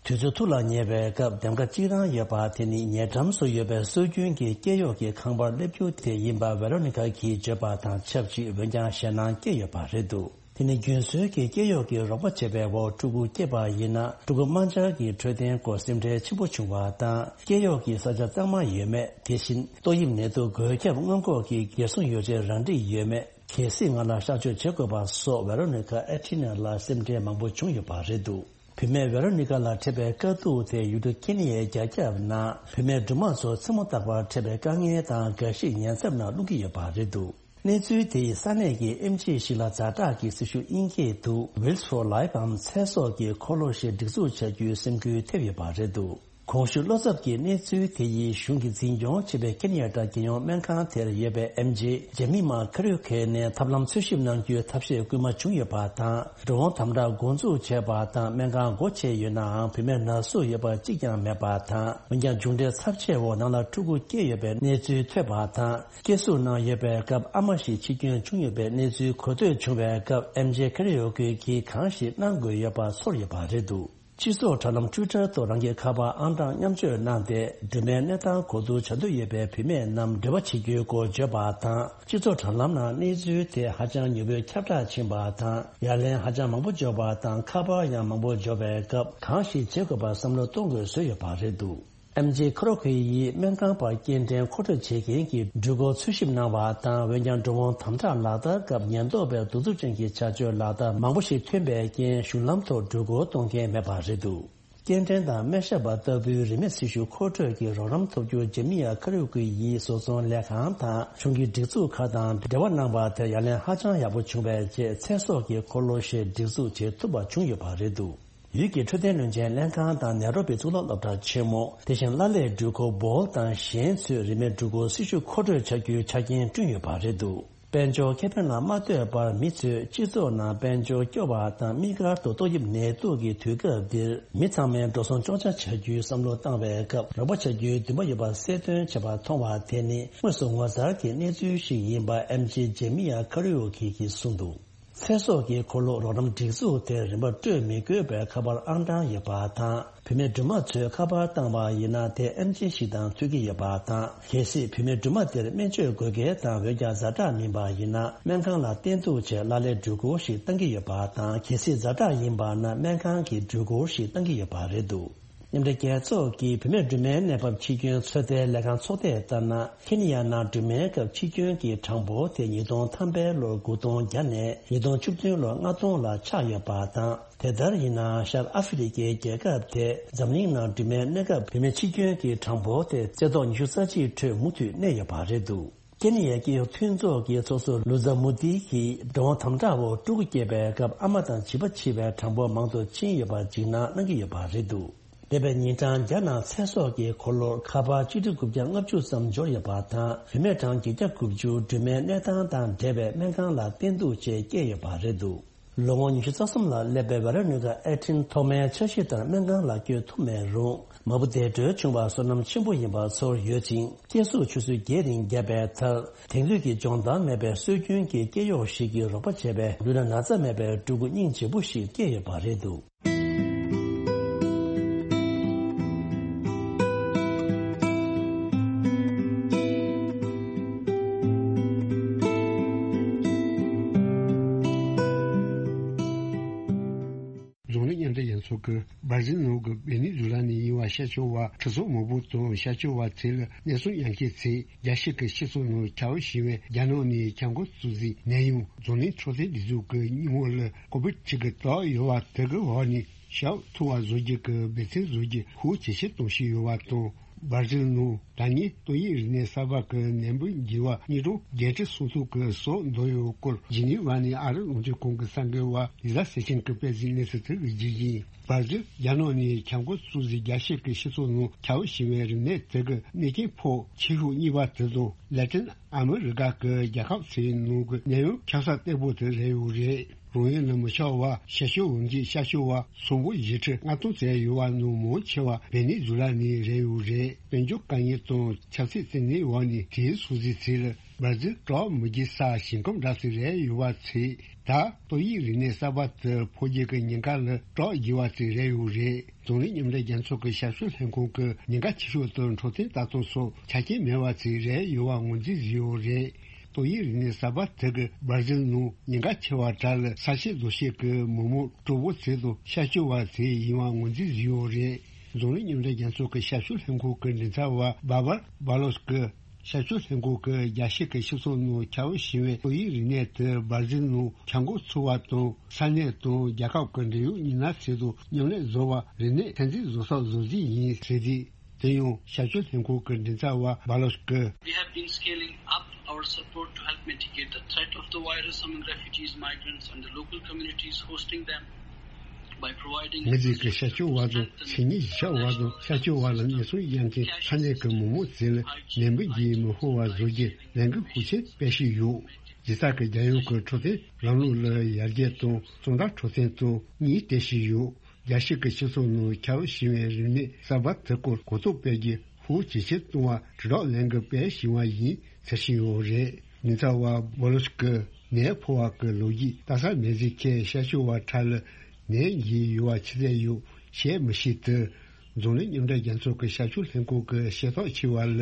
དུས་ཚོད་ཐུགས་ལ་ཉེ་བའི་སྐབས་འདེམས་ཀ་གཅིག་རང་ཡོད་པ་དེ་ནི་ཉེ་འགྲམ་སུ་ཡོད་པའི་སྲོལ་རྒྱུན་གྱི་སྐྱེ་གཡོག་གི་ཁང་པར་སླེབས་རྒྱུ་དེ་ཡིན་པ་ཝེ་རོ་ནི་ཀ་གིས་བརྗོད་པ་དང་ཆབས་ཅིག་འོན་ཀྱང་ཞེད་སྣང་སྐྱེས་ཡོད་པ་རེད་འདུག་དེ་ནི་རྒྱུན་སྲོལ་གྱི་སྐྱེ་གཡོག་གི་རོགས་པ་བྱེད་པའི་འོག་ཕྲུ་གུ་སྐྱེས་པ་ཡིན་ན་ཕྲུ་གུ་དམར་འབྱར་གྱི་འཕྲོད་བསྟེན་སྐོར་སེམས་ཁྲལ་ཆེན་པོ་བྱུང་བ་དང་། སྐྱེ་གཡོག་གི་ས་ཆ་གཙང་མ་ཡོད་མེད། དེ་བཞིན་ཏོག་དབྱིབས་ནད་དུག་འགོས་ཁྱབ་སྔོན་འགོག་གི་རྒྱལ་སྲུང་ཡོ་བྱད་རང་འགྲིག་ཡོད་མེད། གལ་སྲིད་ང་ལ་གཤག་བཅོས་བྱེད་དགོས་པ་སོགས་ཝེ་རོ་ནི་ཀ་ཨེ་ཐི་ནེ་ལ་སེམས་ཁྲལ་མང་པོ་བྱུང་ཡོད་པ་རེད་འདུག་བུད་མེད་ཝེ་རོ་ནི་ཀ་ལ་འཕྲད་པའི་དཀའ་སྡུག་དེ་ཡུལ་གྲུ་ཁེ་ནི་ཡའི་རྒྱ་ཁྱབ་ནང་བུད་མེད་སྦྲུམ་མ་ཚོ་མཚན་མོ་རྟག་པར་འཕྲད་པའི་དཀའ་ངལ་དང་འགའ་ཞིག་ཉེན་ཚབས་ནང་བླུག་གི་ཡོད་པ་རེད་འདུག་གནས་ཚུལ་དེ་ཡིས་ས་གནས་ཀྱི་ཨེམ་ཆི་ཞིག་ལ་ཛ་དྲག་གི་སྲི་ཞུ་དབྱིན་སྐད་དུ་Wheels for Life འམ་ཚེ་སྲོག་གི་འཁོར་ལོ་ཞེས་སྒྲིག་འཛུགས་བྱ་རྒྱུའི་སེམས་འགུལ་ཐེབས་ཡོད་པ་རེད་འདུག་གོང་ཞུས་བློ་འཚབ་ཀྱི་གནས་ཚུལ་དེ་ཡིས་གཞུང་གིས་འཛིན་སྐྱོང་བྱེད་པའི་ཁེ་ནི་ཡ་ཏྲ་རྒྱལ་ཡོངས་སྨན་ཁང་དེར་ཡོད་པའི་ཨེམ་ཆི་ཇེ་མི་མ་ཁ་རུ་ཁེ་ནས་ཐབས་ལམ་འཚོལ་ཞིབ་གནང་རྒྱུའི་ཐབས་ཤེས་སྐུལ་མ་བྱུང་ཡོད་པ་དང་། འགྲོ་འོང་དམ་དྲག་འགོ་འཛུགས་བྱས་པ་དང་སྨན་ཁང་སྒོ་ཕྱེ་ཡོད་ནའང་བུད་མེད་ན་ཟུག་ཡོད་པ་གཅིག་ཀྱང་མེད་པ་དང་། འོན་ཀྱང་མཇུག་འབྲས་ཚབས་ཆེ་བོ་ནང་ལ་ཕྲུ་གུ་སྐྱེས་ཡོད་པའི་གནས་ཚུལ་ཐོས་པ་དང་། སྐྱེ་གཟུགས་ནང་ཡོད་པའི་སྐབས་ཨ་མ་ཞིག་འཆི་སྐྱོན་བྱུང་ཡོད་པའི་གནས་ཚུལ་གོ་ཐོས་བྱུང་བའི་སྐབས་ཨེམ་ཆི་ཁ་རུ་ཁེ་གིས་གང་ཞིག་གནང་དགོས་ཡོད་པ་ཚོར་ཡོད་པ་རེད་འདུག་སྤྱི་ཚོགས་དྲ་ལམ་Twitter ཐོག་རང་གི་ཁ་པར་ཨང་གྲངས་མཉམ་སྤྱོད་གནང་སྟེ། སྦྲུམ་མའི་གནས་སྟངས་གོ་བསྡུར་བྱ་འདོད་ཡོད་པའི་བུད་མེད་རྣམས་འབྲེལ་བ་བྱེད་རྒྱུའི་སྐོར་བརྗོད་པ་དང་། སྤྱི་ཚོགས་དྲ་ལམ་ནང་གནས་ཚུལ་དེ་ཧ་ཅང་མྱུར་པོས་ཁྱབ་བསྒྲགས་ཕྱིན་པ་དང་། ཡ་ལན་ཧ་ཅང་མང་པོ་འབྱོར་བ་དང་། ཁ་པར་ཡང་མང་པོ་འབྱོར་བའི་སྐབས། གང་ཞིག་བྱེད་དགོས་པར་བསམ་བློ་གཏོང་དགོས་བཟོས་ཡོད་པ་རེད་འདུག་ཨེམ་ཆི་ཁ་རུ་ཁེ་ཡིས་སྨན་ཁང་པར་སྐྱེལ་འདྲེན་མཁོ་སྤྲོད་བྱེད་མཁན་གྱི་འགྲུལ་འཁོར་འཚོལ་ཞིབ་གནང་བ་དང་། འོན་ཀྱང་འགྲོ་འོང་དམ་དྲག་ལག་བསྟར་སྐབས་ཉེན་རྟོག་པས་གདུག་རྩུབ་ཅན་གྱི་བྱ་སྤྱོད་ལག་བསྟར་མང་པོ་ཞིག་ཐོན་པའི་རྐྱེན། གཞུང་ལམ་ཐོག་འགྲུལ་འཁོར་གཏོང་མཁན་མེད་པ་རེད་འདུག་སྐྱེལ་འདྲེན་དང་སྨན་ཞབས་པ་ལྟ་བུའི་རིན་མེད་སྲི་ཞུ་མཁོ་སྤྲོད་ཀྱི་རོགས་རམ་ཐོབ་རྒྱུར་ཇེ་མི་ཡ་ཁ་རུ་ཁེ་ཡིས་བཟོ་ཚོང་ལས་ཁང་དང་གཞུང་གི་སྒྲིག་འཛུགས་ཁག་དང་འབྲེལ་བ་གནང་བ་དེར་ཡ་ལན་ཧ་ཅང་ཡག་པོ་བྱུང་བའི་རྗེས། ཚེ་སྲོག་གི་འཁོར་ལོ་ཞེས་སྒྲིག་འཛུགས་བྱེད་ཐུབ་པ་བྱུང་ཡོད་པ་རེད་འདུག་ཡུལ་གྱི་འཕྲོད་བསྟེན་བློན་ཆེན་ལྷན་ཁང་དང་ནེ་རོ་པི་གཙུག་ལག་སློབ་གྲྭ་ཆེན་མོ། དེ་བཞིན་གླ་ལས་འགྲུལ་འཁོར་བོལ་དང་གཞན་ཚོས་རིན་མེད་འགྲུལ་འཁོར་སྲི་ཞུ་མཁོ་སྤྲོད་བྱ་རྒྱུའི་ཆ་རྐྱེན་བསྐྲུན་ཡོད་པ་རེད་འདུག་དཔལ་འབྱོར་ཁེ་ཕན་ལ་མ་ལྟོས་པར་མི་ཚོས་སྤྱི་ཚོགས་ནང་དཔལ་འབྱོར་སྐྱོ་བ་དང་དམིགས་བཀར་དུ་ཏོག་དབྱིབས་ནད་དུག་གི་དུས་སྐབས་འདིར་མི་ཚང་མས་འགྲོ་སོང་གཅོག་ཆ་བྱ་རྒྱུའི་བསམ་བློ་བཏང་བའི་སྐབས། རོགས་པ་བྱ་རྒྱུའི་འདུན་པ་ཡོད་པ་གསལ་སྟོན་བྱས་པ་མཐོང་བ་དེ་ནི་དངོས་སུ་ངོ་མཚར་གྱི་གནས་ཚུལ་ཞིག་ཡིན་པ་ཨེམ་ཆི་ཇེ་མི་ཡ་ཁ་རུ་ཁེ་གིས་གསུངས་འདུག་ཚེ་སྲོག་གི་འཁོར་ལོ་རོགས་རམ་སྒྲིག་འཛུགས་དེ་རིན་པ་སྤྲོད་མི་དགོས་པའི་ཁ་པར་ཨང་གྲངས་ཡོད་པ་དང་། བུད་མེད་སྦྲུམ་མ་ཚོས་ཁ་པར་བཏང་བ་ཡིན་ན་དེ་ཨེམ་ཆི་ཞིག་དང་མཐུན་གྱི་ཡོད་པ་དང་། གལ་སྲིད་བུད་མེད་སྦྲུམ་མ་དེར་སྨན་བཅོས་དགོས་གལ་དང་། འོན་ཀྱང་ཛ་དྲག་མིན་པ་ཡིན་ན། སྨན་ཁང་ལ་བསྟེན་གཏུགས་ཆེད་ལག་ལེན་འགྲུལ་འཁོར་ཞིག་བཏང་གི་ཡོད་པ་དང་། གལ་སྲིད་ཛ་དྲག་ཡིན་པ་ན། སྨན་ཁང་གི་འགྲུལ་འཁོར་ཞིག་བཏང་གི་ཡོད་པ་རེད་འདུག་མཉམ་འབྲེལ་རྒྱལ་ཚོགས་ཀྱི་བུད་མེད་སྦྲུམ་མའི་གནས་བབ་ཕྱིར་སྐྱོན་ཚོད་ལྟའི་ལས་ཁང་ཚོགས་སྡེས་ལྟར་ན། ཁེ་ནི་ཡ་ནང་སྦྲུམ་མའི་སྐབས་ཕྱིར་སྐྱོན་གྱི་གྲངས་འབོར་དེ་ཉིས་སྟོང་ཐམ་པའི་ལོར་དགུ་སྟོང་བརྒྱ་ནས་ཉིས་སྟོང་བཅུ་བདུན་ལོར་ལྔ་སྟོང་ལ་ཆག་ཡོད་པ་དང་། དེ་ལྟར་ཡིན་ན་ཤར་ཨ་ཧྥེ་རི་ཁའི་རྒྱལ་ཁབ་དེ་འཛམ་གླིང་ནང་སྦྲུམ་མའི་གནས་སྐབས་བུད་མེད་ཕྱིར་སྐྱོན་གྱི་གྲངས་འབོར་དེ་རྩེ་ཐོག་ཉི་ཤུ་རྩ་གཅིག་ཁྲོད་མུ་མཐུད་གནས་ཡོད་པ་རེད་འདུག་ཀེ་ནི་ཡའི་སྐྱེས་ཡུལ་མཐུན་ཚོགས་ཀྱི་ཚོགས་གཙོ་ལུ་ཛ་མུ་ཏི་གིས་འགྲོ་འོང་དམ་དྲག་འོག་ཕྲུ་གུ་སྐྱེས་པའི་སྐབས་ཨ་མ་དང་བྱིས་པ་འཆི་བའི་གྲངས་འབོར་མང་དུ་ཕྱིན་ཡོད་པར་འཇིགས་སྣང་གནང་གི་ཡོད་པ་རེད་འདུག་འདས་པའི་ཉིན་གྲངས་བརྒྱ་ནང་ཚེ་སྲོག་གི་འཁོར་ལོར་ཁ་པར་ཆིག་ཁྲི་དགུ་བརྒྱ་ལྔ་བཅུ་ཙམ་འབྱོར་ཡོད་པ་དང་། བུད་མེད་གྲངས་བརྒྱད་བརྒྱ་དགུ་བཅུ་སྦྲུམ་མའི་གནས་སྟངས་དང་འབྲེལ་བའི་སྨན་ཁང་ལ་བསྟེན་གཏུགས་ཆེད་བསྐྱལ་ཡོད་པ་རེད་འདུག་ལོ་ངོ་ཉི་ཤུ་རྩ་གསུམ་ལ་སླེབས་པའི་ཝེ་རོ་ནི་ཀ་ཨེ་ཏིན་ཐོག་མའི་འཆར་གཞི་ལྟར་སྨན་ཁང་ལ་བསྐྱོད་ཐུབ་མེད་རུང་། མ་བུ་བདེ་འགྲོའི་བྱུང་བར་བསོད་ནམས་ཆེན་པོ་ཡིན་པ་ཚོར་ཡོད་ཅིང་། སྐྱེ་གཟུགས་ཆུ་ཚོད་བརྒྱད་རིང་བརྒྱབ་པའི་མཐར། དེང་དུས་ཀྱི་སྦྱོང་བརྡར་མེད་པའི་སྲོལ་རྒྱུན་གྱི་སྐྱེ་གཡོག་ཞིག་གིས་རོགས་པ་བྱས་པས། ལུས་ལ་ན་ཚ་མེད་པའི་ཕྲུ་གུ་སྙིང་རྗེ་པོ་ཞིག་སྐྱེས་ཡོད་པ་རེད་འདུག་རྫོང་རིམ་མཉམ་འབྲེལ་རྒྱལ་ཚོགས་ཀྱིས་སྦར་ཟིལ་ནང་གི་ཝེ་ནེ་ཛུ་ལ་ནས་ཡིན་པ་ཤར་ཕྱོགས་པ་ཁྲི་ཚོ་མང་པོ་དང་། ཤར་ཕྱོགས་པ་ཚོ་ལ་གནས་ཚུལ་ཡང་ཁྱེད་ཚེ་རྒྱལ་སྤྱི་གི་སྤྱི་ཚོགས་ནང་ཁྱབ་བཞིན་པའི་རྒྱ་ནག་ནས་ཁྱབ་ཁོངས་གཙོ་འཛིན་ནད་ཡམས་རྫོང་རིམ་འཕྲོད་བསྟེན་སྒྲིག་འཛུགས་ཀྱི་སྙིང་བོ་ལ་ཀོ་བིད་གཅིག་གི་དོགས་ཡོད་པ་དེ་གི་འོག་ནས་ཞབས་ཐུ་བ་བཟོ་རྒྱུ་གི་འབད་བརྩོན་བཟོ་རྒྱུ་ཤུགས་ཇེ་ཆེར་གཏོང་བཞིན་ཡོད་པ་དང་། སྦར་ཟིལ་ནང་ད་ནི་ཏོག་དབྱིབས་རིམས་ནད་གསར་པ་གི་ནད་འབུ་འགོས་པ་གཉིས་སྟོང་བརྒྱད་ཁྲི་སུམ་ཅུ་གི་སོ་འདོར་ཡོད་སྐོར་ཇི་ནི་ཝ་ནས་ཨ་རི་རླུང་འཕྲིན་ཁང་གི་གསར་འགོད་པ་ལི་ཟ་སེ་ཆེན་གྱིས་སྤེལ་གཟིགས་གནས་ཚུལ་དེ་གི་རྒྱུ་ཡིན། སྦར་ཟིལ་རྒྱ་ནག་ནས་ཁྱབ་ཁོངས་གཙོ་འཛིན་རྒྱལ་སྤྱི་གི་སྤྱི་ཚོགས་ནང་ཁྱབ་བཞིན་པའི་རིམས་ནད་དེ་གི་གནོད་རྐྱེན་ཕོག་ཆེ་ཤོས་གཉིས་པ་དེ་དང་། ལེ་ཏིན་ཨ་མི་རི་ཀ་གི་རྒྱལ་ཁབ་ཚོའི་ནང་གི་ནད་ཡམས་ཁྱབ་ས་བརྟན་པོ་དེ་རེད་ཡོད་རེད། རང་ཡུལ་ལ་མི་ཆགས་པ་ཤར་ཕྱོགས་འོ་འདི་ཤར་ཕྱོགས་པ་སུམ་སྟོང་བཞི་ཁྲི་ལྔ་སྟོང་ཙམ་ཡོད་པ་ནང་མང་ཆེ་བ་ཝེ་ནེ་ཛུ་ལ་ནས་རེད་ཡོད་རེད། དཔལ་འབྱོར་དཀའ་ངལ་དང་ཆབ་སྲིད་བཙན་གནོན་འོག་ནས་དེའི་སུད་སི་ཚོ་ལ་སྦར་ཟིལ་གྲགས་མི་རྒྱས་ས་ཞིང་ཁམས་འདྲ་ཞིག་རེད་ཡོད་པ་ཚོས་ད་ཏོག་དབྱིབས་རིམས་ནད་གསར་པ་དེ་ཕོག་རྒྱུ་གི་ཉེན་ཁ་ལ་སྐྲག་དགོས་པ་ཞིག་རེད་ཡོད་རེད། རྫོང་རིམ་མཉམ་འབྲེལ་རྒྱལ་ཚོགས་ཀྱི་ཞབས་ཞུ་ལྷན་ཁང་གི་ཉེན་ཁ་ཆེ་ཤོས་དེ་འཕྲོད་བསྟེན་ལྟ་རྟོག་སོགས་ཆ་རྐྱེན་མེད་པ་ཞིག་རེད་ཡོད་པ་ངོས་འཛིན་བཟོས་ཡོད་རེད། ཏོག་དབྱིབས་རིམས་ནད་གསར་པ་དེ་གིས་སྦར་ཟིལ་ནང་ཉེན་ཁ་ཆེ་བ་གྲས་ལ་ས་སྐྱེས་རྡོ་སྐྱེས་ཀྱི་མི་མང་གྲོགས་པོ་ཚོ་དང་ཤར་ཕྱོགས་པ་ཚོ་ཡིན་པ་ངོས་འཛིན་བཟོས་ཡོད་རེད། རྫོང་རིམ་མཉམ་འབྲེལ་རྒྱལ་ཚོགས་ཀྱི་ཞབས་ཞུ་ལྷན་ཁང་གི་མགྲིན་ཚབ་པ་བྷ་བར་བྷ་ལོས་ཀྱིས། ཞབས་ཞུ་ལྷན་ཁང་གིས་རྒྱལ་སྤྱི་གི་སྤྱི་ཚོགས་ནང་ཁྱབ་བཞིན་པའི་ཏོག་དབྱིབས་རིམས་ནད་དེ་སྦར་ཟིལ་ནང་ཁྱབ་ཁོངས་ཚུད་པ་དང་། ས་གནས་དང་རྒྱལ་ཁབ་ཀྱི་འབྲེལ་ཡོད་མི་སྣ་ཚོ་དང་མཉམ་ལས་བཟོ་བར་རིམས་ནད་ཚོད་འཛིན་བཟོ་ས་བཟོ་རྩིས་ཡིན་ཟེར་རྗེས། དེ་ཡང་ཞབས་ཞུ་ལྷན་ཁང་གི་མགྲིན་ཚབ་པ་བྷ་ལོས་ཀྱིས། We have been scaling up our support to help mitigate the threat of the virus among refugees, migrants, and the local communities hosting them. ངེད་ཀྱིས་ཤར་ཕྱོགས་པ་དང་མཚན་ཉིད་གཞིས་ཆགས་པ་དང་ཤར་ཕྱོགས་པ་ལ་གནས་ཚུལ་ཡང་ཁྱེད་ས་གནས་ཀྱི་མི་མང་ཚོ་ལ་ནད་འབུ་འགོས་མི་ཕོག་པ་བཟོ་རྒྱུ་ལས་འགུལ་ཤུགས་ཆེན་སྤེལ་བཞིན་ཡོད། རྒྱལ་ས་གི་རྒྱལ་ཡོངས་ཀྱི་འཕྲོད་བསྟེན་ལམ་ལུགས་ལ་ཡར་རྒྱས་དང་གཙང་སྦྲ་འཕྲོད་བསྟེན་དང་གཉིས་སྤེལ་བཞིན་ཡོད། རྒྱལ་སྤྱི་གི་སྤྱི་ཚོགས་ནང་ཁྱབ་བཞིན་པའི་རིམས་ནད་གསར་པ་དེ་སྐོར་གོ་རྟོགས་སྤེལ་རྒྱུ་ཤུགས་ཇེ་ཆེར་གཏོང་བར་དྲིལ་བསྒྲགས་ལས་འགུལ་སྤེལ་བཞིན་པ་ཡིན་ཟེར་བཞིན་ཡོད་རེད། མགྲིན་ཚབ་པ་བྷ་ལོས་ཀྱིས་ནད་ཕོག་པ་གི་ལོ་རྒྱུས་ལྟ་ས་མེད་ཚེ་ཁྱེད་ཤར་ཕྱོགས་པ་ཁྲ་ལ་ནད་འགོས་ཡོད་པ་ཆི་ཟེར་ཡོད་བཤད་མི་ཤེས་དུས། རྫོང་རིམ་མཉམ་འབྲེལ་རྒྱལ་ཚོགས་ཀྱི་ཞབས་ཞུ་ལྷན་ཁང་གི་ཤེས་རྟོགས་བྱས་པ་ལ།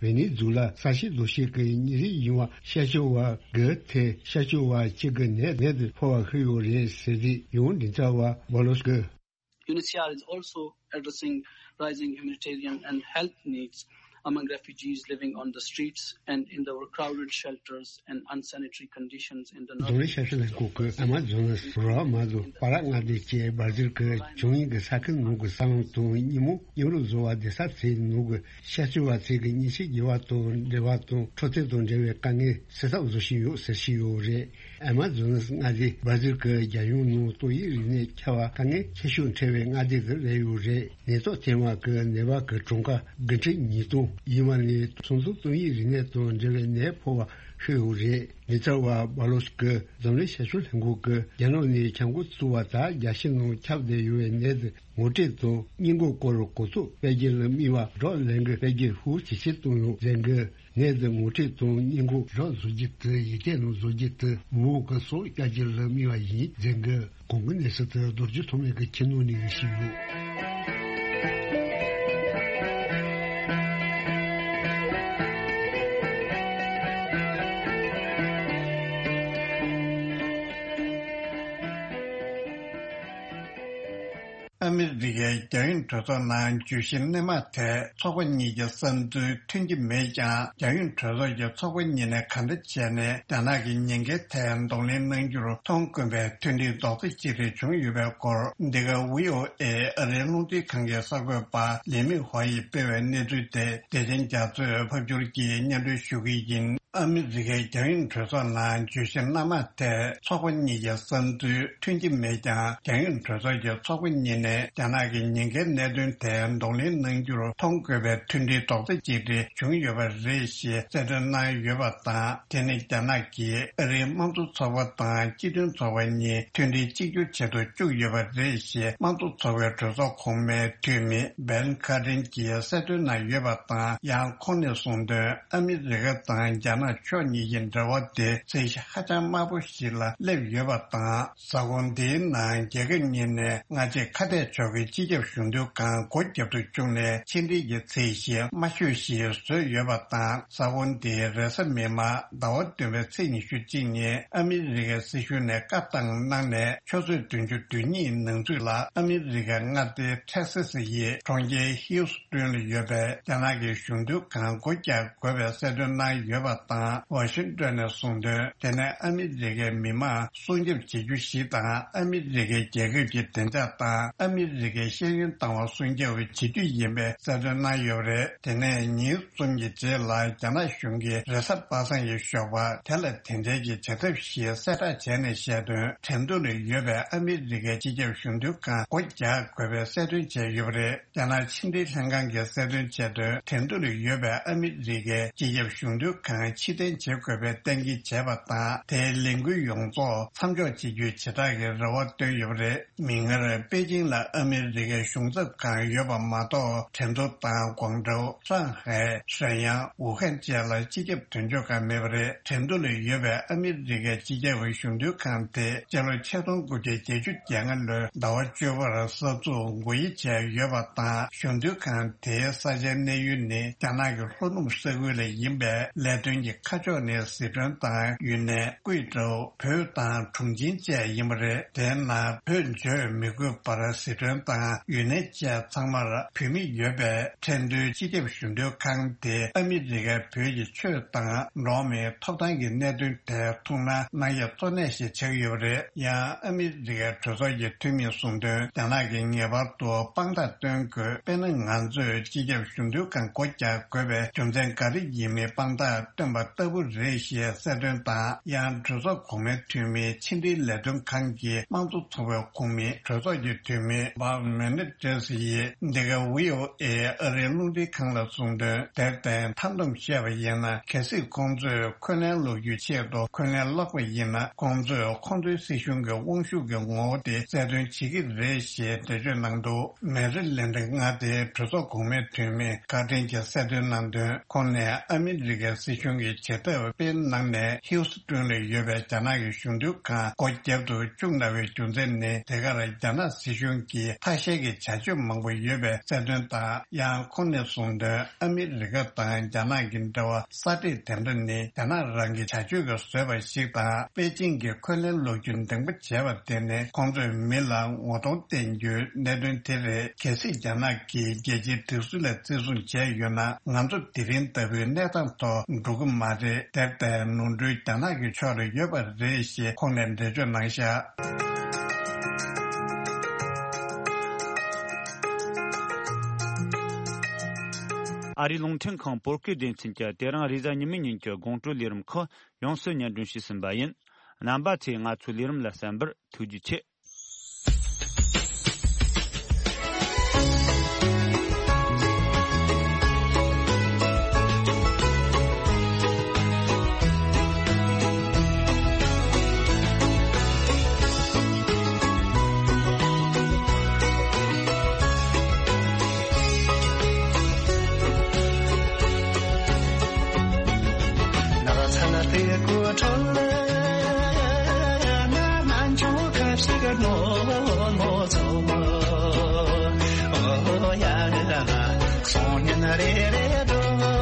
ཝེ་ནེ་ཛུ་ལ་ས་གཤིས་རྡོ་ཤིང་གི་ཉིན་རེ་ཡིན་པ་ཤར་ཕྱོགས་པ་གི་ཐད་ཤར་ཕྱོགས་པ་གཅིག་གི་ནད་མེད་དུ་ཕོག་པ་ཤེས་ཡོད་རེད་ཟེར་ཏེ་ཡང་མགྲིན་ཚབ་པ་བྷ་ལོས་ཀྱིས། UNHCR is also addressing rising humanitarian and health needs among refugees living on the streets and in the crowded shelters and unsanitary conditions in the རྫོང་རིམ་ཞབས་ཞུ་ལྷན་ཁང་གིས་ཨ་མ་ཛོ་ནས་རོ་མ་དང་པ་ར་མངའ་སྡེ་བཅས་སྦར་ཟིལ་གྱི་བྱུང་ཡུལ་གྱི་ས་ཁུལ་ནང་གི་ས་ལམ་དང་ཉིན་མོ་མཉམ་རུབ་བཟོ་བ་བསྡད་ས་ཚོའི་ནང་གི་ཤར་ཕྱོགས་པ་ཚོས་ཀྱི་ཉིན་ཤས་བརྒྱད་པ་དང་འབྲེལ་བ་དང་འཕྲོད་བསྟེན་དང་འབྲེལ་བའི་དཀའ་ངལ་སེལ་ཐབས་བཟོ་བཞིན་ཡོད་ཟེར་བཞིན་ཡོད་རེད། ཨ་མ་ཛོ་ནས་མངའ་སྡེ་སྦར་ཟིལ་གྱི་རྒྱལ་ཡོངས་ནང་ཏོག་དབྱིབས་རིམས་ནད་ཁྱབ་པ་དཀའ་ངལ་ཆེ་ཤོས་འཕྲད་པའི་མངའ་སྡེ་དེ་རེད་ཡོད་རེད། ནད་ཐོག་ཐེངས་མ་གི་ནད་པ་གི་གྲངས་ཀ་དགུ་ཁྲི་ཉིས་སྟོང་ཡིན་པ་ནས་ཚོགས་འདུ་ཏོག་དབྱིབས་རིམས་ནད་དང་འབྲེལ་བའི་ནད་ཕོག་པ་ ཤོད་ཡོད་རེད། ལས་འཆར་བ་སྦ་ལོ་སི་ཀི་འཛམ་གླིང་ཞབས་ཞུ་ལྷན་ཁང་གིས་རྒྱ་ནག་ནས་བྱ་འགུལ་བཙུགས་པ་དང་རྒྱལ་སྤྱི་ནང་ཁྱབ་བསྡད་ཡོད་པའི་ནད་དེ་ངོ་སྤྲོད་དང་སྔོན་འགོག་སྐོར་གོ་རྟོགས་སྤེལ་རྒྱུ་ལ་དམིགས་པ་སྒྲོག་ལས་འགུལ་སྤེལ་རྒྱུར་ཤུགས་ཇེ་ཆེར་བཏང་ཡོད་ཟེར་གི། ནད་དེ་ངོ་སྤྲོད་དང་སྔོན་འགོག་སྒྲོག་བཟོ་རྒྱུ་དེ་ཡིག་ཆ་ནང་བཟོ་རྒྱུ་དེ་མུ་གི་སོགས་བསྐྱར་རྒྱུ་ལ་དམིགས་པ་ཡིན་ཟེར་གི། གོང་གི་གནས་ཚུལ་དེ་རྡོ་རྗེ་ཐོགས་མེད་ཀྱིས་ཁྱེར་གནང་ནས་ཞུས་ཡོད། ཨ་མི་རི་ཀའི་རྒྱལ་ཡོངས་གྲོས་ཚོགས་ནང་བརྗོད་གཞི་སྣེ་མང་ཐད་ཚོགས་པ་གཉིས་ཀྱི་བསམ་ཚུལ་མཐུན་གྱི་མེད་ཀྱང་། རྒྱལ་ཡོངས་གྲོས་ཚོགས་ཀྱི་ཚོགས་པ་གཉིས་ནས་གང་འདྲ་བྱས་ནས་རྒྱ་ནག་གི་ཉེན་ཁའི་ཐད་གདོང་ལེན་གནང་རྒྱུར་མཐོང་དཀོན་པའི་མཐུན་སྒྲིལ་རྡོག་རྩ་གཅིག་སྒྲིལ་བྱུང་ཡོད་པའི་སྐོར། འདི་ག་ཝི་ཨོ་ཨེ་ཨ་རིའི་རླུང་འཕྲིན་ཁང་གི་གསར་འགོད་པ་ལི་མི་ཧོ་ཡིས་སྤེལ་བའི་གནས་ཚུལ་དེ། བདེ་ཆེན་རྒྱ་མཚོས་ཕབ་སྒྱུར་གྱིས་སྙན་སྒྲོན་ཞུ་གི་ཡིན། ཨ་མི་རི་ཀའི་རྒྱལ་ཡོངས་གྲོས་ཚོགས་ནང་བརྗོད་གཞི་སྣ་མང་ཐད་ཚོགས་པ་གཉིས་ཀྱི་བསམ་ཚུལ་མཐུན་གྱི་མེད་ཀྱང་། རྒྱལ་ཡོངས་གྲོས་ཚོགས་ཀྱི་ཚོགས་པ་གཉིས་ནས་རྒྱ་ནག་གི་ཉེན་ཁའི་གནད་དོན་ཐད་གདོང་ལེན་གནང་རྒྱུར་མཐོང་དགོས་པའི་མཐུན་སྒྲིལ་རྡོག་རྩ་གཅིག་སྒྲིལ་བྱུང་ཡོད་པ་རེད་ཞེས་གསལ་སྟོན་གནང་ཡོད་པ་དང་། དེ་ནི་རྒྱ་ནག་གིས་ཨ་རིའི་དམངས་གཙོ་ཚོགས་པ་དང་སྤྱི་མཐུན་ཚོགས་པ་གཉིས་མཐུན་སྒྲིལ་གཅིག་གྱུར་བྱེད་དུ་བཅུག་ཡོད་པ་རེད་ཞེས་དམངས་གཙོ་ཚོགས་པའི་གྲོས་ཚོགས་གོང་མའི་འཐུས་མི་བན་ཁ་ཏྲིན་གྱིས་གསལ་སྟོན་གནང་ཡོད་པ་དང་། ཡང་ཁོང་ནས་གསུངས་དོན། ཨ་མི་རི་ཀ་དང་རྒྱ་ནག་ཕྱོགས་གཉིས་ཀྱི་འབྲེལ་བ་དེ་ཚད་གཞི་ཧ་ཅང་དམའ་པོ་ཞིག་ལ་སླེབས་ཡོད་པ་དང་། གཟའ་འཁོར་འདིའི་ནང་རྒྱལ་ཁབ་གཉིས་ནས་སྔ་རྗེས་ཁ་གཏད་གཅོག་གི་སྤྱི་ཁྱབ་གཞུང་དོན་ཁང་སྒོ་བརྒྱབ་ཏུ་བཅུག་ནས་ཕྱི་འབྲེལ་གྱི་ཚད་གཞི་དམའ་ཤོས་ཤིག་བཟོས་ཡོད་པ་དང་། གཟའ་འཁོར་འདིའི་རེས་གཟའ་མིག་དམར་ཟླ་བ་བདུན་པའི་ཚེས་ཉི་ཤུ་གཅིག་ཉིན་ཨ་མི་རི་ཀའི་སྲིད་གཞུང་ནས་བཀའ་བཏང་གནང་ནས་ཆུ་ཚོད་བདུན་ཅུ་དོན་གཉིས་ནང་ཚུད་ལ་ཨ་མི་རི་ཀའི་མངའ་སྡེ་ཐེག་སི་སི་ཡི་གྲོང་ཁྱེར་ཧིའུ་སི་ཀྲོན་ལ་ཡོད་པའི་རྒྱ་ནག་གི་གཞུང་དོན་ཁང་སྒོ་རྒྱག་དགོས་པའི་གསལ་སྟོན་གནང་ཡོད་པ་དང་། ཝ་ཤིང་ཏོན་ནས་གསུངས་དོན། དེ་ནི་ཨ་མི་རི་ཀའི་མི་མང་སྲུང་སྐྱོབ་བྱེད་རྒྱུ་ཞིག་དང་། ཨ་མི་རི་ཀའི་རྒྱལ་ཁབ་ཀྱི་བདེ་འཇགས་དང་ཨ་མི་རི་ཀའི་ཤེས་ཡོན་ལྟ་བ་སྲུང་སྐྱོབ་བྱེད་རྒྱུ་ཡིན་པའི་གསལ་སྟོན་གནང་ཡོད་པ་རེད། དེ་ནས་ཉིན་གསུམ་གྱི་རྗེས་ལ་རྒྱ་ནག་གཞུང་གིས་རེས་གཟའ་པ་སངས་ཀྱི་ཞོགས་པ་དེ་ལ་དེ་འབྲེལ་གྱི་བྱ་ཐབས་ཤིག་གསལ་བསྒྲགས་བྱས་ནས་བཤད་དོན། ཁྲེང་ཏུའུ་ལ་ཡོད་པའི་ཨ་མི་རི་ཀའི་སྤྱི་ཁྱབ་གཞུང་དོན་ཁང་སྒོ་རྒྱག་དགོས་པའི་གསལ་སྟོན་བྱས་ཡོད་པ་རེད། རྒྱ་ནག་ཕྱི་འབྲེལ་ལྷན་ཁང་གིས་གསལ་སྟོན་བྱས་དོན། ཁྲེང་ཏུའུ་ལ་ཡོད་པའི་ཨ་མི་རི་ཀའི་སྤྱི་ཁྱབ་གཞུང་དོན་ཁང་ཕྱིར་འཐེན་བྱེད་དགོས་པའི་གཏན་འཁེལ་བྱས་པ་དང་། དེའི་ལས་འགུལ་ཡོངས་རྫོགས་མཚམས་འཇོག་བྱེད་རྒྱུའི་བྱེ་བྲག་གི་རེ་བ་བཏོན་ཡོད་པ་རེད། མིག་སྔར་པེ་ཅིང་ལ་ཨ་མི་རི་ཀའི་གཞུང་ཚབ་ཁང་ཡོད་པ་མ་གཏོགས། ཁྲེང་ཏུའུ་དང་ཀོང་ཀྲོའུ། ཧྲང་ཧའེ། ཧྲེན་དབྱང་། ཝུ་ཧན་བཅས་ལ་སྤྱི་ཁྱབ་དོན་གཅོད་ཁང་མེད་པ་རེད། ཁྲེང་ཏུའུ་ལ་ཡོད་པའི་ཨ་མི་རི་ཀའི་སྤྱི་ཁྱབ་གཞུང་དོན་ཁང་དེ་སྤྱི་ལོ་ཆིག་སྟོང་དགུ་བརྒྱ་བརྒྱད་ཅུ་གྱ་ལྔ་ལོའི་ཟླ་བ་བཅུ་པར་གསར་འཛུགས་སྒོ་དབྱེ་བྱས་ཡོད་པ་དང་། གཞུང་དོན་ཁང་དེའི་ས་ཆའི་གནས་ཡུལ་ནི་རྒྱ་ནག་གི་ལྷོ་ནུབ་ས་ཁུལ་ལ་ཡིན་པས། ལས་དོན་གྱི་ཁ་ཕྱོགས་ནི་ཟི་ཁྲོན་དང་ཡུན་ནན། ཀུའེ་ཀྲོའུ། བོད་དང་ཁྲུང་ཆིང་བཅས་ཡིན་པ་རེད། དེའི་ནང་བོད་བརྗོད་མི་དགོས་པར་ཟི་ཁྲོན་དང་ཡུན་ནན་བཅས་ཚང་མར་བོད་མི་ཡོད་པས། ཁྲེང་ཏུའུ་སྤྱི་ཁྱབ་གཞུང་དོན་ཁང་དེ་ཨ་མི་རི་ཀའི་བོད་ཀྱི་ཆོས་དང་འགྲོ་བ་མིའི་ཐོབ་ཐང་གི་གནད་དོན་ཐད་ཐུགས་སྣང་གནང་ཡས་གཙོ་གནད་ཞིག་ཆགས་ཡོད་པ་རེད། ཡང་ཨ་མི་རི་ཀའི་གྲོས་ཚོགས་ཀྱི་འཐུས་མིས་གསུངས་དོན། རྒྱ་ནག་གིས་ངེས་པར་དུ་དཔང་རྟགས་སྟོན་དགོས། དཔེར་ན། ང་ཚོས་སྤྱི་ཁྱབ་གཞུང་དོན་ཁང་སྒོ་རྒྱག་དགོས་པའི་རྒྱུ་མཚན་ག་རེ་ཡིན་མིན་དཔང་རྟགས་སྟོན་པ་ལྟ་བུ་རེད་ཞེས་གསལ་སྟོན་དང་། ཡང་གྲོས་ཚོགས་གོང་མའི་འཐུས་མི་ཕྱི་འབྲེལ་ལས་དོན་ཁང་གི་དམངས་གཙོ་ཚོགས་པའི་ཁོངས་མི་གྲོས་ཚོགས་ཀྱི་འཐུས་མི་བྷ་མེ་ནེ་ཏྲེས་ཡིས་འདི་ག་ཝི་ཨོ་ཨེ་ཨ་རིའི་རླུང་འཕྲིན་ཁང་ལ་གསུངས་དོན། དེར་བརྟེན་མཐའ་བསྡོམས་བཤད་པ་ཡིན་ན། གལ་སྲིད་ཁོང་ཚོས་འཁོན་ལན་སློག་རྒྱུའི་ཆེད་དུ་འཁོན་ལན་བསློགས་པ་ཡིན་ན། ཁོང་ཚོས་ཁོང་ཚོའི་སྲིད་གཞུང་གི་དབང་ཤུགས་ཀྱི་ངོ་བོ་དེ་གསལ་སྟོན་བྱེད་ཀྱི་རེད་ཞེས་འགྲེལ་བརྗོད་གནང་འདུག་མེ་རི་ལེན་ཌི་མངའ་སྡེའི་གྲོས་ཚོགས་གོང་མའི་འཐུས་མི་ཁ་ཏྲིན་གྱིས་གསལ་སྟོན་གནང་དོན། ཁོང་ནས་ཨ་མི་རི་ཀའི་སྲིད་གཞུང་གིས་བྱེད་ཐབས་སྤེལ་གནང་ནས་ཧིའུ་སི་ཀྲོན་ལ་ཡོད་པའི་རྒྱ་ནག་གི་གཞུང་དོན་ཁང་སྒོ་བརྒྱབ་ཏུ་བཅུག་གནང་བའི་རྒྱུ་མཚན་ནི། དེ་གར་རྒྱ་ནག་སྲིད་གཞུང་གིས་ཐ་ཤལ་གྱི་བྱ་སྤྱོད་མང་པོ་ཡོད་པའི་གསལ་སྟོན་དང་། ཡང་ཁོང་ནས་གསུངས་དོན། ཨ་མི་རི་ཀ་དང་རྒྱ་ནག་གི་འབྲེལ་བ་གསར་བསྒྲིགས་དེ་འདྲ་ནི་རྒྱ་ནག་རང་གི་བྱ་སྤྱོད་ཀྱིས་བཟོས་པ་ཞིག་དང་། པེ་ཅིང་གིས་འཁོན་ལན་སློག་རྒྱུ་འདེང་པ་བྱས་པ་དེ་ནི་ཁོང་ཚོས་མི་ལ་ངོ་གདོང་བསྟན་རྒྱུའི་གནད་དོན་དེ་རེད། གལ་སྲིད་རྒྱ་ནག་གིས་རྒྱལ་སྤྱིའི་སྒྲིག་སྲོལ་ལ་བརྩི་སྲུང་བྱས་ཡོད་ན། ང་ཚོ་དེ་རིང་ལྟ་བུའི་གནས་སྟངས་ཐོག་འགྲོ་གི་མ་རེད། དེར་བརྟེན་ནོར་འཁྲུལ་རྒྱ་ནག་གི་ཕྱོགས་ལ་ཡོད་པ་རེད་ཞེས་ཁོང་ནས་འགྲེལ་བརྗོད་གནང་བཞག་ཨ་རིའི་རླུང་འཕྲིན་ཁང་བོད་སྐད་སྡེ་ཚན་གྱིས་དེ་རིང་རེས་གཟའ་ཉི་མའི་ཉིན་གྱི་དགོང་དྲོའི་ལས་རིམ་ཁག་ཡོངས་སུ་སྙན་སྒྲོན་ཞུས་ཟིན་པ་ཡིན། རྣམ་པ་ཚོས་ང་ཚོའི་ལས་རིམ་ལ་གསན་པར་ཐུགས་རྗེ་ཆེ། དེ་གོ་ཁྲོལ་ན་ནན་ཆུང་ཁ་ཞིག་ནོ་ནོ་ཚོ། ཨོ་ཡ་ལ་སོང་ཉིན་རེ་རེ་འགྲོ།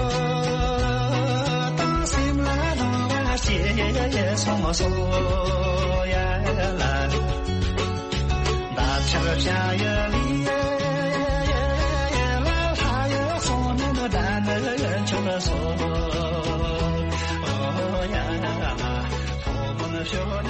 དང་སེམས་ལ་ལོང་བ་སྐྱེས་སོང་སོ་ཡ་ལ། འདབ་ཆགས་བྱ་ཡི་ལི་ཡི་ལ་ལྷ་ཡི་སོང་ཉིན་ད་ནི་ཆུ་སོ། ཨོ་ཡ་ལ་ཕོ་མོ་ཤོ་